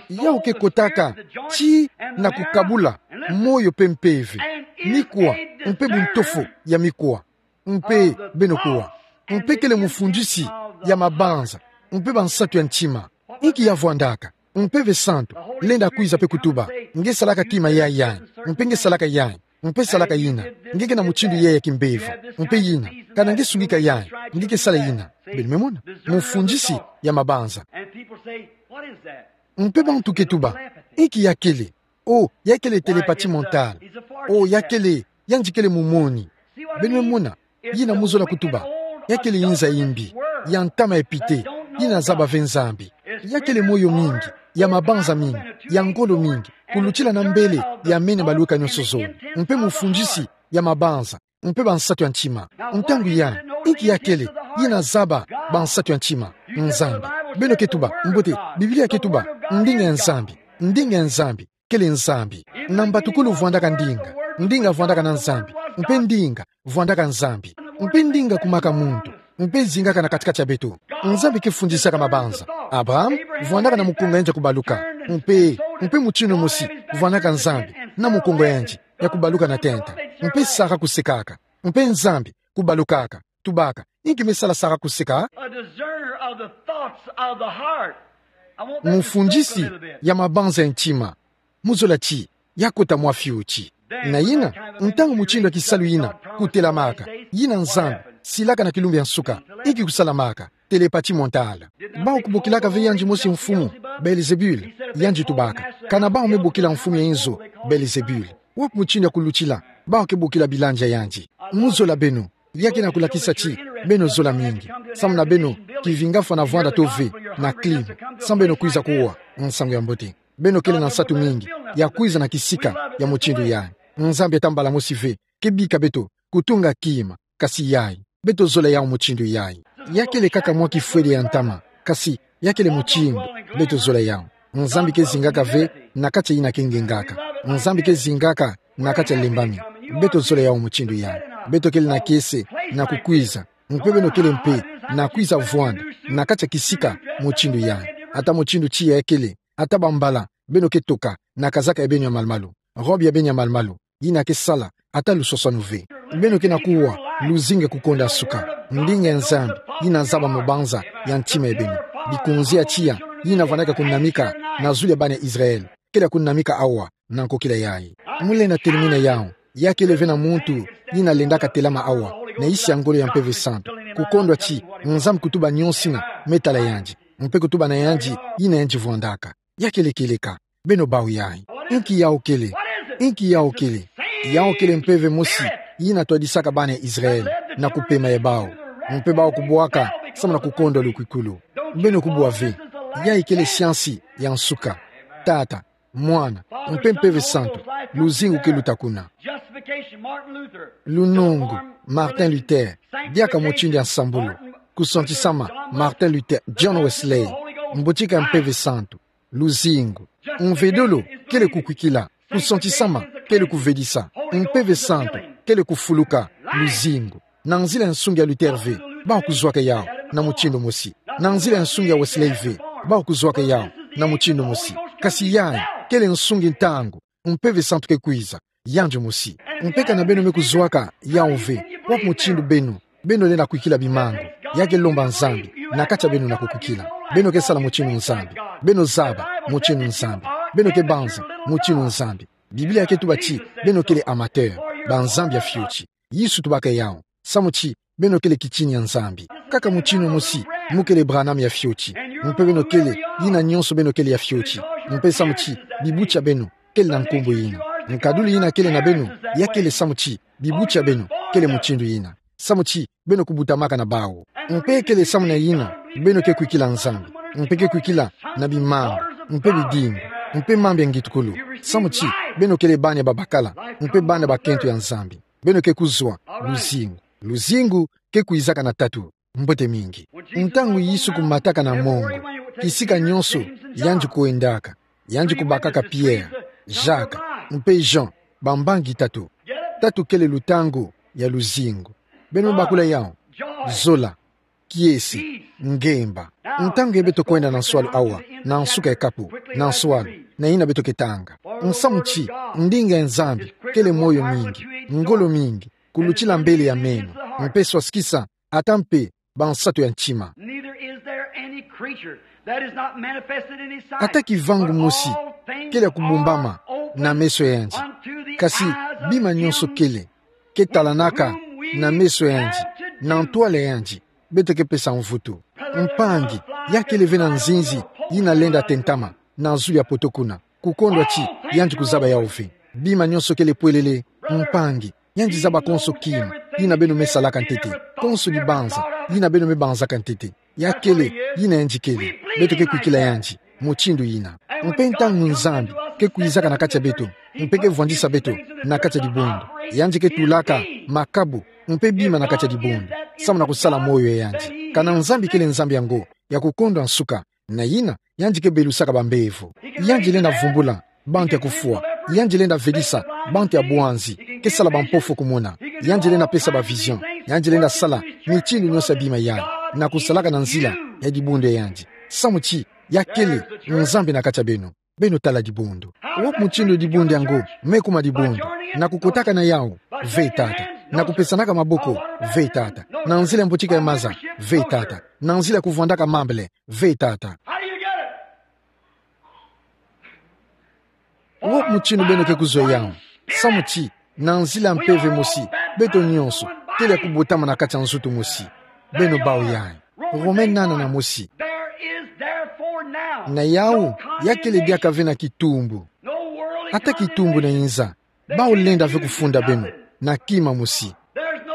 yawu ke kotaka ti na kukabula moyo mpe mpeve, mikwa mpe buntofo ya mikwa. Mpe beno kuwa, mpe kele mufundisi ya mabanza mpe bansatu ya ntima. Inki ya vwandaka? Mpeve santu lenda kwiza mpe kutuba: "Nge salaka kima yayi yayi, mpe nge salaka yayi, mpe salaka yina. Nge ke na mutindu yayi ya kimbevo, mpe yina. Kana nge sungika yayi, nge ke sala yina." Beno me mona? Mufundisi ya mabanza. Mpe bantu ke tuba: "Inki yakele? Oh, yakele télépathie mentale. Oh, yakele, yandi kele mumoni." Beno me mona? Yina mu zola kutuba, yakele inza yimbi, ya ntama ya pite, yina zaba ve Nzambi. Yakele moyo mingi, ya mabanza mingi, ya ngolo mingi, kulutila na mbele ya meno ya balweka nyonso zole, mpe mufundisi ya mabanza mpe bansatu ya ntima. Ntangu yayi, inki yakele? Yina zaba bansatu ya ntima, Nzambi. Beno ke tuba: "Mbote, Biblia ke tuba ndinga ya Nzambi. Ndinga ya Nzambi kele Nzambi." Na mbatukulu vwandaka ndinga. Ndinga vwandaka na Nzambi. Mpe ndinga vwandaka Nzambi. Mpe ndinga kumaka muntu, mpe zingaka na kati-kati ya beto. Nzambi ke fundisaka mabanza. Abraham vwandaka na mukongo ya yandi ya kubaluka. Mpe, mpe mutindu mosi vwandaka Nzambi na mukongo ya yandi ya kubaluka na tenta. Mpe Sara kusekaka. Mpe Nzambi kubalukaka, tubaka: "Inki me sala Sara kuseka?" A discerner of the thoughts of the heart. I want them to think a little bit. Mufundisi ya mabanza ya ntima. Mu zola ti ya kota mwa fioti. Na yina, ntangu mutindu ya kisalu yina kutelamaka, yina Nzambi silaka na kilumbu ya nsuka, inki kusalamaka? Télépathie mentale. Bawu kubokilaka ve yandi mosi mfumu, Belzebul? Yandi tubaka: "Kana bawu me bokila mfumu ya inzo Belzebul, wapi mutindu ya kulutila bawu ke bokila bilandi ya yandi?" Mu zola beno, ya ke na kulakisa ti beno zola mingi. Samu na beno, kivinga fwana vwanda to ve na clim. Samu beno kwiza kuwa nsangu ya mbote. Beno kele na nsatu mingi ya kwiza na kisika ya mutindu yayi. Nzambi ata mbala mosi ve ke bika beto kutunga kima, kasi yayi, beto zola yawu mutindu yayi. Ya kele kaka mwa kifwele ya ntama, kasi ya kele mutindu beto zola yawu. Nzambi ke zingaka ve na kati ya yina ke ngengaka. Nzambi ke zingaka na kati ya lembami. Beto zola yawu mutindu yayi. Beto kele na kiese na kukwiza. Mpe beno kele mpe na kwiza vwanda na kati ya kisika mutindu yayi. Ata mutindu tiya ya kele, ata bambala beno ke toka na kazaka ya beno ya malu-malu, robe ya beno ya malu-malu, yina ke sala ata luswaswanu ve. Beno ke na kuwa luzingu ke kukonda suka. Ndinga ya Nzambi yina zaba mabanza ya ntima ya beno. Bikunzi ya tiya yina vwandaka kunamika na zulu ya bana Israël, kele ya kunamika awa na nkokila yayi. Mu lenda telimina yawu, ya kele ve na muntu yina lendaka telama awa na isi ya ngolo ya Mpeve Santu, kukondwa ti Nzambi kutuba nyonso yina me tala yandi, mpe kutuba na yandi yina yandi vwandaka. Ya kele kieleka. Beno bau yayi. Inki yawu kele? Inki yawu kele? Yawu kele mpeve mosi yina twadisaka bana ya Israël na kupema ya bau, mpe bau kubwaka samu na kukondwa lukwikulu. Beno kubwa ve. Yayi kele siansi ya nsuka. Tata, Mwana, mpe Mpeve Santu, luzingu ke luta kuna. Justification, Martin Luther. Lunungu, Martin Luther, diaka mutindu ya nsambulu. Kusantisama, Martin Luther, John Wesley. Mbutika ya Mpeve Santu, luzingu. Mvedolo kele kukwikila. Kusantisama kele kuvedisa. Mpeve Santu kele kufuluka, luzingu. Na nzila ya nsungi ya Luther ve, bau kuzwaka yawu na mutindu mosi. Na nzila ya nsungi ya Wesley ve, bau kuzwaka yawu na mutindu mosi. Kasi yayi kele nsungi ntangu Mpeve Santu ke kwiza, yandi mosi. Mpe kana beno me kuzwaka yawu ve, wapi mutindu beno, beno lenda kwikila bimangu? Ya ke lomba Nzambi na kati ya beno na kukwikila. Beno ke sala mutindu Nzambi. Beno zaba mutindu Nzambi. Beno ke banza mutindu Nzambi. Biblia ke tuba ti beno kele amateur, banzambi ya fioti. Yesu tubaka yawu, samu ti beno kele kitini ya Nzambi. Kaka mutindu mosi, mu kele Branham ya fioti. Mpe beno kele, yina nyonso beno kele ya fioti. Mpe samu ti bibuti ya beno kele na nkumbu yina. Nkaduli yina kele na beno, ya kele samu ti bibuti ya beno kele mutindu yina. Samu ti beno kubutamaka na bawu. Mpe kele samu na yina, beno ke kwikila Nzambi. Mpe ke kwikila na bimambu, mpe bidimbu, mpe mambu ya ngitukulu. Samu ti beno kele bana ya babakala, mpe bana bakento ya Nzambi. Beno ke kuzwa luzingu. Luzingu ke kwizaka na tatu. Mbote mingi. Ntangu Yesu kumataka na mongo, kisika nyonso yandi kwendaka, yandi kubakaka Pierre, Jacques, mpe Jean, bambangi tatu. Tatu kele lutangu ya luzingu. Beno bakula yawu. Zola, kiese, ngemba. Ntangu ya beto kwenda na nswalu awa, na nsuka ya kapu, na nswalu, na yina beto ke tanga. Nsamu ti ndinga ya Nzambi kele moyo mingi, ngolo mingi, kulutila mbele ya meno, mpe swasikisa, ata mpe bansatu ya ntima. Neither is there any creature that is not manifested in his sight, Ata kivangu mosi kele ya kubumbama na meso ya yandi. Kasi bima nyonso kele, ke talanaka na meso ya yandi, na ntwala ya yandi, beto ke pesa mvutu. Mpangi, ya kele ve na nzinzi yina lenda tentama na zulu ya poto kuna. Kukondwa ti yandi kuzaba yawu ve. Bima nyonso kele pwelele, mpangi, yandi zaba konso kima yina beno me salaka ntete, konso dibanza yina beno me banzaka ntete. Ya kele yina yandi kele. Beto ke kwikila yandi mutindu yina. Mpe ntangu Nzambi ke kwizaka na kati ya beto, mpe ke vwandisa beto na kati ya dibundu, yandi ke tulaka makabu mpe bima na kati ya dibundu, samu na kusala moyo ya yandi. Kana Nzambi kele Nzambi yango ya kukondwa nsuka, na yina yandi ke belusaka bambevo. Yandi lenda vumbula bantu ya kufwa. Yandi lenda vedisa bantu ya bwanzi, ke sala bampofu kumona. Yandi lenda pesa ba vision. Yandi lenda sala mitindu nyonso ya bima yayi, na kusalaka na nzila ya dibundu ya yandi. Samu ti ya kele Nzambi na kati ya beno. Beno tala dibundu. Wapi mutindu dibundu yango me kuma dibundu? Na kukotaka na yawu? Ve, tata. Na kupesanaka maboko? Ve, tata. Na nzila ya mbotika ya maza? Ve, tata. Na nzila ya kuvwandaka mambele? Ve, tata. Wapi mutindu beno ke kuzwa yawu? Samu ti na nzila ya mpeve mosi, beto nyonso kele ya kubotama na kati ya nzutu mosi. Beno bawu yayi. Rome nana na mosi. Na yawu, ya kele diaka ve na kitumbu. Ata kitumbu na inza, bawu lenda ve kufunda beno na kima mosi.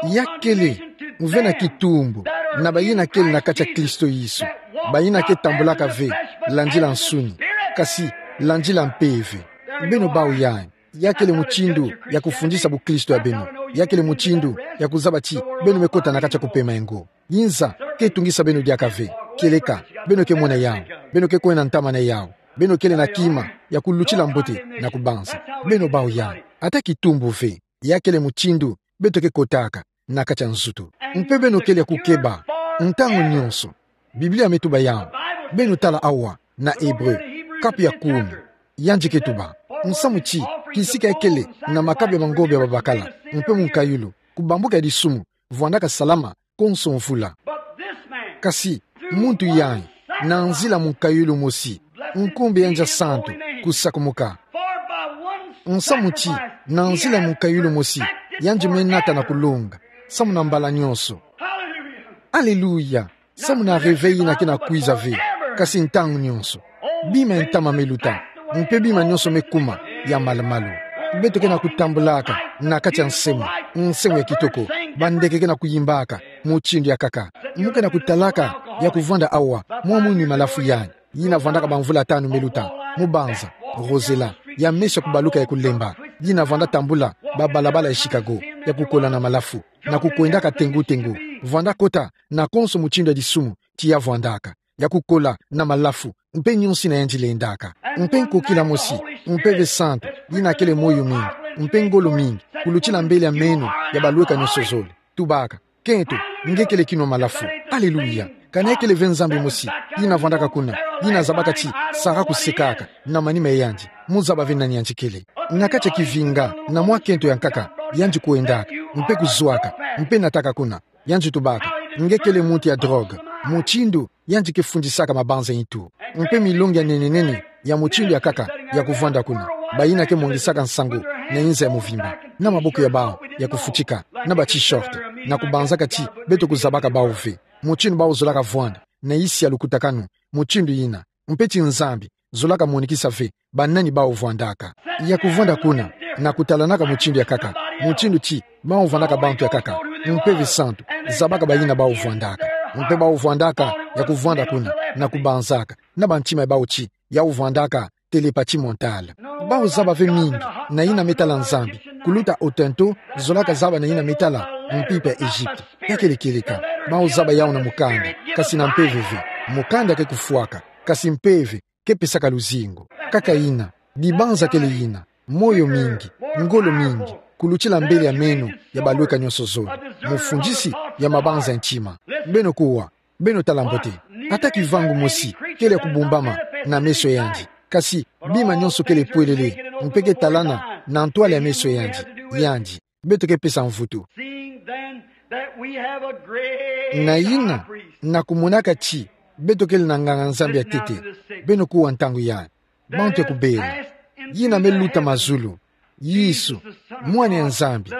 Ya kele ve na kitumbu na bayina kele na kati ya Kristo Yesu, bayina ke tambulaka ve landila nsuni, kasi landila mpeve. Beno bawu yayi. Ya kele mutindu ya kufundisa bukristo ya beno. Ya kele mutindu ya kuzaba ti beno me kota na kati ya kupema yango. Inza ke tungisa beno diaka ve. Kieleka beno ke mona yawu, beno ke kwenda ntama na yawu, beno kele na kima ya kulutila mbote na kubanza. Beno bawu yayi. Ata kitumbu ve. Ya kele mutindu beto ke kotaka na kati ya nzutu. Mpe beno kele ya kukeba ntangu nyonso. Biblia me tuba yawu. Beno tala awa na Ebre, kapu ya kumi. Yandi ke tuba: Nsamu ti kisika ya kele na makabu ya mangombe ya babakala, mpe munkayulu, kubambuka ya disumu, vwandaka salama konso mvula. Kasi muntu yayi, na nzila munkayulu mosi, nkumbu ya yandi ya santu kusakumuka. Nsamu ti na nzila munkayulu mosi, yandi me nata na kulonga, samu na mbala nyonso. Aleluya! Samu na réveil yina ke na kwiza ve, kasi ntangu nyonso. Bima ya ntama me luta, mpe bima nyonso me kuma ya malumalu. Beto ke na kutambulaka na kati ya nsemo, nsemo ya kitoko. Bandeke ke na kuyimbaka mutindu ya nkaka. Mu ke na kutalaka ya kuvwanda awa, mwa mwini malafu yayi, yina vwandaka bamvula tanu me luta, mu banza, Rosella, ya mesi ya kubaluka ya kulemba, yina vwanda tambula babalabala ya Chicago, ya kukola na malafu, na kukwendaka tengu-tengu, vwanda kota na konso mutindu ya disumu ti ya vwandaka, ya kukola na malafu, mpe nyonso yina yandi lendaka. Mpe nkokila mosi, Mpeve Santu, yina kele moyo mingi, mpe ngolo mingi, kulutila mbele ya meno ya balweka nyonso zole. Tubaka: Kento, nge kele kino malafu. Aleluya! Kana ya kele ve Nzambi mosi yina vwandaka kuna, yina zabaka ti saka kusekaka na manima ya yandi, mu zaba ve nani yandi kele. Na kati ya kivinga, na mwa kento ya nkaka, yandi kwendaka, mpe kuzwaka, mpe nataka kuna. Yandi tubaka: Nge kele muntu ya drogue. Mutindu yandi ke fundisaka mabanza nitu, mpe milongi ya nene-nene ya mutindu ya nkaka ya kuvwanda kuna. Bayina ke mwangisaka nsangu na inza ya muvimba, na maboko ya bawu ya kufutika, na ba t-shirt, na kubanzaka ti beto kuzabaka bawu ve. Mutindu bawu zolaka vwanda na isi ya lukutakanu mutindu yina, mpe ti Nzambi zolaka monikisa ve banani bawu vwandaka. Ya kuvwanda kuna, na kutalanaka mutindu ya nkaka, mutindu ti bawu vwandaka bantu ya nkaka, Mpeve Santu zabaka bayina bawu vwandaka. Mpe bawu vwandaka ya kuvwanda kuna, na kubanzaka, na bantima ya bawu ti yawu vwandaka télépathie mentale. Bawu zaba ve mingi na yina me tala Nzambi, kuluta Otento zolaka zaba na yina me tala mpimpa ya Egypte. Ya kele kieleka, bawu zaba yawu na mukanda, kasi na mpeve ve. Mukanda ke kufwaka, kasi mpeve ke pesaka luzingu. Nkaka yina, dibanza kele yina, moyo mingi, ngolo mingi, kulutila mbele ya meno ya balweka nyonso zole, mufundisi ya mabanza ya ntima. Beno kuwa, beno tala mbote. Ata kivangu mosi kele ya kubumbama na meso yandi, kasi bima nyonso kele pwelele, mpe ke talana na ntwala ya meso yandi, yandi. Beto ke pesa mvutu. Seeing then that we have a great Na yina, high priest. Na kumonaka ti beto kele na nganga-Nzambi ya ntete, beno kuwa ntangu yai. Bantu ya kubela, yina me luta mazulu, Yesu, Mwana ya Nzambi,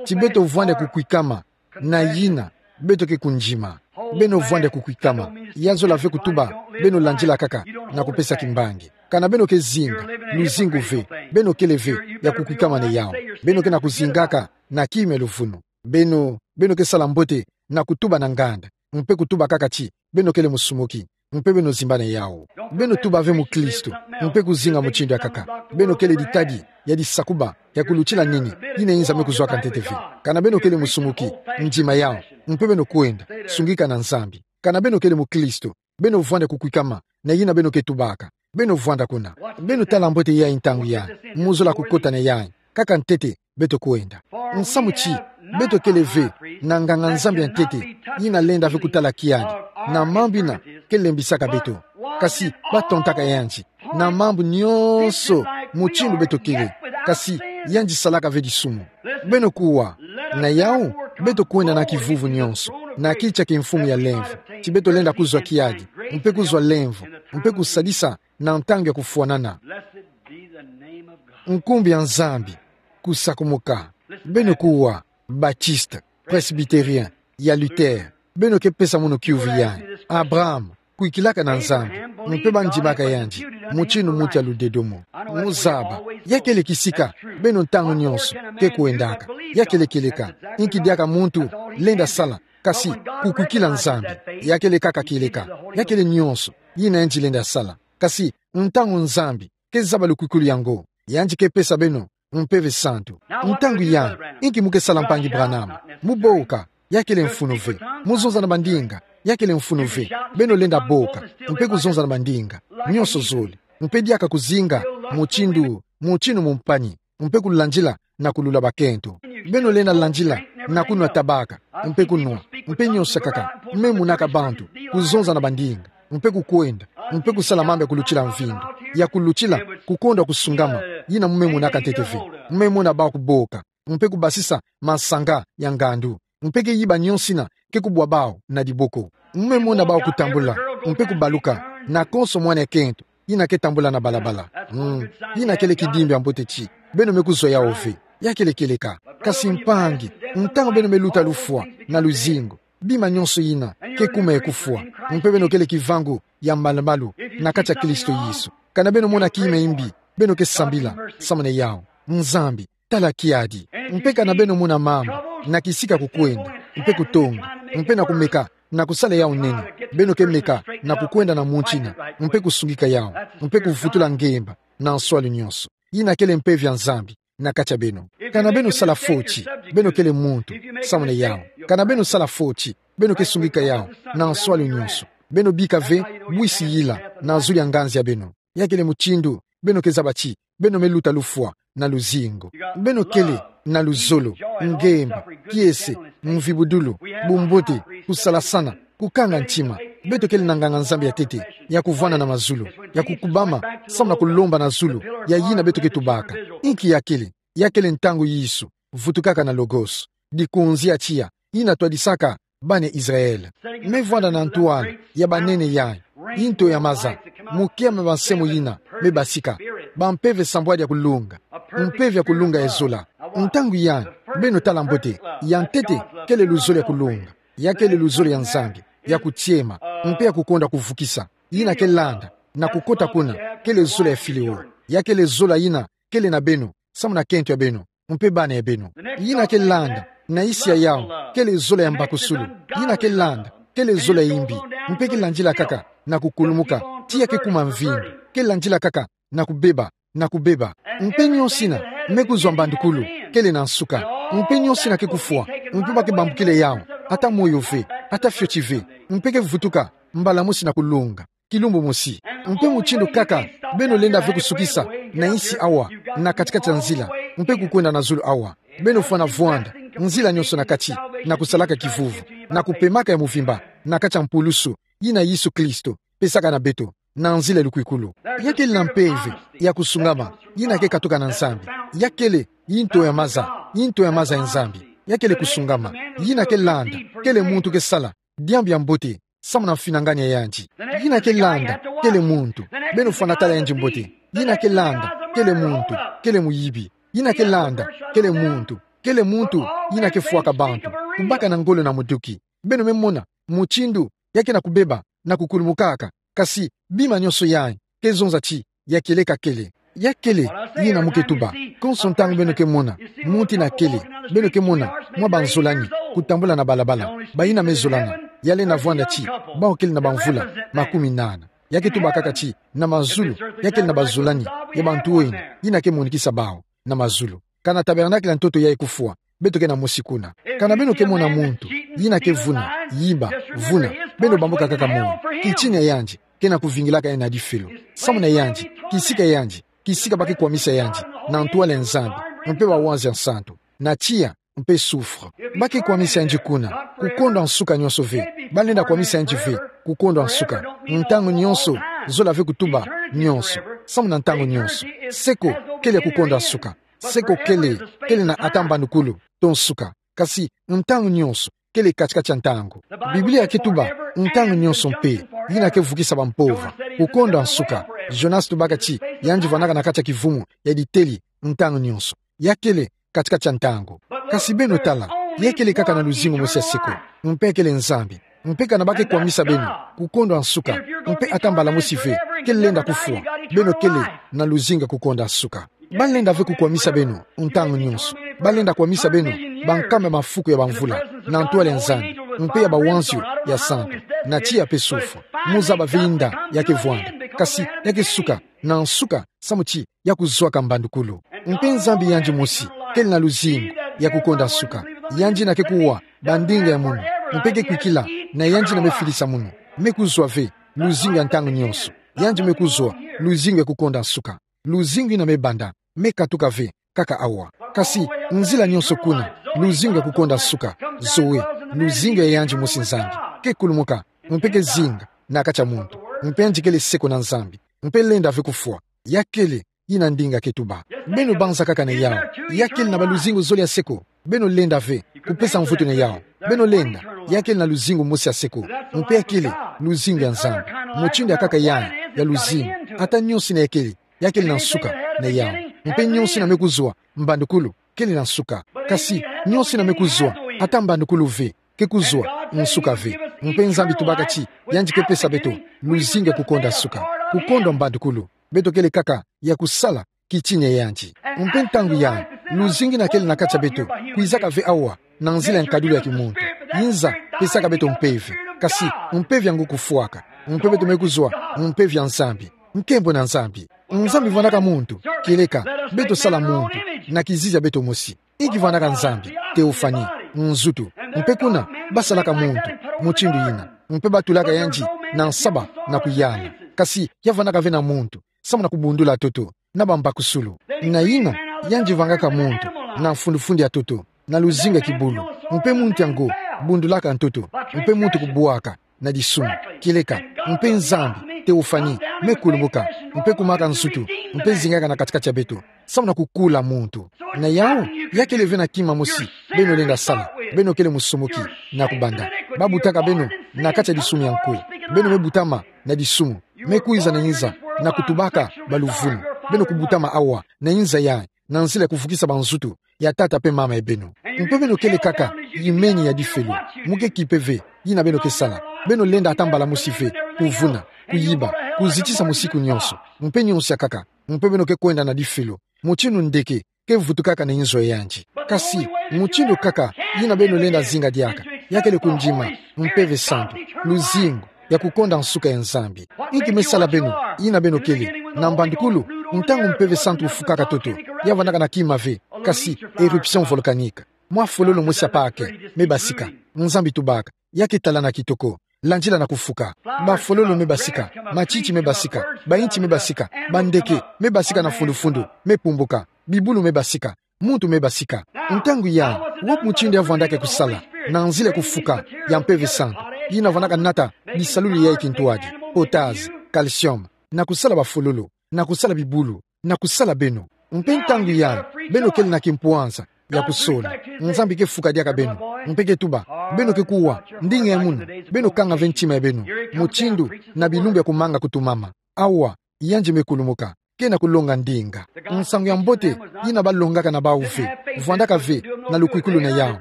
ti beto vwanda kukwikama na yina beto ke kundima. Beno vwanda kukwikama, ya zola ve kutuba beno landila nkaka na kupesa kimbangi. Kana beno ke zinga luzingu ve, beno kele ve ya kukwikama na yawu. Beno ke na kuzingaka na kima ya luvunu. Beno, beno ke sala mbote na kutuba na nganda, mpe kutuba nkaka ti beno kele musumuki, mpe beno zimba na yawu. Beno tuba ve mukristu, mpe kuzinga mutindu ya nkaka. Beno kele ditadi ya disakuba ya kulutila nini yina inza me kuzwaka ntete ve. Kana beno kele musumuki, ndima yawu, mpe beno kwenda, sungika na Nzambi. Kana beno kele mukristu, beno vwanda kukwikama na yina beno ke tubaka. Beno vwanda kuna. Beno tala mbote yai ntangu yai, mu zola kukota na yai. Nkaka ntete, beto kwenda. Nsamu ti beto kele ve na nganga-Nzambi ya ntete yina lenda ve kutala kiadi na mambu yina ke lembisaka beto. Kasi batontaka yandi na mambu nyonso, mutindu beto kele, kasi yandi salaka ve disumu. Beno kuwa, na yawu beto kwenda na kivuvu nyonso na kiti ya kimfumu ya lemvo, ti beto lenda kuzwa kiadi, mpe kuzwa lemvo, mpe kusadisa na ntangu ya kufwanana. Blessed be the name of God. Nkumbu ya Nzambi kusakumuka. Beno kuwa, Baptiste, Presbytérien, ya Luther, beno ke pesa mono kiuvu yai. Abraham kwikilaka na Nzambi, mpe bandimaka yandi mutindu muntu ya ludedomo. Muzaba, ya kele kisika beno ntangu nyonso ke kwendaka. Ya kele kieleka, inki diaka muntu lenda sala, kasi kukwikila Nzambi. Ya kele nkaka kieleka, ya kele nyonso yina yandi lenda sala. Kasi ntangu Nzambi ke zaba lukwikulu yango, yandi ke pesa beno Mpeve Santu. Ntangu yai, inki mu ke sala, Mpangi Branham? Mu boka, ya kele mfunu ve. Mu zonza na bandinga, ya kele mfunu ve. Beno lenda boka, mpe kuzonza na bandinga nyonso zole, mpe diaka kuzinga mutindu, mutindu mumpani, mpe kulandila na kulula bakento. Beno lenda landila na kunwa tabaka, mpe kunwa, mpe nyonso kaka, me monaka bantu kuzonza na bandinga, mpe kukwenda, mpe kusala mambu ya kulutila mvindu, ya kulutila kukondwa kusungama, yina mu me monaka ntete ve. Mu me mona bawu kuboka, mpe kubasisa masanga ya ngandu, mpe ke yiba nyonso yina ke kubwa bawu na diboko. Mu me mona bawu kutambula, mpe kubaluka, na konso mwana ya kento yina ke tambula na balabala. Mm. Yina kele kidimbi ya mbote ti beno me kuzwa yawu ve. Ya kele kieleka. Kasi mpangi, ntangu beno me luta lufwa na luzingu, bima nyonso yina ke kuma ya kufwa, mpe beno kele kivangu ya malu-malu na kati ya Kristo Yesu. Kana beno mona kima ya mbi, beno ke sambila samu na yawu. Nzambi, tala kiadi. Mpe kana beno mona mambu na kisika kukwenda, mpe kutonga, mpe na kumeka na kusala yawu nene, beno ke meka na kukwenda na muntu yina, mpe kusungika yawu, mpe kuvutula ngemba na nswalu nyonso. Yina kele mpeve ya Nzambi na kati ya beno. Kana beno sala foti, beno kele muntu samu na yawu. Kana beno sala foti, beno ke sungika yawu na nswalu nyonso. Beno bika ve bwisi yila na zulu ya nganzi ya beno. Ya kele mutindu beno ke zaba ti beno me luta lufwa na luzingu. Beno kele na luzolo, ngemba, kiese, mvibudulu, bumbote, kusalasana, kukanga ntima. Beto kele na nganga-Nzambi ya ntete ya kuvwanda na mazulu, ya kukubama samu na kulomba na zulu ya yina beto ke tubaka. Inki ya kele? Ya kele ntangu Yesu vutukaka na Logos, dikonzi ya tiya yina twadisaka bana Israël. Me vwanda na ntwala ya banene yai, nto ya maza, mokiama ba nsemo yina me basika. bampeve sambwadi ya kulunga. Mpeve ya kulunga ya zola. Ntangu yai, beno tala mbote, ya ntete, kele luzolo ya kulunga. Ya kele luzolo ya Nzambi, ya kutiema, mpe ya kukonda kuvukisa. Yina ke landa, na kukota kuna, kele zola ya fileo. Ya kele zola yina, kele na beno, samu na kento ya beno, mpe bana ya beno. Yina ke landa, na isi ya yawu, kele zola ya mbakusulu. Yina ke landa, kele zola ya imbi, mpe ke landila kaka, na kukulumuka, tiya ke kuma mvindu, ke landila kaka, na kubeba, na kubeba. Mpe nionso yina, me kuzwa mbandukulu, kele na nsuka. Mpe nionso yina ke kufwa, mpe ba ke bambukila yawu, ata moyo ve, ata fioti ve, mpe ke vutuka, mbala mosi na kulunga. Kilumbu mosi. Mpe mutindu kaka, beno lenda ve kusukisa, na isi awa, na kati-kati ya nzila, mpe kukwenda na zulu awa. Beno fwana vwanda, nzila nionso na kati, na kusalaka kivuvu, na kupemaka ya muvimba, na kati ya mpulusu, yina Yesu Kristo, pesaka na beto, na nzila ya lukwikulu. Ya kele na mpeve, ya kusungama, yina ke katuka na Nzambi. Ya kele, yi nto ya maza, yi nto ya maza ya Nzambi. Ya kele kusungama, yina ke landa, kele muntu ke sala, diambu ya mbote, samu na mfinangani ya yandi. Yina ke landa, kele muntu. Beno fwana tala yandi mbote. Yina ke landa, kele muntu, kele muyibi. Yina ke landa, kele muntu, kele muntu, yina ke fwaka bantu. Kubaka na ngolo na muduki. Beno me mona, mutindu, ya ke na kubeba, na kukulumukaka. Kasi, bima nionso yai, ke zonza ti, ya kieleka kele. Ya kele, yina mu ke tuba. Konso ntangu beno ke mona, muntu yina kele, beno ke mona, mwa banzolani, kutambula na balabala, bayina me zolana, ya lenda vwanda ti, bawu kele na bamvula, makumi nana. Ya ke tuba kaka ti, na mazulu, ya kele na bazolani, ya bantu oyina, yina ke monikisa bawu, na mazulu. Kana tabernacle ya ntoto yai kufwa, beto ke na mosi kuna. Kana beno ke mona muntu, yina ke vuna, yiba, vuna, beno bambuka kaka moyo. Kitini ya yandi, ke na kuvingilaka yandi na difelo. Samu na yandi, kisika ya yandi, kisika ba ke kwamisa yandi, na ntwala ya Nzambi, mpe bawanzi ya nsantu. Na tiya, mpe soufre. Ba ke kwamisa yandi kuna, kukondwa nsuka nionso ve. Ba lenda kwamisa yandi ve, kukondwa nsuka. Ntangu nionso, zola ve kutuba, nionso. Samu na ntangu nionso. Seko, kele kukondwa nsuka. Seko kele, kele na ata mbandukulu, to nsuka. Kasi, ntangu nionso, kele kati-kati ya ntangu. Biblia ke tuba, ntangu nionso mpe, yina ke vukisa bampova. Kukondwa nsuka. Jonas tubaka ti, yandi vwanaka na kati ya kivumu, ya diteli, ntangu nionso. Ya kele, kati-kati ya ntangu. Kasi beno tala, ya kele kaka na luzingu mosi ya seko. Mpe kele Nzambi. Mpe kana ba ke kwamisa beno, kukondwa nsuka. Mpe ata mbala mosi ve, ke lenda kufwa. Beno kele, na luzingu ya kukondwa nsuka. Ba lenda ve kukwamisa beno, ntangu nionso. Ba lenda kwamisa beno, bankama ya mafuku ya bamvula, na ntwala ya Nzambi, mpe ya bawanzi ya nsantu, na tiya mpe soufre. Mu zaba ve inda, ya ke vwanda. Kasi, ya ke suka, na nsuka, samu ti, ya kuzwaka mbandukulu. Mpe Nzambi yandi mosi, kele na luzingu, ya kukondwa nsuka. Yandi yina ke kuwa, bandinga ya munu, mpe ke kwikila, na yandi yina me filisa munu. Me kuzwa ve, luzingu ya ntangu nionso. Yandi me kuzwa, luzingu ya kukondwa nsuka. Luzingu yina me banda, me katuka ve, kaka awa. Kasi, nzila nionso kuna, luzingu ya kukondwa nsuka, zoe, luzingu ya yandi mosi Nzambi. Ke kulumuka, mpe ke zinga, na kati ya muntu. Mpe yandi kele seko na Nzambi. Mpe lenda ve kufwa. Ya kele, yina ndinga ke tuba. Beno banza kaka na yawu. Ya kele na baluzingu zole ya seko. Beno lenda ve, kupesa mvutu na yawu. Beno lenda, ya kele na luzingu mosi ya seko. Mpe ya kele, luzingu ya Nzambi. Mutindu ya kaka yai, ya luzingu. Ata nionso yina ya kele, ya kele na nsuka, na yawu. Mpe nionso yina me kuzwa, mbandukulu, kele na nsuka. Kasi, nionso yina me kuzwa, ata mbandukulu ve, ke kuzwa, nsuka ve. Mpe Nzambi tubaka ti, yandi ke pesa beto, luzingu ya kukondwa nsuka. Kukondwa mbandukulu. Beto kele kaka, ya kusala, kitini ya yandi. Mpe ntangu yai, luzingu yina kele na kati ya beto, kwizaka ve awa, na nzila ya nkadulu ya kimuntu. Yinza, pesaka beto mpeve. Kasi, mpeve ya ngu kufwaka. Mpe beto me kuzwa, mpeve ya Nzambi. Nkembo na Nzambi. Nzambi vwanaka muntu, kieleka, beto sala muntu, na kizizi ya beto mosi. Inki vwanaka Nzambi, théophanie, nzutu. Mpe kuna, ba salaka muntu, mutindu yina. Mpe ba tulaka yandi, na nsaba, na kuyala. Kasi, ya vwanaka ve na muntu, samu na kubundula ntoto, na bambakusulu. Na yina, yandi vwangaka muntu, na mfundufundu ya ntoto, na luzingu ya kibulu. Mpe muntu yango, bundulaka ntoto, mpe muntu kubwaka, na disumu. Kieleka, mpe Nzambi, théophanie, me kulumuka, mpe kumaka nzutu, mpe zingaka na kati-kati ya beto. Samu na kukula muntu. Na yawu, ya kele ve na kima mosi, beno lenda sala, beno kele musumuki, na kubanda. Ba butaka beno, na kati ya disumu ya nkwe. Beno me butama, na disumu. Me kwiza na yinza, na kutubaka, baluvunu. Beno kubutama awa, na inza yayi, na nzila ya kufukisa banzutu ya tata mpe mama ya beno. Mpe beno kele kaka yimeni ya difelo. Mu ke kipe ve, yina beno ke sala. Beno lenda ata mbala mosi ve, kuvuna, kuyiba, kuzitisa musiku nyonso. Mpe nyonso ya nkaka. Mpe beno ke kwenda na difelo. Mutindu ndeke ke vutukaka na inzo ya yandi. Kasi, mutindu nkaka, yina beno lenda zinga diaka, ya kele kundima, Mpeve Santu, luzingu, ya kukonda nsuka ya Nzambi. Inki me sala beno, yina beno kele, na mbandukulu, ntangu Mpeve Santu ufukaka ntoto, ya vandaka na kima ve, kasi, éruption volcanique. Mwa fololo mosi ya pake, me basika, Nzambi tubaka, ya ke talana kitoko. Landila na kufuka. Bafololo me basika, matiti me basika, bainti me basika, bandeke me basika na fundufunu, me pumbuka, bibulu me basika, muntu me basika. Ntangu yayi, wapi mutindu ya vandaka kusala, na nzila ya kufuka ya Mpeve Santu, yina vandaka nata bisalulu ya kintwadi, potasse, calcium, na kusala bafololo, na kusala bibulu, na kusala beno. Mpe ntangu yayi, beno kele na kimpwanza ya kusola. Nzambi ke fuka diaka beno. Mpe ke tuba, beno ke kuwa, ndinga ya munu, beno kanga ve ntima ya beno. Mutindu, na bilumbu ya kumanga kutumama. Awa, yandi me kulumuka, ke na kulonga ndinga. Nsangu ya mbote, yina balongaka na bawu ve, vandaka ve, na lukwikulu na yawu.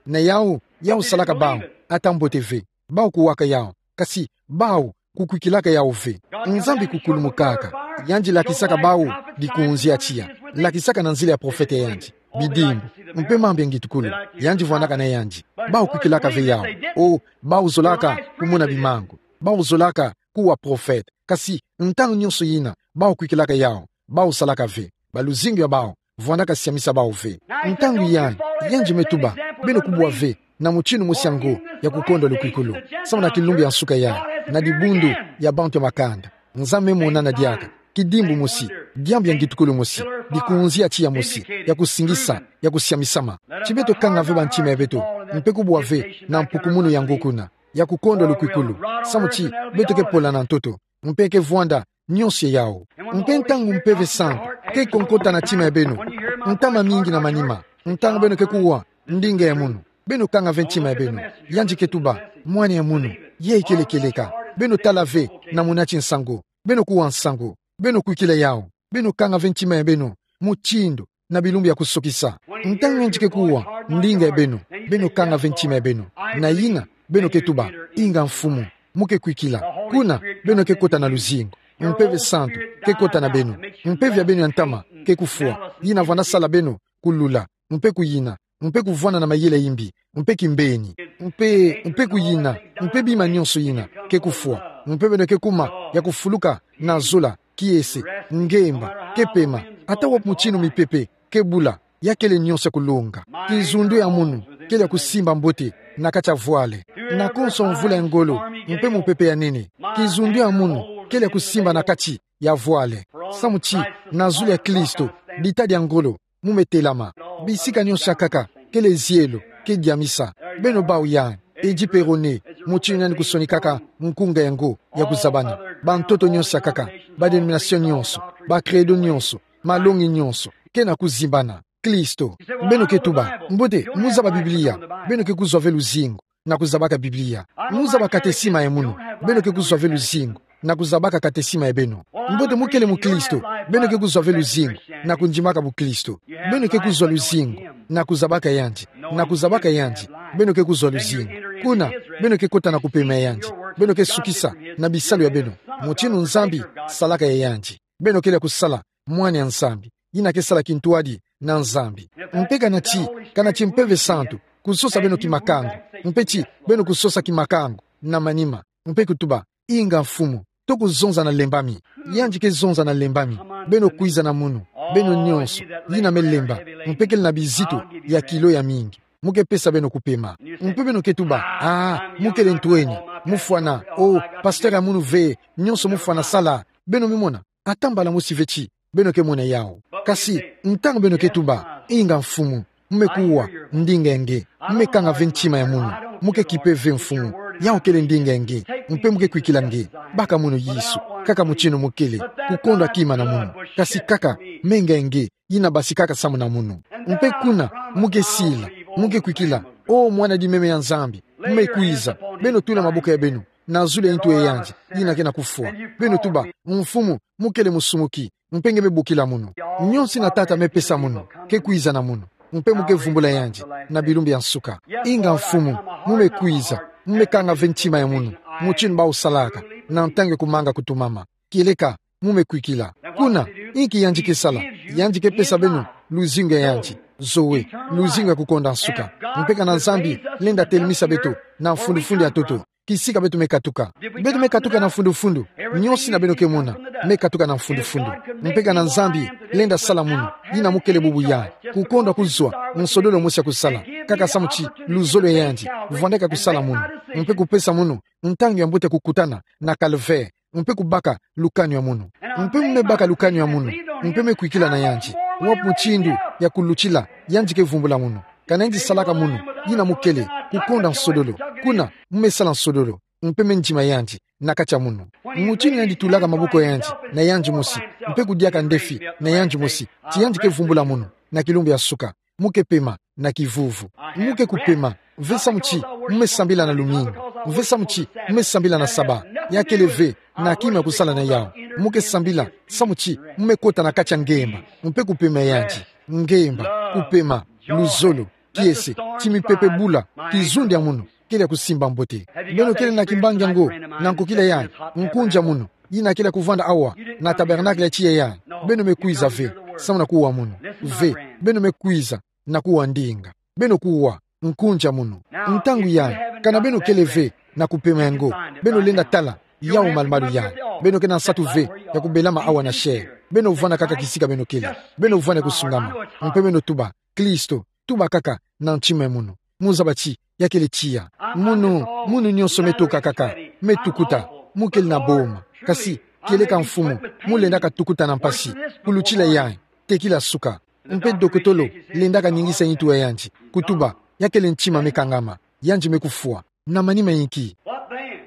Na yawu, yawu salaka bawu, ata mbote ve. Bawu kuwaka yawu, kasi, bawu, kukwikilaka yawu ve. Nzambi kukulumukaka. Yandi lakisaka bawu dikunzi ya tiya. Lakisaka na nzila ya profete ya yandi. Bidimbu. Mpe mambu ya ngitukulu. Yandi vandaka na yandi. Bawu kwikilaka ve yawu. O, bawu zolaka kumona bimangu. Bawu zolaka kuwa profete. Kasi, ntangu nyonso yina, bawu kwikilaka yawu. Bawu salaka ve. Baluzingu ya bawu vandaka siamisa bawu ve. Ntangu yayi, yandi me tuba, beno kubwa ve, na mutindu mosi ya ngo, ya kukonda lukwikulu. Samu na kilumbu ya nsuka yayi, na dibundu ya bantu ya makanda. Nzambi me monana diaka, kidimbu mosi, diambu ya ngitukulu mosi, dikunzi ya tiya mosi, ya kusingisa, ya kusiamisama. Ti beto kanga ve bantima ya beto, mpe kubwa ve, na mpukumunu ya ngo kuna, ya kukonda lukwikulu. Samu ti, beto ke pola na ntoto, mpe ke vwanda, nyonso yawu. Mpe ntangu Mpeve Santu, ke konkota na ntima ya beno. Ntama mingi na manima. Ntangu beno ke kuwa, ndinga ya munu. Beno kanga ve ntima ya beno. Yandi ke tuba, mwana ya munu. Ye ikele kieleka. Beno tala ve, na munati nsangu. Beno kuwa nsangu. Beno kwikila yawu. Beno kanga ve ntima ya beno. Mutindu, na bilumbu ya kusukisa. Ntangu yandi ke kuwa, ndinga ya beno, beno kanga ve ntima ya beno. Na yina, beno ke tuba, inga Mfumu, mu ke kwikila. Kuna, beno ke kota na luzingu. Mpeve Santu, ke kota na beno. Mpeve ya beno ya ntama, ke kufwa. Yina vwanda sala beno, kulula, mpe kuyina, mpe kuvwanda na mayela yimbi, mpe kimbeni. Mpe, mpe kuyina, mpe bima nyonso yina, ke kufwa. Mpe beno ke kuma, ya kufuluka, na zola, kiese, ngemba, ke pema, ata wapi mutindu mipepe ke bula, ya kele nyonso ya kulonga. Kizundu ya munu, kele ya kusimba mbote, na kati ya vwale. Na konso mvula ya ngolo, mpe mupepe ya nene. Kizundu ya munu, kele ya kusimba na kati ya vwale. Samu ti, na zulu ya Klisto, dita dia ngolo, mu me telama. Bisika nyonso ya nkaka, kele zielo, ke diamisa. Beno bawu yayi, Eddy Perrone, mutindu yandi kusonikaka nkunga ya ngo, ya kuzabana. Bantoto nyonso ya nkaka, ba dénomination nyonso, ba credo nyonso, malongi nyonso, ke na kuzimbana. Klisto, beno ke tuba, mbote, mu zaba Biblia, beno ke kuzwa ve luzingu, na kuzabaka Biblia. Mu zaba katesima ya munu, beno ke kuzwa ve luzingu, na kuzabaka katesima ya beno. Mbote mu kele muklisto, beno ke kuzwa ve luzingu, na kundimaka buklisto. Beno ke kuzwa luzingu, na kuzabaka yandi, na kuzabaka yandi, beno ke kuzwa luzingu. Kuna, beno ke kota na kupema ya yandi, beno ke sukisa, na bisalu ya beno. Mutindu Nzambi, salaka ya yandi. Beno kele ya kusala, mwana ya Nzambi. Yina ke sala kintwadi, na Nzambi. Mpe kana ti, kana ti Mpeve Santu, kusosa beno kimakangu. Mpe ti, beno kusosa kimakangu, na manima. Mpe kutuba, inga Mfumu, to kuzonza na lembami. Yandi ke zonza na lembami. Beno kwiza na munu. Beno nyonso, yina me lemba. Mpe kele na bizitu, ya kilo ya mingi. Mu ke pesa beno kupema. Mpe beno ke tuba, ah, mu kele ntweni. Mu fwana, oh, pasteur ya munu ve, nyonso mu fwana sala. Beno me mona. Ata mbala mosi ve ti, beno ke mona yawu. Kasi, ntangu beno ke tuba, inga Mfumu, mu me kuwa, ndinga ya nge, mu me kanga ve ntima ya munu, mu ke kipe ve Mfumu, yawu kele ndinga ya nge, mpe mu ke kwikila nge, baka munu Yesu, kaka mutindu mu kele, kukondwa kima na munu, kasi kaka, menga ya nge, yina basikaka samu na munu. Mpe kuna, mu ke sila, mu ke kwikila, oh mwana di meme ya Nzambi, mu me kwiza, beno tula maboko ya beno, na zulu ya ntu ya yandi, yina ke na kufwa. Beno tuba: Mfumu, mu kele musumuki, mpe nge me bokila munu. Nionso yina Tata me pesa munu, ke kwiza na munu. Mpe mu ke vumbula yandi, na bilumbu bia nsuka. Inga Mfumu, mu me kwiza, mu me kanga ve ntima ya munu, mutindu ba osalaka, na ntangu ya kumanga kutumama. Kieleka, mu me kwikila. Kuna, inki yandi ke sala? Yandi ke pesa beno luzingu ya yandi. Zoe, luzingu ya kukonda nsuka. Mpe kana Nzambi lenda telemisa beto na mfundufundu ya ntoto, kisika beto me katuka. Beto me katuka na mfundufundu. Nionso yina beno ke mona, me katuka na mfundufundu. Mpe kana Nzambi lenda sala munu, yina mu kele bubu ya kukonda kuzwa nsodolo mosi ya kusala, kaka samu ti luzolo ya yandi, vwandaka kusala munu, mpe kupesa munu ntangu ya mbote ya kukutana na Calvaire, mpe kubaka lukanu ya munu. Mpe mu me baka lukanu ya munu, mpe me kwikila na yandi. Wapi mutindu ya kulutila yandi ke vumbula munu? Kana yandi salaka munu, yina mu kele kukonda nsodolo. Kuna, mu me sala nsodolo, mpe me ndima yandi na kati ya munu. Mutindu yandi tulaka maboko ya yandi na yandi mosi, mpe kudiaka ndefi na yandi mosi, ti yandi ke vumbula munu, na kilumbu ya nsuka, mu ke pema na kivuvu. Mu ke kupema ve samu ti mu me sambila na lumingu, ve samu ti mu me sambila na saba. Ya kele ve na kima ya kusala na yawu. Mu ke sambila samu ti mu me kota na kati ya ngemba, mpe kupema ya yandi. Ngemba, kupema, luzolo, kiese, ti mipepe bula, kizundu ya munu kele ya kusimba mbote. Beno kele na kimbangi yango, na nkokila yayi, nkunzi ya munu, yina kele ya kuvwanda awa na tabernacle ya tiya yayi. Beno me kwiza ve samu na kuwa munu. Ve, beno me kwiza na kuwa ndinga. Beno kuwa, nkunzi ya munu. Ntangu yayi, kana beno kele ve na kupema yango, beno lenda tala yawu malumalu yayi. Beno ke na nsatu ve ya kubelama awa na chair. Beno vwanda kaka kisika beno kele. Beno vwanda kusungama. Mpe beno tuba: Kristo, tuba kaka na ntima ya munu. Mu zaba ti ya kele tiya. Munu, munu nionso me toka kaka, me tukuta, mu kele na boma. Kasi, kieleka Mfumu, mu lendaka tukuta na mpasi, kulutila yayi, tekila suka. Mpe dokotolo lendaka ningisa ntu ya yandi, kutuba: Ya kele ntima me kangama, yandi me kufwa. Na manima inki? What then?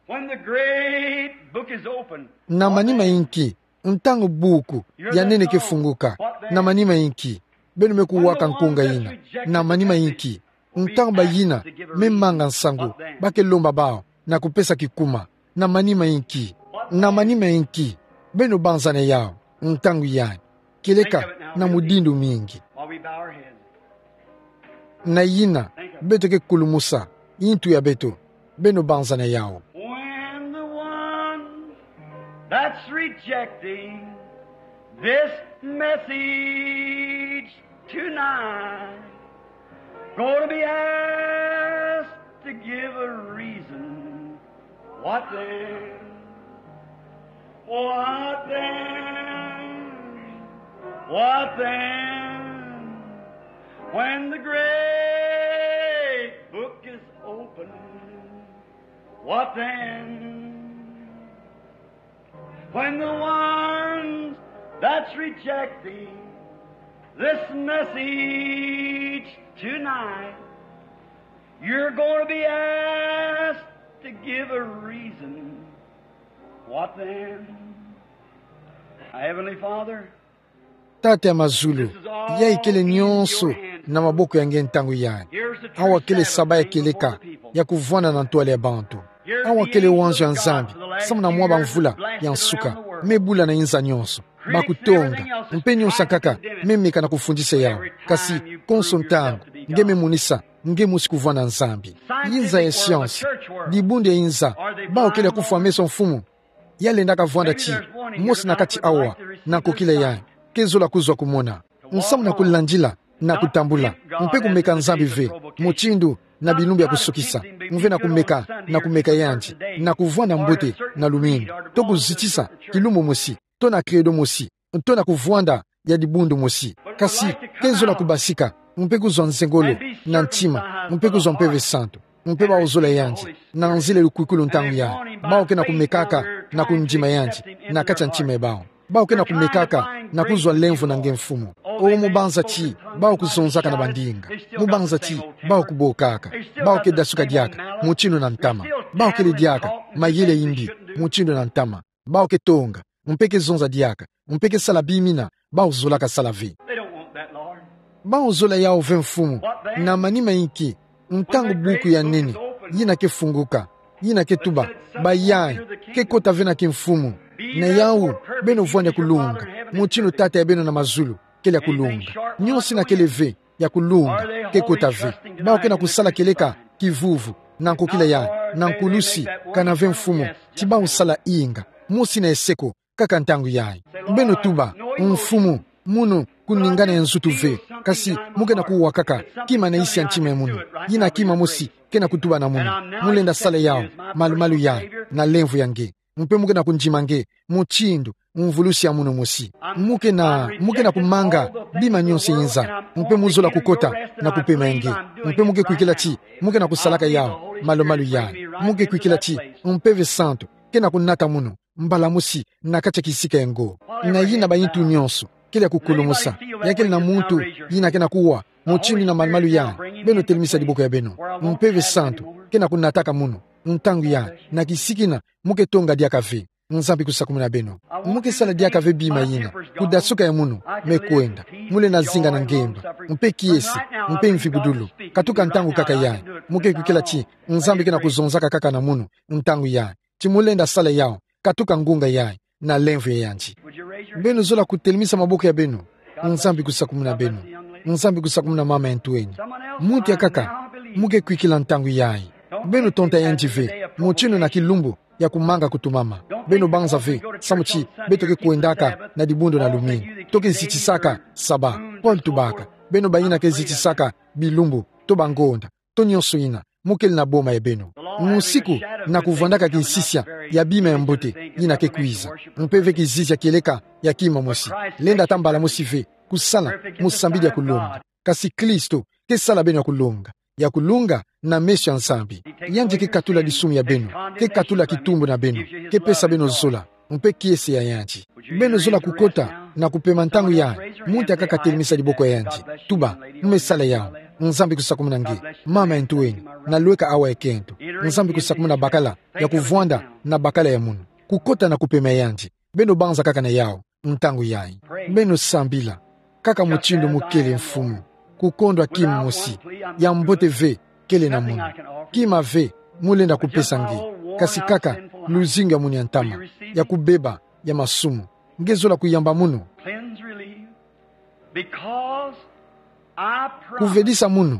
When the great book is opened, na manima inki? Ntangu buku ya nene ke funguka, na manima inki? Beno me kuwaka nkunga yina, na manima inki? Ntangu bayina me manga nsangu ba ke lomba bawu na kupesa kikuma, na manima inki? Na manima inki? Beno banzana yawu, ntangu yayi. Kieleka na mudindu mingi. While we bow our heads. Na yina, beto ke kulumusa ntu ya beto, beno banzana yawu. When the one that's rejecting this message tonight gonna be asked to give a reason, what then? What then? What then? When the great book is opened, what then? When the ones that's rejecting this message tonight, you're gonna be asked to give a reason. What then? Heavenly Father, Tata ya mazulu, yayi kele nionso na maboko ya nge ntangu yayi. Awa kele saba ya kieleka ya kuvwanda na ntwala ya bantu. Awa kele wanzo ya Nzambi, samu na mwa bamvula ya nsuka, me bula na inza nionso, bakutonga, mpe nionso nkaka me meka na kufundisa yawu. Kasi konso ntangu nge me monisa nge mosi kuvwanda Nzambi. Inza ya siansi, dibundu ya inza, bawu kele ya kufwa meso, Mfumu. Ya lendaka vwanda ti mosi na kati awa, na nkokila yayi, ke zola kuzwa kumona. Nsamu na kulandila, na kutambula, mpe kumeka Nzambi ve, mutindu na bilumbu ya kusukisa, mve na kumeka, na kumeka yandi, na kuvwanda mbote na lumingu, to kuzitisa kilumbu mosi, to na credo mosi, to na kuvwanda ya dibundu mosi. Kasi ke zola kubasika, mpe kuzwa nzengolo, na ntima, mpe kuzwa Mpeve Santu. Mpe bawu zola yandi, na nzila ya lukwikulu ntangu yayi. Bawu ke na kumekaka, na kundima yandi, na kati ya ntima ya bawu. Bawu ke na kumekaka, na kuzwa lemvo na nge Mfumu. O, mu banza ti bawu kuzonzaka na bandinga. Mu banza ti bawu kubokaka. Bawu ke dasuka diaka, mutindu na ntama. Bawu kele diaka mayele ya imbi, mutindu na ntama. Bawu ke tonga, mpe ke zonza diaka, mpe ke sala bimina bawu zolaka sala ve. They don't want that, Lord. Bawu zola yawu ve, Mfumu. Na manima inki? Ntangu buku ya nene yina ke funguka, yina ke tuba: Bayai, ke kota ve na kimfumu. Na yau, beno vwani ya kulunga, mutindu Tata ya beno na mazulu kele ya kulunga. Nyoso ina kele ve ya kulunga, ke kota ve. Bau kena kusala kieleka kivuvu, na nkokila yai, na nkulusi, kana ve mfumu, ti bau sala inga. Mosi ina ye seko, kaka ntangu yai. Beno tuba: Mfumu, mono kuningana ya nzutu ve, kasi mo kena kuwa kaka kima na isi ya ntima ya mono. Yina kima mosi kena kutuba na mono. Mo lenda sala yau, malumalu yai, na lemvo ya nge. Mpe mo kena kundima nge mutindu mvulusi ya mono mosi. Mo kena, mo kena kumanga bima nyoso inza. Mpe mo zola kukota na kupema ya nge. Mpe mo ke kwikila ti mo kena kusalaka yau, malumalu yai. Mo ke kwikila ti Mpeve Santu kena kunata mono mbala mosi na kati ya kisika yango. Na yina bayintu nyoso kele ya kukulumusa. Ya kele na muntu yina kena kuwa mutindu yina, malumalu yai, beno telemisa diboko ya beno. Mpeve Santu kena kunataka mono ntangu yai, na kisika ina mo ke tonga diaka ve. Nzambi kusakumuna beno. Mo ke sala diaka ve bima yina. Kudasuka ya mono me kwenda. Mo lenda zinga na ngemba, mpe kiese, mpe mvibudulu. Katuka ntangu kaka yai, mo ke kwikila ti Nzambi kena kuzonzaka kaka na mono ntangu yai, ti mo lenda sala yau, katuka ngunga yai, na lemvo ya yandi. Beno zola kutelemisa maboko ya beno. Nzambi kusakumuna beno. Nzambi kusakumuna mama ya ntu eni. Muntu ya kaka, mo ke kwikila ntangu yai. Beno tonta yandi ve mutindu na kilumbu ya kumanga kutumama. Beno banza ve samu ti beto ke kwendaka na dibundu na lumingu. To ke zitisaka saba. Paul tubaka: Beno bayina ke zitisaka bilumbu, to bangonda, to nyoso ina mo kele na boma ya beno. Musiku na kuvwandaka kisisia ya bima ya mbote yina ke kwiza, mpe ve kizizia kieleka ya kima mosi. Lenda ta mbala mosi ve kusala mu sambidi ya kulonga. Kasi Kristo ke sala beno ya kulonga, ya kulonga na meso ya Nzambi. Yandi ke katula disumu ya beno, ke katula kitumbu na beno, ke pesa beno zola, mpe kiese ya yandi. Beno zola kukota na kupema ntangu yai. Muntu ya kaka telemisa diboko ya yandi. Tuba: Mo me sala yau. Nzambi kusakumuna nge, mama ya ntu eni, na lweka awa ya kento. Nzambi kusakumuna bakala ya kuvwanda na bakala ya mono. Kukota na kupema ya yandi. Beno banza kaka na yau ntangu yai. Beno sambila kaka mutindu mo kele, Mfumu. Kukondwa kima mosi ya mbote ve kele na mono. Kima ve mo lenda kupesa nge, kasi kaka luzingu ya mono ya ntama, ya kubeba, ya masumu. Nge zola kuyamba mono. Cleanse, relieve. Because I promise, kuvedisa mono,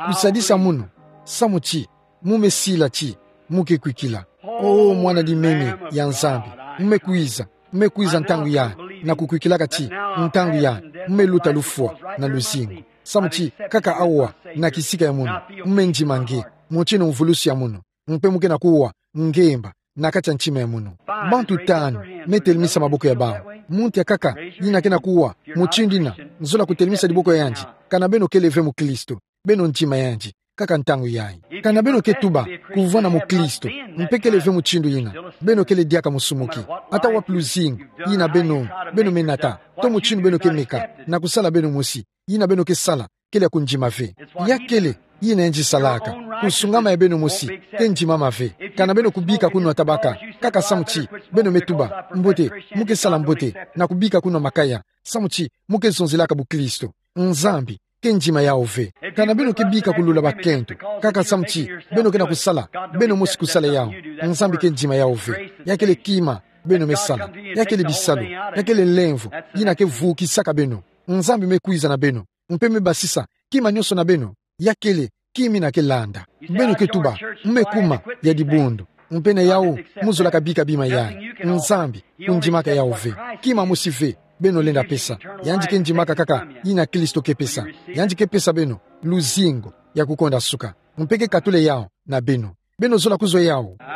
kusadisa mono, samu ti mo me sila ti mo ke kwikila. O mwana dimemi ya Nzambi, mo me kwiza, mo me kwiza ntangu yai, na kukwikilaka ti ntangu yai mo me luta lufwa na luzingu. Samu ti kaka awa, na kisika ya mono, mo me ndima nge mutindu mvulusi ya mono, mpe mo kena kuwa ngemba na kati ya ntima ya mono. Bantu tanu me telemisa maboko ya bau. Muntu ya kaka yina kena kuwa mutindu yina, zola kutelemisa diboko ya yandi. Kana beno kele ve mukristu, beno ndima yandi kaka ntangu yai. Kana beno ke tuba kuvwanda mukristu, mpe kele ve mutindu yina, beno kele diaka musumuki. Ata wapi luzingu yina beno, beno me nata, to mutindu beno ke meka na kusala beno mosi, yina beno ke sala kele ya kundima ve. Ya kele yina yandi salaka. Kusungama ya beno mosi ke ndimama ve. Kana beno kubika kunwa tabaka kaka samu ti beno me tuba mbote, mo ke sala mbote, na kubika kunwa makaya samu ti mo ke zonzelaka bukristu, Nzambi ke ndima yau ve. Kana beno ke bika kulula bakento kaka samu ti beno kena kusala beno mosi kusala yau, Nzambi ke ndima yau ve. Ya kele kima beno me sala. Ya kele bisalu. Ya kele lemvo yina ke vukisaka beno. Nzambi me kwiza na beno, mpe me basisa kima nyoso na beno. Ya kele kima yina ke landa. Beno ke tuba mo me kuma ya dibundu, mpe na yau mo zolaka bika bima yai. Nzambi kundimaka yau ve. Kima mosi ve beno lenda pesa, yandi ke ndimaka kaka yina Kristo ke pesa. Yandi ke pesa beno luzingu ya kukonda suka, mpe ke katula yau na beno. Beno zola kuzwa yau. Out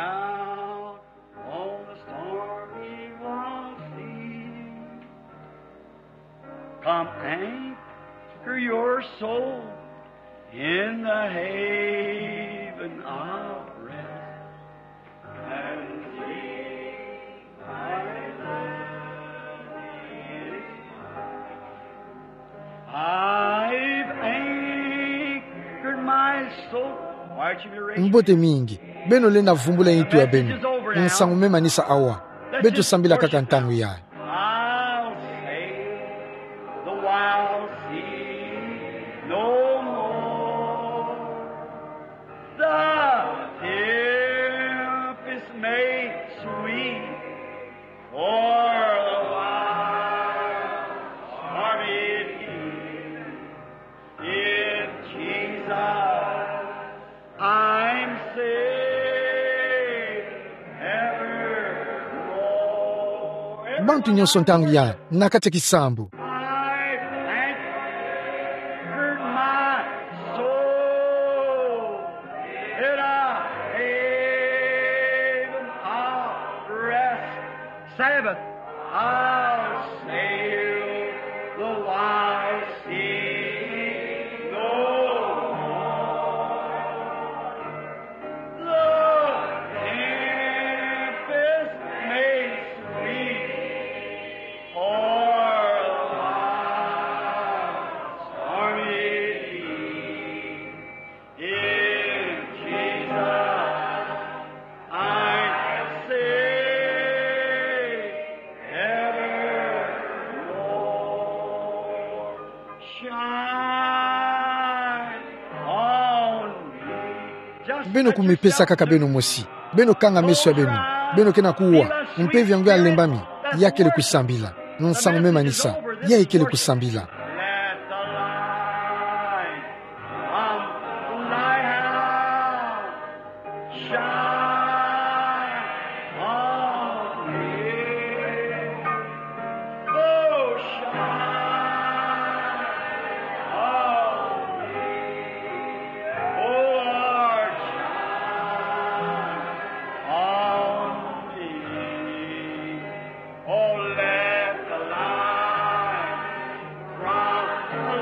on the stormy wild sea, come anchor your soul in the haven of rest. And sleep, my love, is mine. I've anchored my soul. Why don't you be raised? Mbote mingi. Beno lenda vumbula ntu ya beno. Nsangu me manisa awa. Beto sambila kaka ntangu yai. I'll sail the wild sea no more. The Bantu nyonso ntangu ya, na kati ya kisambu. I've anchored my soul in a haven of rest. Sabbath, I'll sail the wide sea no more. The tempest may sweep o'er, the wild stormy deep. In Jesus I'm safe evermore. Shine on me. Beno kumipesa kaka beno mosi. Beno kanga meso ya beno. Beno kena kuwa: Mpeve yango ya lembami, ya kele kusambila. Nsangu me manisa, ya kele kusambila. Let the light from thy house shine on me. Oh, shine on me. Oh, Lord, shine on me. Oh, let the light from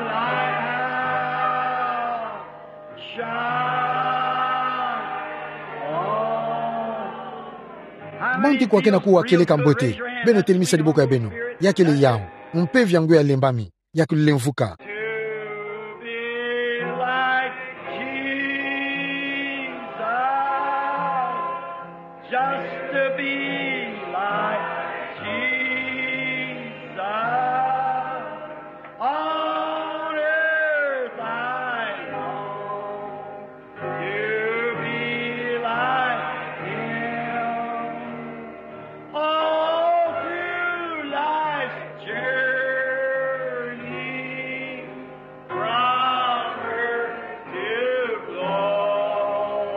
thy house shine on me. Bantu kwa kena kuwa kele kambote, beno telemisa diboko ya beno. Ya kele yawu: Mpeve yango ya lembami, ya kulemvuka. To be like Jesus, just to be like Jesus. On earth I long to be like him. All through life's journey, from earth to glory,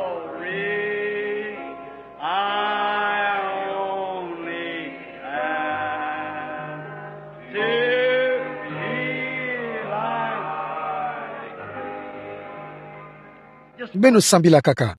I only ask to be like him. Beno sambila kaka.